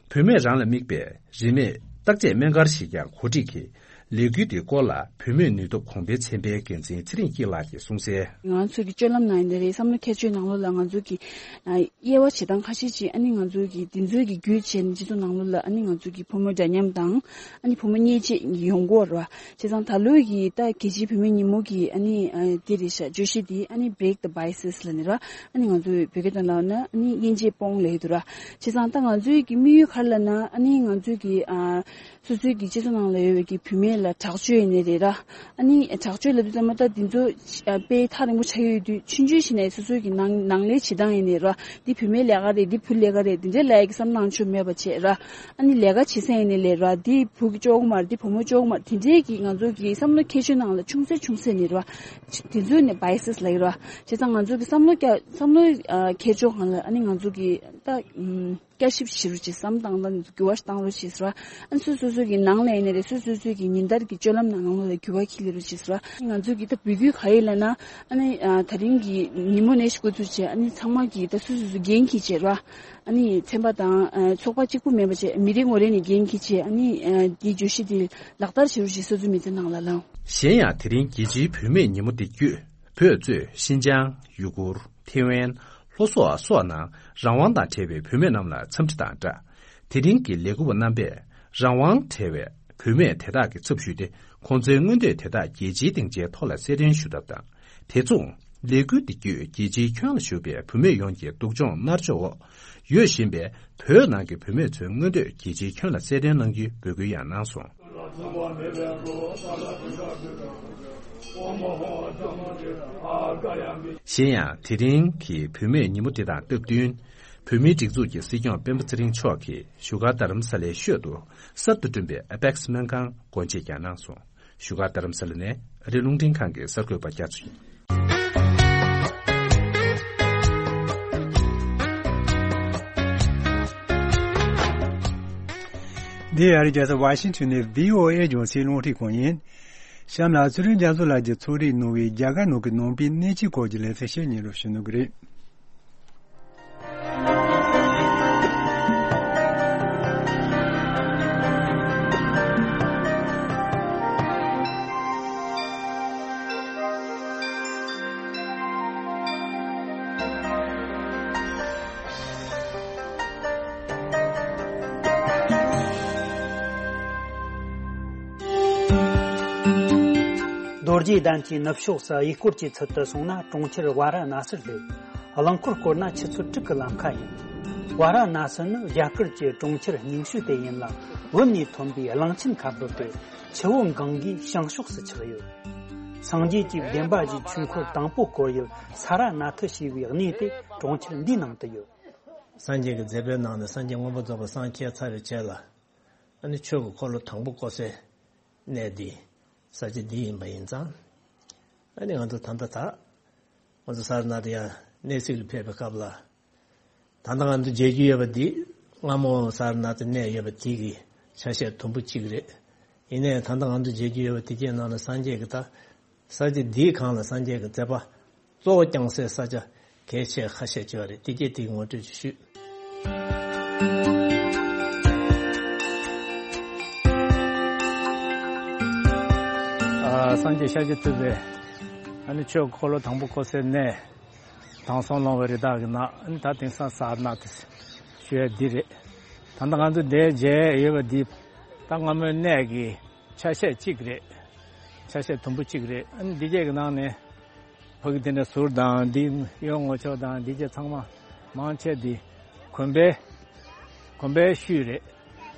བུད་མེད་རང་ལ་དམིགས་པའི་རིན་མེད་བརྟག་དཔྱད་སྨན་སྒར་ཞིག་ཀྱང་གོ་སྒྲིག་གིས་ལས་འགུལ་འདིའི་སྐོར་ལ་བུད་མེད་ནུས་སྟོབས་གོང་འཕེལ་ཚན་པའི་འགན་འཛིན་ཚེ་རིང་སྐྱིད་ལགས་ཀྱིས་གསུངས་གསལ། ང་ཚོ་གི་སྤྱོད་ལམ་ནང་ཡིན་ན་རེད། བསམ་བློ་འཁྱེར་ཕྱོགས་ནང་ལོགས་ལ་ང་ཚོ་གི་དབྱེ་བ་བྱེད་སྟངས་ཁ་ཤས་ཅིག་ཨ་ནི་ང་ཚོ་གི་དེ་ཚོའི་གི་བརྒྱུད་བྱས་ནས་སྤྱི་ཚོགས་ནང་ལོགས་ལ་ཨ་ནི་ང་ཚོ་གི་ཕོ་མོ་འདྲ་མཉམ་དང་ཨ་ནི་ཕོ་མོ་གཉིས་ཅིག་ཡོང་གི་ཡོད་རེད་བ། བྱས་ཙང་ད་ལོའི་གི་ད་རྒྱལ་སྤྱིའི་བུད་མེད་ཉིན་མོ་གི་ཨ་ནི་ཨ་འདི་རེད་ཤག་བརྗོད་གཞི་འདི་ཨ་ནི་Break the Biases ལབ་ནི་ར། ཨ་ནི་ང་ཚོའི་བོད་སྐད་དོན་ལབ་ན་ཨ་ནི་དབྱེ་འབྱེད་སྤོང་ལབ་ཡོད་དུ་ར། བྱས་ཙང་ད་ང་ཚོའི་གི་དམིགས་ཡུལ་ག་རེ་ལབ་ན་ཨ་ནི་ང་ཚོའི་གི་ཨ་སོ་སོའི་གི་སྤྱི་ཚོགས་ནང་ལ་ཡོད་པའི་གི་བུད་མེད་ལ་དྲག་སྤྱོད་ཡིན་ནི་རེད་ར། ཨ་ནི་དྲག་སྤྱོད་ལབ་དུས་ཙམ་པ་ད་འདི་ཚོ་ཨ་དཔེ་ཐག་རིང་པོ་ཆགས་ཡོད་དུས་ཆུང་ཆུང་བྱས་ནས་སོ་སོའི་གི་ནང་ནང་ལས་བྱེད་སྟངས་ཡིན་ནི་ར། འདི་བུད་མེད་ལས་ཀ་རེད། འདི་བུ་ལས་ཀ་རེད། འདི་འདྲའི་ལབ་ཡ་གི་བསམ་བློ་ཆུ་མེད་པ་བྱས་ར། ཨ་ནི་ལས་ཀ་བྱེད་ས་ཡིན་ནི་ལས་ར། འདི་བུ་གི་ལྕོགས་མ་རེད། འདི་བུ་མོ་ལྕོགས་མ་རེད། དེ་འདྲའི་གི་ང་ཚོ་གི་བསམ་བློ་འཁྱེར་ཕྱོགས་ནང་ལ་ཆུང་ཚེ་ཆུང་ཚེ་ནས་ར། དེ་ཚོ་ནས་Biases ལབ་ཡོད་ར། བྱས་ཙང་ང་ཚོ་གི་བསམ་བློ་བསྐྱར་བསམ་བློ་ཨ་འཁྱེར་ཕྱོགས་སྒང་ལ་ཨ་ནི་ང་ཚོ་གི་ད་ཨམ་བསྐྱར་ཞིབ་བྱེད་རོགས་བྱེད། བསམ་བཏང་སྟངས་འགྱུར་བ་ཞིག་བཏང་རོགས་བྱེད་ཟེར་བ། ཨ་ནི་སོ་སོ་སོ་གི་ནང་ལ་ཡིན་ནི་རེད། སོ་སོ་སོ་གི་ཉིན་ལྟར་གི་སྤྱོད་ལམ་ནང་ནང་ལོགས་ལ་འགྱུར་བ་འཁྱེར་སླེབས་རོགས་བྱེད་ཟེར་བ། ང་ཚོ་གི་ད་འབོད་སྐུལ་ག་རེ་ལབ་ན་ཨ་ནི་ཨ་ད་རིང་གི་ཉིན་མོ་ནས་ཞུ་དགོས་ཚུལ་བྱས། ཨ་ནི་ཚང་མ་གི་ད་སོ་སོ་སོ་འགན་འཁྱེར་བྱས་ར། ཨ་ནི་ཚན་པ་དང་ཨ་ཚོགས་པ་གཅིག་པུ་མིན་པ་བྱས། མི་རེ་ངོ་རེ་ནས་འགན་འཁྱེར་བྱས། ཨ་ནི་ཨ་འདིའི་བརྗོད་གཞི་འདི་ལག་བསྟར་བྱེད་རོགས་ཞེས་སོ་སོའི་མི་ཚེ་ནང་ལ་ལངས། གཞན་ཡང་དེ་རིང་རྒྱལ་སྤྱིའི་བུད་མེད་ཉིན་མོ་འདི་བརྒྱུད་བོད་གཙོས་ཤིན་ཅང་། ཡུ་གུར། ཐེ་ཝན། ལྷོ་སོག་སོགས་ནང་རང་དབང་དང་བྲལ་བའི་བུད་མེད་རྣམས་ལ་འཚམས་འདྲི་དང་སྦྲགས། དེ་རིང་གི་ལས་འགུལ་བ་རྣམ་པས་རང་དབང་བྲལ་བའི་བུད་མེད་དེ་དག་གི་ཚབ་ཞུས་ཏེ། ཁོང་ཚོའི་མངོན་འདོད་དེ་དག་རྒྱལ་སྤྱིའི་སྡིངས་ཆའི་ཐོག་ལ་གསལ་སྟོན་ཞུ་ཐབས་དང་། དེ་མཚུངས་ལས་འགུལ་འདི་བརྒྱུད་རྒྱལ་སྤྱིའི་ཁྱོན་ལ་བཞུགས་པའི་བུད་མེད་ཡོངས་ཀྱི་སྡུག་སྦྱོང་མནར་གཅོད་འོག་ཡོད་བཞིན་པའི་བོད་ནང་གི་བུད་མེད་ཚོའི་མངོན་འདོད་རྒྱལ་སྤྱིའི་ཁྱོན་ལ་གསལ་སྟོན་གནང་རྒྱུའི་འབོད་སྐུལ་ཡང་གནང་སོང་། གཞན་ཡང་དེ་རིང་གི་བུད་མེད་ཉིན་མོ་འདི་དང་སྟབས་བསྟུན། བོད་མིའི་སྒྲིག་འཛུགས་ཀྱི་སྲིད་སྐྱོང་སྤེན་པ་ཚེ་རིང་མཆོག་གིས་བཞུགས་སྒར་རྡ་རམ་ས་ལའི་ཤོད་དུ་གསར་དུ་བསྐྲུན་པའི་ཨེ་པེག་སི་སྨན་ཁང་སྒོ་འབྱེད་ཀྱང་གནང་སོང་། བཞུགས་སྒར་རྡ་རམ་ས་ལ་ནས་ཨ་རི་རླུང་འཕྲིན་ཁང་གི་གསར་འགོད་པ་རྒྱ་མཚོ་ཡིན། འདི་ཨ་རི་རྒྱལ་ས་ཝ་ཤིང་ཊོན་ནས་བྷི་ཨོ་ཨེ་རྒྱང་སྲིང་རླུང་འཕྲིན་ཁང་ཡིན། གཤམ་ལ་ཚེ་རིང་རྒྱ་མཚོ་ལགས་ཀྱིས་ཚོགས་རིག་གནང་བའི་རྒྱ་གར་ནང་གི་ནང་པའི་གནས་ཚུལ་སྐོར་གྱི་ལེ་ཚན་ཞིག་སྙན་སྒྲོན་ཞུ་གནང་གི་རེད། རྡོ་རྗེ་གདན་གྱི་ནུབ་ཕྱོགས་སུ་གཡས་སྐོར་གྱི་ཚུལ་དུ་སོང་ན་གྲོང་ཁྱེར་ཝཱ་ར་ཎ་སིར་སླེབས། རླངས་འཁོར་བསྐོར་ན་ཆུ་ཚོད་དྲུག་གི་ལམ་ཁ་ཡིན། ཝཱ་ར་ཎ་སི་ནི་རྒྱ་གར་གྱི་གྲོང་ཁྱེར་རྙིང་ཤོས་དེ་ཡིན་ལ། བོད་ནས་ཐོན་པའི་གླང་ཆེན་ཁ་འབབ་པས་ཆུ་བོ་གངྒཱའི་བྱང་ཕྱོགས་སུ་ཆགས་ཡོད། སངས་རྒྱས་ཀྱི་བདེན་པ་བཞིའི་ཆོས་འཁོར་དང་པོ་བསྐོར་ཡུལ་ས་ར་ནཱ་ཐ་ཞེས་པའི་གནས་དེ་གྲོང་ཁྱེར་འདིའི་ནང་དུ་ཡོད། སངས་རྒྱས་ཀྱི་མཛད་པའི་ནང་ནས་སངས་རྒྱས་མངོན་པར་རྫོགས་པར་སངས་རྒྱས་ཚར་བའི་རྗེས་ལ། ཨ་ནི་ཆོས་ཀྱི་འཁོར་ལོ་དང་པོ་བསྐོར་སའི་གནས་འདི་ས་ཆ་འདི་ཡིན་པ་ཡིན་ཙང་། ཨ་ནི་ང་ཚོ་ད་ལྟ་ད་ང་ཚོ་ས་ར་ནཱ་ཐ་ཡང་གནས་གཟིགས་ལ་ཕེབས་པའི་སྐབས་ལ། ད་ལྟ་ང་ཚོ་མཇལ་རྒྱུ་ཡོད་པ་འདི་སྔ་མོ་ས་ར་ནཱ་ཐ་གནས་ཡོད་པ་དེ་གི་ཆ་ཤས་དུམ་བུ་གཅིག་རེད། ཡིན་ནའི་ད་ལྟ་ང་ཚོ་མཇལ་རྒྱུ་ཡོད་པ་དེ་གའི་ནང་ལ་སངས་རྒྱས་ཀྱི་ད་ས་ཆ་འདིའི་སྒང་ལ་སངས་རྒྱས་ཀྱི་མཛད་པ་གཙོ་བོ་བསྐྱངས་སའི་ས་ཆ་གལ་ཆེ་ཁ་ཤས་ཅིག་ཡོད་རེད། དེ་གའི་དེ་ངོ་སྤྲོད་ཅིག་ཞུས། ཨ། སངས་རྒྱས་ཤཱཀྱ་ཐུབ་པས་ཨ་ནི་ཆོས་འཁོར་ལོ་དང་པོ་བསྐོར་སའི་གནས། དྲང་སྲོང་ལོང་བའི་རི་དྭགས་ཀྱི་ནགས། ཨ་ནི་ད་དེང་སང་ས་ར་ནཱ་ཐ་ཞུ་ཡ་འདི་རེད། ད་ལྟ་ང་ཚོ་འདིར་མཇལ་ཡོད་པ་འདི་ད་སྔ་མོའི་གནས་ཀྱི་ཆ་ཤས་གཅིག་རེད། ཆ་ཤས་དུམ་བུ་གཅིག་རེད། ཨ་ནི་འདི་གས་ཀྱི་ནང་ནས་ཕ་གི་དེ་འདྲ་ཟུར་དང་འདི་གཡོན་ངོས་ཕྱོགས་དང་འདི་གས་ཚང་མ་མང་ཆེ་འདི་གོན་པའི་གོན་པའི་ཤུལ་རེད།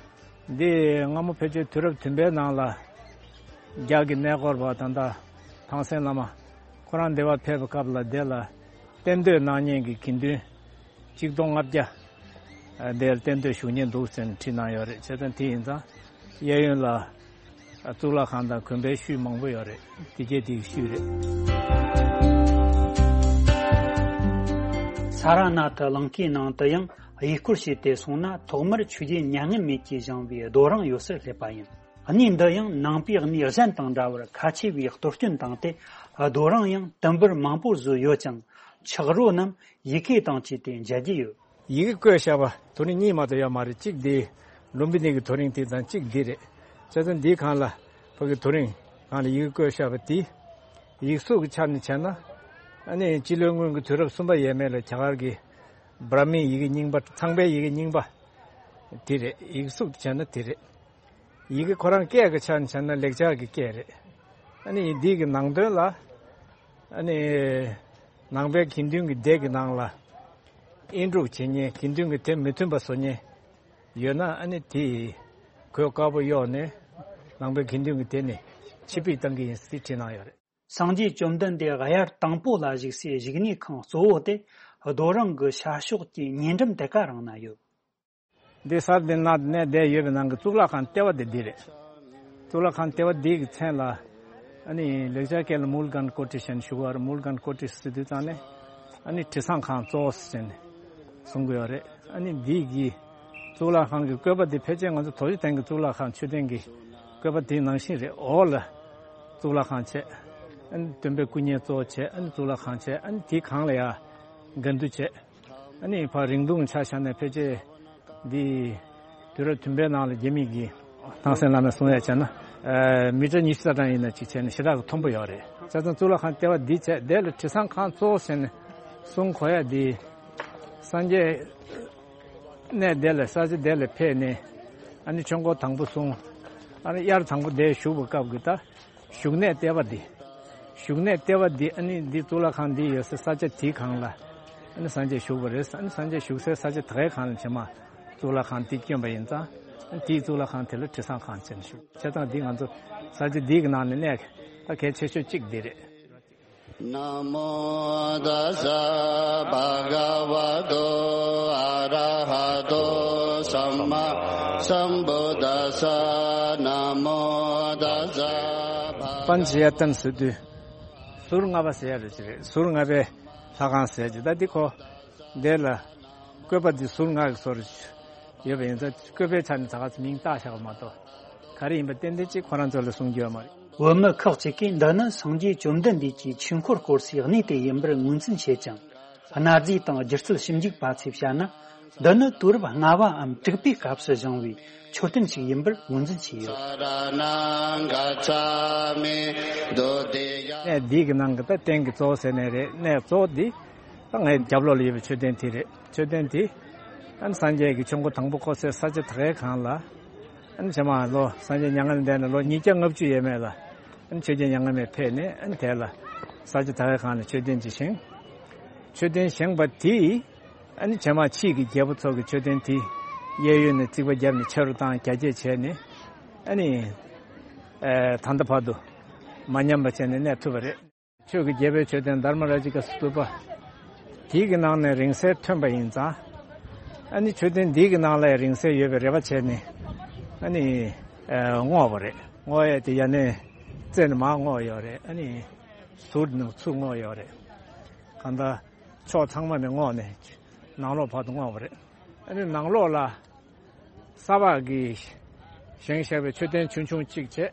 འདི་སྔ་མོ་ཕལ་ཆེར་དུས་རབས་བདུན་པའི་ནང་ལ་རྒྱ་གི་གནས་སྐོར་བ་ད་ལྟ་ཐང་སན་བླ་མ་ཁོ་རང་འདི་བར་ཕེབས་པའི་སྐབས་ལ་དེ་ལ་གཏན་སྡོད་གནང་མཁན་གྱི་དགེ་འདུན་གཅིག་སྟོང་ལྔ་བརྒྱ་དེར་གཏན་སྡོད་བཞུགས་མཁན་འདུག་ཟེར་ནས་བྲིས་གནང་ཡོད་རེད། བྱས་ཙང་དེ་ཡིན་ཙང་གཡས་གཡོན་ལ་གཙུག་ལག་ཁང་དང་གོན་པའི་ཤུལ་མང་པོ་ཡོད་རེད། དེ་གས་དེའི་ཤུལ་རེད། ས་ར་ནཱ་ཐ་གླིང་ཁའི་ནང་དུ་ཡང་གཡས་སྐོར་བྱས་ཏེ་སོང་ན་ཐོག་མར་ཆོས་རྒྱལ་མྱ་ངན་མེད་ཀྱིས་བཞེངས་པའི་རྡོ་རིང་ཡོད་སར་སླེབས་པ་ཡིན། གནས་འདི་ཡང་ནང་པའི་གནས་གཞན་དང་འདྲ་བར་ཁ་ཆེ་བའི་གཏོར་སྐྱོན་བཏང་སྟེ་རྡོ་རིང་ཡང་དུམ་བུར་མང་པོ་བཟོས་ཡོད་ཅིང་ཆག་རོ་རྣམས་ཡི་གེ་དང་བཅས་ཏེ་མཇལ་རྒྱུ་ཡོད། ཡི་གེ་བརྐོས་བཞག་པ་དོ་རིང་གཉིས་མ་གཏོགས་ཡོད་མ་རེད། གཅིག་འདི་ལུམ་བི་ནི་གི་དོ་རིང་དེ་དང་གཅིག་འདི་རེད། བྱས་ཙང་འདིའི་སྒང་ལ་ཕ་གི་དོ་རིང་སྒང་ལ་ཡི་གེ་བརྐོས་བཞག་པ་དེ་ཡིག་གཟུགས་ཀྱི་ཆ་ནས་བྱས་ན་ཨ་ནི་སྤྱི་ལོའི་སྔོན་གྱི་དུས་རབས་གསུམ་པ་ཡས་མས་ལ་རྒྱ་གར་གྱི་བྷྲ་མིའི་ཡི་གེ་རྙིང་པ་ཚངས་པའི་ཡི་གེ་རྙིང་པ་དེ་རེད། ཡིག་གཟུགས་བྱས་ན་དེ་རེད། ཡི་གེ་ཁོ་རང་སྐད་ཀྱི་ཆ་ནས་བྱས་ན་ལེགས་སྦྱར་གྱི་སྐད་རེད། ཨ་ནི་འདི་གི་ནང་དོན་ལ་ཨ་ནི་ནང་པའི་དགེ་འདུན་གྱི་སྡེ་གི་ནང་ལ་དབྱེན་དཀྲུག་བྱེད་མཁན་དགེ་འདུན་གྱི་སྡེ་མི་མཐུན་པ་བཟོ་མཁན་ཡོད་ན་ཨ་ནི་དེ་གོས་དཀར་པོ་གཡོགས་ནས་ནང་པའི་དགེ་འདུན་གྱི་སྡེ་ནས་ཕྱིར་ཕུད་བཏང་གི་ཡིན་ཟེར་བྲིས་གནང་ཡོད་རེད། སངས་རྒྱས་བཅོམ་ལྡན་འདས་དབྱར་དང་པོ་ལ་བཞུགས་སའི་བཞུགས་གནས་ཁང་གཙོ་བོ་དེ་རྡོ་རིང་གི་ཤར་ཕྱོགས་ཀྱི་ཉེ་འགྲམ་དེ་ག་རང་ན་ཡོད། འདི་ས་ར་ནཱ་ཐ་གནས་བསྡད་ཡོད་པའི་ནང་གི་གཙུག་ལག་ཁང་ལྟེ་བ་དེ་འདི་རེད། གཙུག་ལག་ཁང་ལྟེ་བ་འདི་གི་མཚན་ལ་ཨ་ནི་ལེགས་སྦྱར་སྐད་ལ་མུལ་གན་ཀོ་ཊི་ཞེས་ཞུ་གི་ཡོད་རེད། མུལ་གན་ཀོ་ཊི་ཟེར་དུས་ཙང་ནས་ཨ་ནི་དྲི་བཟང་ཁང་གཙོ་བོ་ཟེར་ནས་གསུང་གི་ཡོད་རེད། ཨ་ནི་འདི་གི་གཙུག་ལག་ཁང་གི་བཀོད་པ་འདི་ཕལ་ཆེར་ང་ཚོ་རྡོ་རྗེ་གདན་གྱི་གཙུག་ལག་ཁང་མཆོད་རྟེན་གྱི་བཀོད་པ་དེའི་ནང་བཞིན་རེད། འོག་ལ་གཙུག་ལག་ཁང་བྱས། ཨ་ནི་སྟོན་པའི་སྐུ་བརྙན་གཙོ་བོ་བྱས། ཨ་ནི་གཙུག་ལག་ཁང་བྱས། ཨ་ནི་དེའི་སྒང་ལ་ཡ་དགེ་འདུན་བྱས། ཨ་ནི་ཕར་རིང་ཐུང་ཆ་བཞག་ནས་ཕལ་ཆེར་འདི་དུས་རབས་བདུན་པའི་ནང་ལ་རྒྱ་མི་གིས་ཐང་སན་བླ་མས་གསུང་ཡ་བྱས་ན་ཨ་མི་ཊར་ཉི་ཤུ་རྩ་གྲངས་ཡིན་ན་ཅིག་བྱས་ནས་ཞེ་དྲག་གི་མཐོན་པོ་ཡོད་རེད། བྱས་ཙང་གཙུག་ལག་ཁང་ལྟེ་བ་འདི་བྱས། དེ་ལ་དྲི་བཟང་ཁང་གཙོ་བོ་ཟེར་ནས་གསུང་གོ་ཡ་འདི་སངས་རྒྱས་གནས་དེ་ལ་ས་ཆ་དེ་ལ་ཕེབས་ནས་ཨ་ནི་ཆོས་འཁོར་དང་པོ་གསུང་ ཨ་ནི་དབྱར་དང་པོ་དེ་བཞུགས་པའི་སྐབས་ཀྱི་ད་བཞུགས་གནས་ལྟེ་བ་འདི། བཞུགས་གནས་ལྟེ་བ་འདི་ཨ་ནི་འདི་གཙུག་ལག་ཁང་འདི་ཡོད་སའི་ས་ཆ་དེའི་སྒང་ལ་ཨ་ནི་སངས་རྒྱས་བཞུགས་པ་རེད། ཨ་ནི་སངས་རྒྱས་བཞུགས་སའི་ས་ཆ་དེ་གའི་སྒང་ལ་ཕྱི་མ་གཙུག་ལག་ཁང་འདི་བསྐྱོན་པ་ཡིན་ཙང་། ཨ་ནི་དེའི་གཙུག་ལག་ཁང་དེ་ལ་དྲི་བཟང་ཁང་ཟེར་ནས་ཞུ། བྱས་ཙང་འདི་ང་ཚོ་ས་ཆ་འདི་གི་ནང་ནས་གནས་ད་གལ་ཆེ་ཤོས་གཅིག་འདི་རེད། नमो तस्स भगवतो अरहतो सम्मासम्बुद्धस्स। नमो तस्स भगव- པཎ་ཆེན་ཡར་ལྟ་ཟེར་དུས་ཟུར་ལྔ་པ་ཟེར་ཡ་རེད་ཅེས་རེད། ཟུར་ལྔ་པའི་ལྷ་ཁང་ཟེར་ཅེས། ད་འདི་ཁོ་འདི་ལ་བཀོད་པ་འདི་ཟུར་ལྔ་གི་བཟོ་རེད། ཡོད་པ་ཡིན་ཙང་བཀོད་པའི་ཆ་ནས་ད་ག་ཚོད་མིང་བཏགས་བཞག་པ་མ་གཏོགས་ག་རེ་ཡིན་པ་ཏན་ཏན་གཅིག་ཁོ་རང་ཚོ་ལ་གསུང་རྒྱུ་ཡོད་མ་རེད། བོད་མི་ཁག་ཅིག་གིས་འདི་ནི་སངས་རྒྱས་བཅོམ་ལྡན་འདས་ཀྱི་ཆོས་འཁོར་བསྐོར་སའི་གནས་དེ་ཡིན་པར་ངོས་འཛིན་བྱེད་ཅིང་། གནའ་རྫས་དང་སྒྱུ་རྩལ་ཞིབ་འཇུག་པ་ཚོས་བཤད་ན། འདི་ནི་དུས་རབས་ལྔ་པའམ་དྲུག་པའི་སྐབས་སུ་བཞེངས་པའི་མཆོད་རྟེན་ཞིག་ཡིན་པར་ངོས་འཛིན་བྱས་ཡོད། གནས་འདི་གི་ནང་གི་ད་རྟེན་གྱི་གཙོ་བོ་ཟེར་ནའི་རེད། གནས་གཙོ་བོ་འདི་ད་ངའི་རྒྱབ་ལོགས་ལ་ཡོད་པའི་མཆོད་རྟེན་དེ་རེད། མཆོད་རྟེན་དེ་ཨ་ནི་སངས་རྒྱས་ཀྱི་ཆོས་འཁོར་དང་པོ་བསྐོར་སའི་ས་ཆ་དེ་གའི་སྒང་ལ་ཨ་ནི་ཕྱི་མ་ལོ་སངས་རྒྱས་མྱ་ངན་ལས་འདས་ནས་ལོ་ཉིས་བརྒྱ་ལྔ་བཅུ་ཡས་མས་ལ་ཨ་ནི་ཆོས་རྒྱལ་མྱ་ངན་མེད་ཕེབས་ནས་ཨ་ནི་དེ་ལ་ས་ཆ་དེ་གའི་སྒང་ལ་མཆོད་རྟེན་ཅིག་བཞེངས། མཆོད་རྟེན་བཞེངས་པ་དེས་ཨ་ནི་ཕྱི་མ་ཕྱིས་ཀྱི་རྒྱལ་པོ་ཚོ་གི་མཆོད་རྟེན་དེ་གཡས་གཡོན་ནས་རྩིག་པ་བརྒྱབ་ནས་ཆེ་རུ་བཏང་རྒྱ་སྐྱེད་བྱས་ནས་ཨ་ནི་ཨེ་ད་ལྟ་བར་དུ་མ་ཉམས་པ་བྱས་ནས་གནས་ཐུབ་པ་རེད། ཆོས་ཀྱི་རྒྱལ་པོའི་མཆོད་རྟེན་དྷརྨ་རཱ་ཇི་ཀ་སྟུ་པ། དེའི་གི་ནང་ནས་རིང་བསྲེལ་ཐོན་པ་ཡིན་ཙང་། ཨ་ནི་མཆོད་རྟེན་འདིའི་གི་ནང་ལ་རིང་བསྲེལ་ཡོད་པའི་རེ་བ་བྱས་ནས་ཨ་ནི་ཨ་བརྔོས་པ་རེད། བརྔོ་ཡས་དེ་ཡ་ནས་རྩེ་ནས་མར་བརྔོས་ཡོད་རེད། ཨ་ནི་ཟུར་ནས་ཚུར་བརྔོས་ཡོད་རེད། གང་ལྟར་ཕྱོགས་ཚང་མ་ནས་བརྔོས་ནས་ནང་ལོགས་བར་དུ་བརྔོས་པ་རེད། ཨ་ནི་ནང་ལོགས་ལ་ས་ཕག་གིས་བཞེངས་བཞག་པའི་མཆོད་རྟེན་ཆུང་ཆུང་གཅིག་བྱས།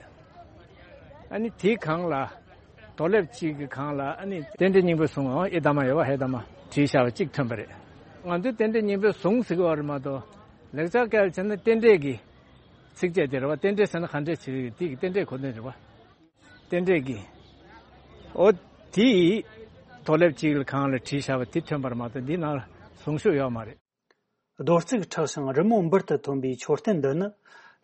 ཨ་ནི་དེའི་སྒང་ལ་རྡོ་ལེབ་གཅིག་གི་སྒང་ལ་ཨ་ནི་རྟེན་འབྲེལ་སྙིང་པོའི་གཟུངས་ཨེ་དྷརྨ་ཡོད་པ་ཧེ་དྷརྨ་བྲིས་བཞག་པ་གཅིག་ཐོན་པ་རེད། ང་ཚོའི་རྟེན་འབྲེལ་སྙིང་པོའི་གཟུངས་ཟེར་གྱི་ཡོད་རེད་མ་གཏོགས་ལེགས་སྦྱར་སྐད་ལ་བྱས་ན་རྟེན་འབྲེལ་གྱི་ཚིགས་བཅད་དེ་རེད་བ། རྟེན་འབྲེལ་ཟེར་ན་ག་འདྲས་བྱེད་ཀྱི་དེ་གི་རྟེན་འབྲེལ་གོ་དོན་རེད་བ། རྟེན་འབྲེལ་གྱི་ཨོ་དེའི་རྡོ་ལེབ་གཅིག་ལ་སྒང་ལ་བྲིས་བཞག་པ་དེ་ཐོན་པ་རེད་མ་གཏོགས་འདི་ནང་ལ་གཟུངས་གཞུག་ཡོད་མ་རེད། རྡོ་བརྩིགས་མཁྲེགས་ཤིང་རི་མོ་འབུར་དུ་ཐོན་པའི་མཆོད་རྟེན་འདི་ནི་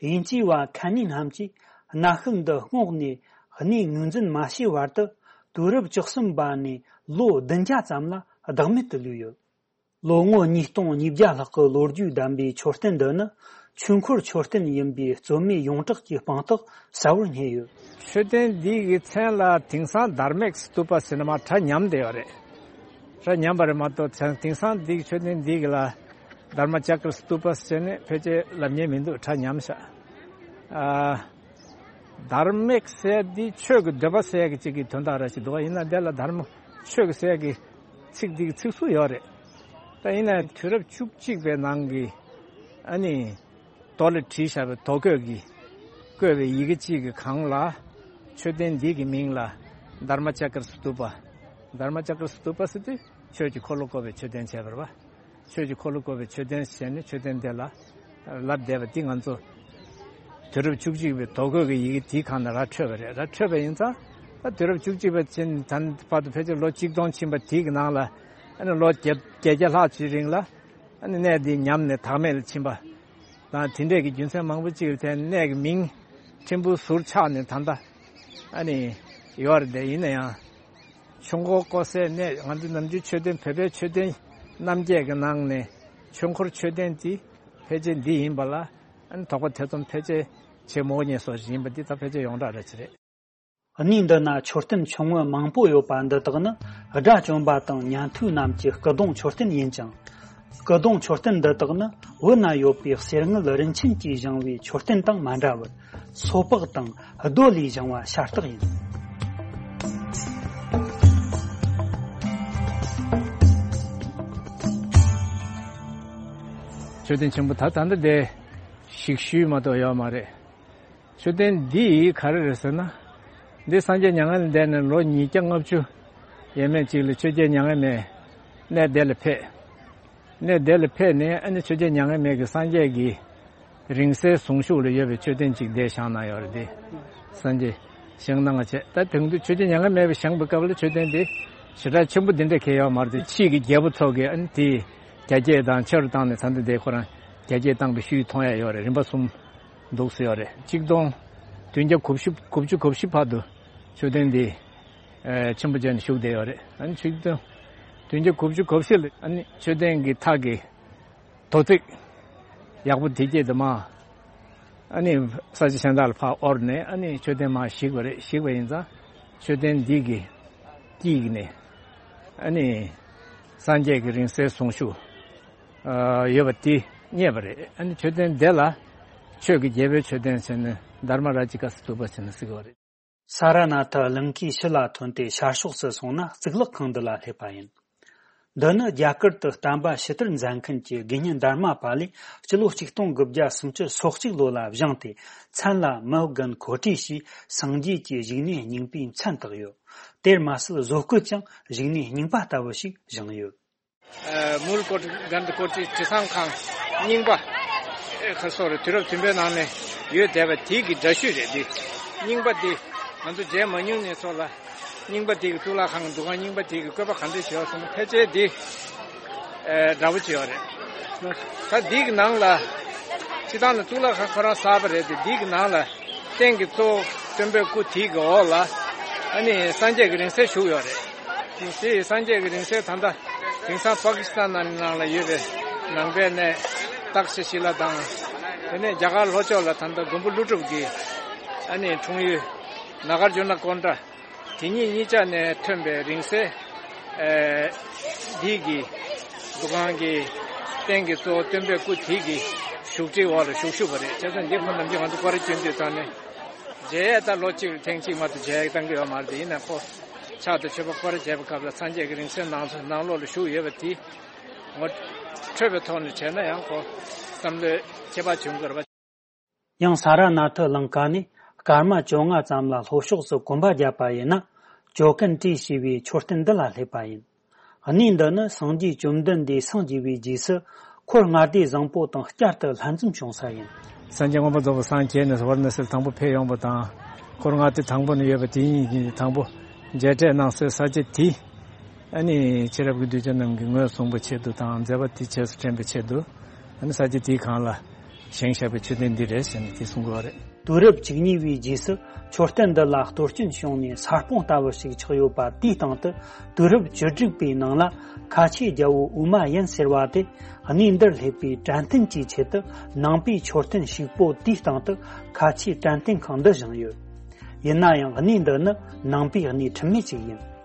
དབྱིན་ཇིའི་བ་ཁན་ནི་རྣམས་ཀྱིས་གནའ་ཤུལ་འདི་བསྔོགས་ནས་གནས་ངོས་འཛིན་མ་བྱས་བར་དུ་དུས་རབས་བཅུ་གསུམ་པ་ནས་ལོ་བདུན་བརྒྱ་ཙམ་ལ་བདག་མེད་དུ་ལུས་ཡོད། ལོ་ངོ་ཉིས་སྟོང་ཉིས་བརྒྱ་ལྷག་གི་ལོ་རྒྱུས་ལྡན་པའི་མཆོད་རྟེན་འདི་ནི་ཆོས་འཁོར་མཆོད་རྟེན་ཡིན་པའི་རྩོད་མེད་ཡོངས་གྲགས་ཀྱི་དཔང་རྟགས་གསལ་བོར་རྙེད་ཡོད། མཆོད་རྟེན་འདི་གི་མཚན་ལ་དིང་སང་དྷརྨིག་སྟུ་པ་ཟེར་ནས་མར་སྒྲ་ཉམས་བསྡད་ཡོད་རེད། སྒྲ་ཉམས་པ་རེད་མ་གཏོགས་དེང་སང་འདི་གི་མཆོད་རྟེན་འདི་གི་ལ་དྷརྨ་ཅཀྲ་སྟུ་པ་ཟེར་ནས་ཕལ་ཆེར་ལབ་མཁན་མི་འདུག་སྒྲ་ཉམས་ཤག་ཨ། དྷརྨིག་ཟེར་འདི་ཆོས་ཀྱི་འདོད་པ་ཟེར་གྱི་གཅིག་གི་དོན་དག་ར་ཞིག་འདུག་བ། ཡིན་ན་འདི་ལ་དྷརྨ་ཆོས་ཀྱི་ཟེར་གྱི་ཚིག་འདི་གི་ཚིག་ཟུར་ཡོད་རེད། ད་ཡིན་ན་དུས་རབས་བཅུ་གཅིག་པའི་ནང་གི་ཨ་ནི་རྡོ་ལ་བྲིས་བཞག་པའི་རྡོ་བརྐོས་ཀྱི་བརྐོས་པའི་ཡི་གེ་གཅིག་གི་སྒང་ལ་མཆོད་རྟེན་འདི་གི་མིང་ལ་དྷརྨ་ཅཀྲ་སྟུ་པ། དྷརྨ་ཅཀྲ་སྟུ་པ་ཟེར་དུས་ཆོས་ཀྱི་འཁོར་ལོ་བསྐོར་བའི་མཆོད་རྟེན་བྱས་པ་རེད་བ། ཆོས་ཀྱི་འཁོར་ལོ་བསྐོར་བའི་མཆོད་རྟེན་ཟེར་ནས་མཆོད་རྟེན་དེ་ལ་ལབ་བསྡད་པ་འདི་ང་ཚོ་དུས་རབས་བཅུ་གཅིག་པའི་རྡོ་བརྐོས་ཀྱི་ཡི་གེ་དེའི་སྒང་ནས་ར་འཕྲོས་པ་རེད། ར་འཕྲོས་པ་ཡིན་ཙང་ད་དུས་རབས་བཅུ་གཅིག་པ་ཕྱིན་ད་བར་དུ་ཕལ་ཆེར་ལོ་གཅིག་སྟོང་ཕྱིན་པ་དེའི་གི་ནང་ལ་ཨ་ནི་ལོ་བརྒྱད་བརྒྱད་བརྒྱ་ལྷག་ཅིག་རིང་ལ་ཨ་ནི་གནས་འདི་ཉམས་ནས་བདག་མེད་ལ་ཕྱིན་པ་དང་དེ་འདྲས་ཀྱི་རྒྱུ་མཚན་མང་པོ་ཅིག་ལ་བརྟེན་གནས་ཀྱི་མིང་ཕྲན་བུ་ཟུར་ཆག་ནས་ད་ལྟ་ཨ་ནི་ཡོད་རེད། དེ་ཡིན་ན་ཡང་ཆོས་འཁོར་བསྐོར་སའི་གནས། ང་ཚོ་ནམ་རྒྱུན་མཆོད་རྟེན་བོད་པའི་མཆོད་རྟེན་རྣམ་བརྒྱད་ཀྱི་ནང་ནས་ཆོས་འཁོར་མཆོད་རྟེན་འདི་ཕལ་ཆེར་འདི་ཡིན་པ་ལ་ཨ་ནི་དོགས་པ་ཐེ་ཚོམ་ཕལ་ཆེར་བྱེད་མི་དགོས་ངེས་སོ་ཞིག་ཡིན་པ་འདི་ད་ཕལ་ཆེར་ཡོངས་གྲགས་རེད་ཅི་རེད། གནས་འདི་ན་མཆོད་རྟེན་ཆུང་ངུ་མང་པོ་ཡོད་པ་འདི་དག་ནི་དགྲ་བཅོམ་པ་དང་ཉན་ཐོས་རྣམས་ཀྱི་སྐུ་གདུང་མཆོད་རྟེན་ཡིན་ཅིང་། སྐུ་གདུང་མཆོད་རྟེན་འདི་དག་ནི་བོད་ན་ཡོད་པའི་གསེར་དངུལ་རིན་ཆེན་གྱིས་བཞེངས་པའི་མཆོད་རྟེན་དང་མ་འདྲ་བར་སོ་ཕག་དང་རྡོ་ལས་བཞེངས་པ་ཤ་སྟག་ཡིན། མཆོད་རྟེན་ཆེན་པོ་ད་ད་འདི་དེ་ཞིག་ཞུས་མ་གཏོགས་ཡོད་མ་རེད། མཆོད་རྟེན་འདི་ག་རེ་རེད་ཟེར་ན། འདི་སངས་རྒྱས་མྱ་ངན་ལས་འདས་ནས་ལོ་ཉིས་བརྒྱ་ལྔ་བཅུ་ཡས་མས་ཅིག་ལ་ཆོས་རྒྱལ་མྱ་ངན་མེད་གནས་དེ་ལ་ཕེབས། གནས་དེ་ལ་ཕེབས་ནས་ཨ་ནི་ཆོས་རྒྱལ་མྱ་ངན་མེད་ཀྱིས་སངས་རྒྱས་ཀྱི་རིང་བསྲེལ་གཟུངས་གཞུག་ལ་ཡོད་པའི་མཆོད་རྟེན་ཅིག་འདིར་བཞེངས་གནང་ཡོད་རེད། འདི་སངས་རྒྱས་བཞེངས་གནང་བ་བྱས། ད་དེང་དུས་ཆོས་རྒྱལ་མྱ་ངན་མེད་པས་བཞེངས་པའི་སྐབས་ལ་མཆོད་རྟེན་འདི་ཞེ་དྲག་ཆེན་པོ་འདི་འདྲ་གང་ཡང་ཡོད་མ་རེད་དེ། ཕྱིས་ཀྱི་རྒྱལ་པོ་ཚོ་གིས་ཨ་ནི་དེ་རྒྱ་སྐྱེད་དང་ཆེ་རུ་བཏང་ནས་ད་ལྟ་འདི་ཁོ་རང་རྒྱ་སྐྱེད་བཏང་བའི་ཤུལ་མཐོང་ཡ་ཡོད་རེད། རིམ་པ་གསུམ་འདུག་སེ་ཡོད་རེད། གཅིག་སྟོང་ བདུན་བརྒྱ་དགུ་བཅུ་དགུ་བཅུ་གོ་བཞི་བར་དུ་མཆོད་རྟེན་འདི་ཨ་ཆེན་པོ་བྱས་ནས་བཞུགས་བསྡད་ཡོད་རེད། ཨ་ནི་མཆོད་རྟེན་བདུན་བརྒྱ་དགུ་བཅུ་གོ་བཞི་ལ་ཨ་ནི་མཆོད་རྟེན་གྱི་ཐག་གི་དོ་ཚིགས་ཡག་པོ་དེ་སྐྱེས་དུ་མ། ཨ་ནི་ས་ཆ་གཞན་དག་ལ་ཕར་དབོར་ནས་ཨ་ནི་མཆོད་རྟེན་མར་བཞིག་པ་རེད། བཞིག་པ་ཡིན་ཙང་མཆོད་རྟེན་འདི་གི་དཀྱིལ་ནས་ཨ་ནི་སངས་རྒྱས་ཀྱི་རིང་བསྲེལ་གཟུངས་གཞུག་ཨ་ཡོད་པ་དེ་རྙེད་པ་རེད། ཨ་ནི་མཆོད་རྟེན་དེ་ལ་ཆོས་ཀྱི་རྒྱལ་པོའི་མཆོད་རྟེན་ཟེར་ནས་དྷརྨ་རཱ་ཇི་ཀ་སི་ཐུ་པ་ཟེར་ནས་ཟེར་གྱི་ཡོད་རེད། ས་ར་ནཱ་ཐ་གླིང་ཁའི་ཕྱི་ལ་ཐོན་ཏེ་ཤར་ཕྱོགས་སུ་སོང་ན་གཙུག་ལག་ཁང་འདི་ལ་སླེབས་པ་ཡིན། འདི་ནི་རྒྱ་གར་དུ་བསྟན་པ་ཕྱི་དར་མཛད་མཁན་གྱི་དགེ་བསྙེན་དྷརྨ་པཱ་ལས་སྤྱི་ལོ་ཆིག་སྟོང་དགུ་བརྒྱ་སུམ་ཅུ་སོ་གཅིག་ལོ་ལ་བཞེངས་ཏེ། མཚན་ལ་མི་དགོན་གོ་ཊི་ཞེས་སངས་རྒྱས་ཀྱི་བཞུགས་གནས་རྙིང་པའི་མཚན་བཏགས་ཡོད། དེར་མ་ཟད་བཟོ་བཀོད་ཀྱང་བཞུགས་གནས་རྙིང་པ་ལྟ་བུ་ཞིག་བཞེངས་ཡོད། ཨ་མུལ་ཀོ་ཊི་གན་དྷི་ཀོ་ཊི་དྲི་བཟང་ཁང་རྙིང་པ་ཁ་སོ་རེ་དུས་རབས་བདུན་པའི་ནང་ནས་ཡོད་བསྡད་པ་དེའི་གི་འདྲ་བཤུས་རེད། འདི་རྙིང་པ་འདི་ང་ཚོ་མཇལ་མ་མྱོང་ནས་ཚོ་ལ་རྙིང་པ་དེའི་གི་གཙུག་ལག་ཁང་གི་འདུ་ཁང་རྙིང་པ་དེའི་གི་བཀོད་པ་ག་འདྲ་བྱས་ཡོད་ཟེར་ན་ཕལ་ཆེར་འདི་ཨ་འདྲ་པོ་བྱས་ཡོད་རེད། ད་འདི་གི་ནང་ལ་སྤྱི་བཏང་ལ་གཙུག་ལག་ཁང་ཁོ་རང་གསར་པ་རེད་དེ། འདི་གི་ནང་ལ་རྟེན་གྱི་གཙོ་བོ་སྟོན་པའི་སྐུ་དེའི་གི་འོག་ལ་ཨ་ནི་སངས་རྒྱས་ཀྱི་རིང་བསྲེལ་བཞུགས་ཡོད་རེད། དེ་སངས་རྒྱས་ཀྱི་རིང་བསྲེལ་ད་ལྟ་དེང་སང་པ་ཀི་སི་ཐན་ནང་ལ་ཡོད་པའི་ནང་པའི་གནས་ཏག་ཤ་ཤི་ལ་དང་། དེ་ནས་རྒྱ་གར་ལྷོ་ཕྱོགས་ལ་ད་ལྟ་མགོན་པོ་ཀླུ་སྒྲུབ་ཀྱི་ཨ་ནི་འཁྲུངས་ཡུལ་ནཱ་གཱརྫུ་ན་ཀོན་ཌ། དེ་གཉིས་གཉིས་ཆ་ནས་ཐོན་པའི་རིང་བསྲེལ་ཨ་འདི་གི་འདུ་ཁང་གི་རྟེན་གྱི་གཙོ་བོ་སྟོན་པའི་སྐུ་དེ་གི་བཞུགས་ཁྲིའི་འོག་ལ་བཞུགས་བཞུགས་པ་རེད། བྱས་ཙང་འདི་ཁོ་ནམ་རྒྱུན་ང་ཚོ་སྐོར་ར་སྐྱོན་དུས་ཙང་ནས་མཇལ་ཡས་ད་ལོ་གཅིག་ལ་ཐེངས་གཅིག་མ་གཏོགས་མཇལ་ཡས་བཏང་གི་ཡོད་མ་རེད་དེ། ཡིན་ན་ཁོ་ཕྱག་དང་མཆོད་པ་སྐོར་ར་བྱས་པའི་སྐབས་ལ་སངས་རྒྱས་ཀྱི་རིང་བསྲེལ་ནང་ནང་ལོགས་ལ་བཞུགས་ཡོད་པ་དེ་ངོ་འཕྲོད་པའི་ཐོག་ནས་བྱས་ན་ཡང་ཁོ་བསམ་བློའི་ཁྱད་པར་བྱུང་དགོས་རེད་པ། ཡང་ས་ར་ནཱ་ཐ་གླིང་ཁ་ནས་སྐར་མ་བཅོ་ལྔ་ཙམ་ལ་ལྷོ་ཕྱོགས་སུ་གོམ་པ་བརྒྱབ་པ་ཡིན་ན། ཇོ་ཀན་ཏྲི་ཞེས་པའི་མཆོད་རྟེན་འདི་ལ་སླེབས་པ་ཡིན། གནས་འདི་ནི་སངས་རྒྱས་བཅོམ་ལྡན་འདས་སངས་རྒྱས་པའི་རྗེས་སུ་འཁོར་ལྔ་སྡེ་བཟང་པོ་དང་བསྐྱར་དུ་ལྷན་འཛོམས་བྱུང་ས་ཡིན། སངས་རྒྱས་མངོན་པར་རྫོགས་པར་སངས་རྒྱས་ནས་ཝཱ་ར་ཎ་སིར་དང་པོ་ཕེབས་ཡོང་བ་དང་། འཁོར་ལྔ་སྡེ་དང་པོ་ནས་ཡོད་པ་དེ་ཉིད་ཀྱིས་དང་པོ་མཇལ་འཕྲད་གནང་སའི་ས་ཆ་དེ། ཨ་ནི་ཕྱི་རབས་ཀྱི་གདུལ་བྱ་རྣམས་ཀྱིས་ངོས་བཟུང་བའི་ཆེད་དུ་དང་། མཛད་པ་དེ་རྗེས་སུ་དྲན་པའི་ཆེད་དུ། ཨ་ནི་ས་ཆ་དེའི་སྒང་ལ་བཞེངས་བཞག་པའི་མཆོད་རྟེན་འདི་རེད་ཟེར་ནས་དེ་གསུང་གི་ཡོད་རེད། དུས་རབས་བཅུ་གཉིས་པའི་རྗེས་སུ་མཆོད་རྟེན་འདི་ལ་གཏོར་སྐྱོན་བྱུང་ནས་ས་སྤོང་ལྟ་བུ་ཞིག་ཆགས་ཡོད་པ། དེའི་སྟེང་དུ་དུས་རབས་བཅུ་དྲུག་པའི་ནང་ལ་ཁ་ཆེ་རྒྱལ་པོ་ཨུ་མ་ཡན་ཟེར་བ་དེ་གནས་འདིར་སླེབས་པའི་དྲན་རྟེན་གྱི་ཆེད་དུ་ནང་པའི་མཆོད་རྟེན་ཞིག་པོ་དེའི་སྟེང་དུ་ཁ་ཆེའི་དྲན་རྟེན་ཁང་འདི་བཞེངས་ཡོད། ཡིན་ན་ཡང་གནས་འདི་ནི་ནང་པའི་གནས་ཁྲིམས་མེད་ཅིག་ཡིན།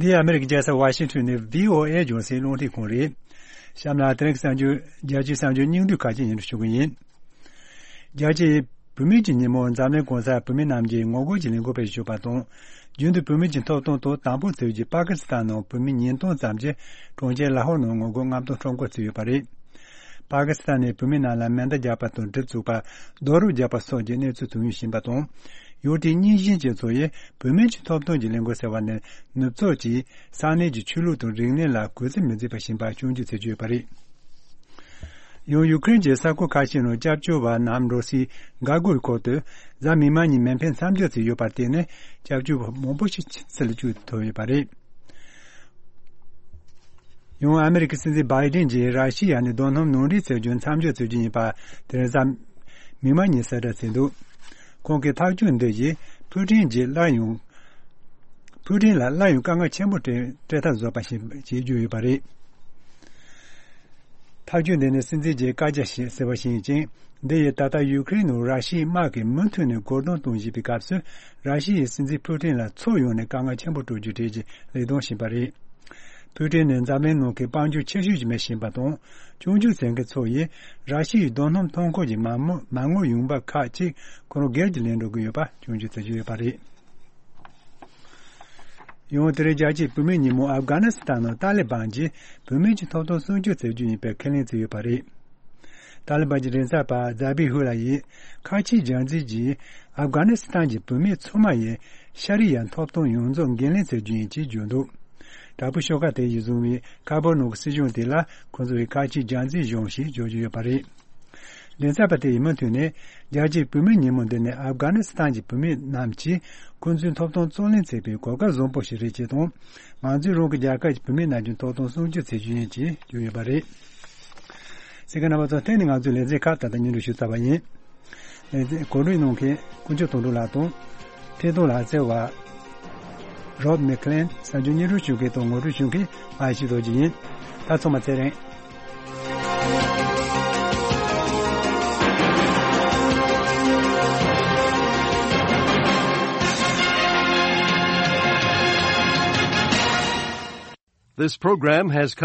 འདི་ཨ་མེ་རི་ཀའི་རྒྱལ་ས་ཝ་ཤིང་ཊོན་ནས་བྷི་ཨོ་ཨེ་རྒྱང་སྲིང་རླུང་འཕྲིན་ཁང་རེད། གཤམ་ལ་དེ་རིང་གི་གསར་འགྱུར། རྒྱལ་སྤྱིའི་གསར་འགྱུར་སྙིང་བསྡུས་ཁག་ཅིག་སྙན་སྒྲོན་ཞུ་གི་ཡིན། རྒྱལ་སྤྱིའི་བུད་མེད་ཀྱི་ཉིན་མོར་འཛམ་གླིང་གང་སར་བུད་མེད་རྣམས་ཀྱིས་ངོ་རྒོལ་གྱི་ལས་འགུལ་སྤེལ་བཞིན་ཡོད་པ་དང་། རྒྱུན་དུ་བུད་མེད་ཀྱི་ཐོབ་ཐང་ཐོག་དམ་ཕྲུག་བཙལ་རྒྱུའི་པ་ཀི་སི་ཐན་ནང་བུད་མེད་ཉིས་སྟོང་ཙམ་གྱིས་གྲོང་ཁྱེར་ལ་ཧོར་ནང་ངོ་རྒོལ་རྔམ་སྟོན་ཁྲོམ་སྐོར་བཙུགས་ཡོད་པ་རེད། པ་ཀི་སི་ཐན་ནས་བུད་མེད་རྣམས་ལ་མེ་མདའ་རྒྱག་པ་དང་གྲི་བཙུགས་པ། རྡོ་རུག་རྒྱག་པ་སོགས་ཀྱི་གནས་ཚུལ་ཐོན་ཡོང་བཞིན་པ་དང་། ཡུལ་དེའི་རྙིང་ཞེན་ཅན་ཚོ་ཡིས་བུད་མེད་ཀྱི་ཐོབ་ཐང་གི་ལས་འགུལ་ཟེར་བ་ནི་ནུབ་ཕྱོགས་ཀྱིས་ས་གནས་ཀྱི་ཆོས་ལུགས་དང་རིག་གནས་ལ་གུས་བརྩི་མི་མཛད་པ་བཞིན་པ་སྐྱོན་བརྗོད་བྱེད་ཀྱི་ཡོད་པ་རེད། ཡང་ཡུ་ཀེ་རེན་གྱི་ས་ཁུལ་ཁ་ཤས་ནང་སྐྱབས་བཅོལ་བ་རྣམས་འགྲོ་སའི་འགག་སྒོའི་ཁོག་ཏུ་གཟའ་མིག་དམར་ཉིན་མེ་འཕེན་མཚམས་འཇོག་བྱས་ཡོད་པར་བརྟེན་ནས་སྐྱབས་བཅོལ་བ་མང་པོ་ཞིག་ཕྱི་ལ་བསྐྱོད་ཐུབ་ཡོད་པ་རེད། ཡང་ཨ་མེ་རི་ཁའི་སྲིད་འཛིན་བྷའི་ཌེན་གྱིས་ར་ཤི་ཡ་ནས་རྡོ་སྣུམ་ནང་འདྲེན་བྱ་རྒྱུ་མཚམས་འཇོག་བྱ་རྒྱུ་ཡིན་པ་དེ་རིང་གཟའ་མིག་དམར་ཉིན་གསལ་བསྒྲགས་བྱས་འདུག་ཁོང་གིས་ཐག་གཅོད་འདི་ཡིས་ཕུའུ་ཀྲིན་གྱིས་སླར་ཡང་ཕུའུ་ཀྲིན་ལ་སླར་ཡང་དཀའ་ངལ་ཆེན་པོ་སྤྲད་སྤྲད་ཐབས་བཟོས་པ་ཞིག་བྱེད་རྒྱུ་ཡོད་པ་རེད། ཐག་གཅོད་འདི་ནི་སྲིད་འཛིན་གྱི་བཀའ་རྒྱ་ཞིག་ཟེར་བ་ཞིག་ཡིན་ཅིང་། འདི་ཡིས་ད་ལྟ་ཡུ་ཀེ་རེན་ནང་ར་ཤི་ཡའི་དམག་གིས་མུ་མཐུད་ནས་རྒོལ་རྡུང་གཏོང་བཞིན་པའི་སྐབས་སུ། ར་ཤི་ཡའི་སྲིད་འཛིན་ཕུའུ་ཀྲིན་ལ་ཕྱོགས་ཡོངས་ནས་དཀའ་ངལ་ཆེན་པོ་སྤྲོད་རྒྱུའི་གྲས་ཀྱི་ལས་དོན་ཡིན་པ་རེད། ཕུའུ་ཀྲིན་ནི་འཛམ་གླིང་ནང་གི་དཔལ་འབྱོར་ཆེ་ཤོས་ཀྱི་མི་ཞིག་ཡིན་པ་དང་། སྐྱོན་བརྗོད་བྱེད་མཁན་ཚོ་ཡིས་ར་ཤི་ཡའི་རྡོ་སྣུམ་ཐོན་ཁུངས་ཀྱི་མ་དངུལ་མ་དངུལ་ཡོང་འབབ་ཁག་ཅིག་ཁོ་རང་སྒེར་གྱིས་ལེན་འགྲོ་གི་ཡོད་པ་སྐྱོན་བརྗོད་བྱེད་ཀྱི་ཡོད་པ་རེད། ཡང་དེ་རིང་རྒྱལ་སྤྱིའི་བུད་མེད་ཉིན་མོ་ཨབ་གྷ་ནི་སི་ཐན་ནང་ཏཱ་ལི་བན་གྱིས་བུད་མེད་ཀྱི་ཐོབ་ཐང་སྲུང་སྐྱོབ་བྱེད་རྒྱུ་ཡིན་པའི་ཁས་ལེན་བྱས་ཡོད་པ་རེད། ཏཱ་ལི་བན་གྱི་མགྲིན་ཚབ་པ་ཛ་བི་ཧུ་ལ་ཡིས་ཁ་ཆེའི་རྒྱལ་འཛིན་གྱིས་ཨབ་གྷ་ནི་སི་ཐན་གྱི་བུད་མེད་ཚང་མ་ཡི་ཤ་རིགས་ཡ་ཐོབ་ཐང་ཡོངས་རྫོགས་འགན་ལེན་བྱེད་རྒྱུ་ཡིན་ཅེས་བརྗོད་འདུག། དྲག་པོའི་ཤོག་ཁག་དེ་ཡིས་བཟུང་བའི་ཁ་བར་ནང་གི་སྲིད་གཞུང་དེ་ལ་ཁོ་ཚོ་ཡི་ཁ་ཆེའི་རྒྱལ་འཛིན་གཞུང་ཞེས་བརྗོད་ཀྱི་ཡོད་པ་རེད། མགྲིན་ཚབ་པ་དེ་ཡིས་མུ་མཐུད་ནས་རྒྱལ་སྤྱིའི་བུད་མེད་ཉིན་མོ་འདི་ནི་ཨབ་གྷ་ནི་སི་ཐན་གྱི་བུད་མེད་རྣམས་ཀྱིས་ཁོ་ཚོའི་ཐོབ་ཐང་རྩོད་ལེན་བྱེད་པའི་གོ་སྐབས་བཟང་པོ་ཞིག་རེད་ཅེས་དང་། ང་ཚོས་རང་གི་རྒྱལ་ཁབ་ཀྱི་བུད་མེད་རྣམས་ཀྱི་ཐོབ་ཐང་སྲུང་སྐྱོབ་བྱེད་རྒྱུ་ཡིན་ཅེས་བརྗོད་ཡོད་པ་རེད། གསན་མཁན་རྣམ་པ་ཚོ། དེ་ནི་ང་ཚོའི་ལེ་ཚན་ཁག་ད་ལྟ་སྙན་སྒྲོན་ཞུས་ཚར་བ་ཡིན། ལེ་ཚན་གོ་སྒྲིག་གནང་མཁན་དཀོན་མཆོག་དོན་གྲུབ་ལགས་དང་། འཕྲིན་གཏོང་ལག་རྩལ་བ་Rob McLean། གསར་འགྱུར་སྙན་སྒྲོན་ཞུ་མཁན་དང་ངོ་སྤྲོད་ཞུ་མཁན་ཨ་ཤི་རྡོ་རྗེ་ཡིན། ད་ཚང་མ་ཚེ་རིང་། This program has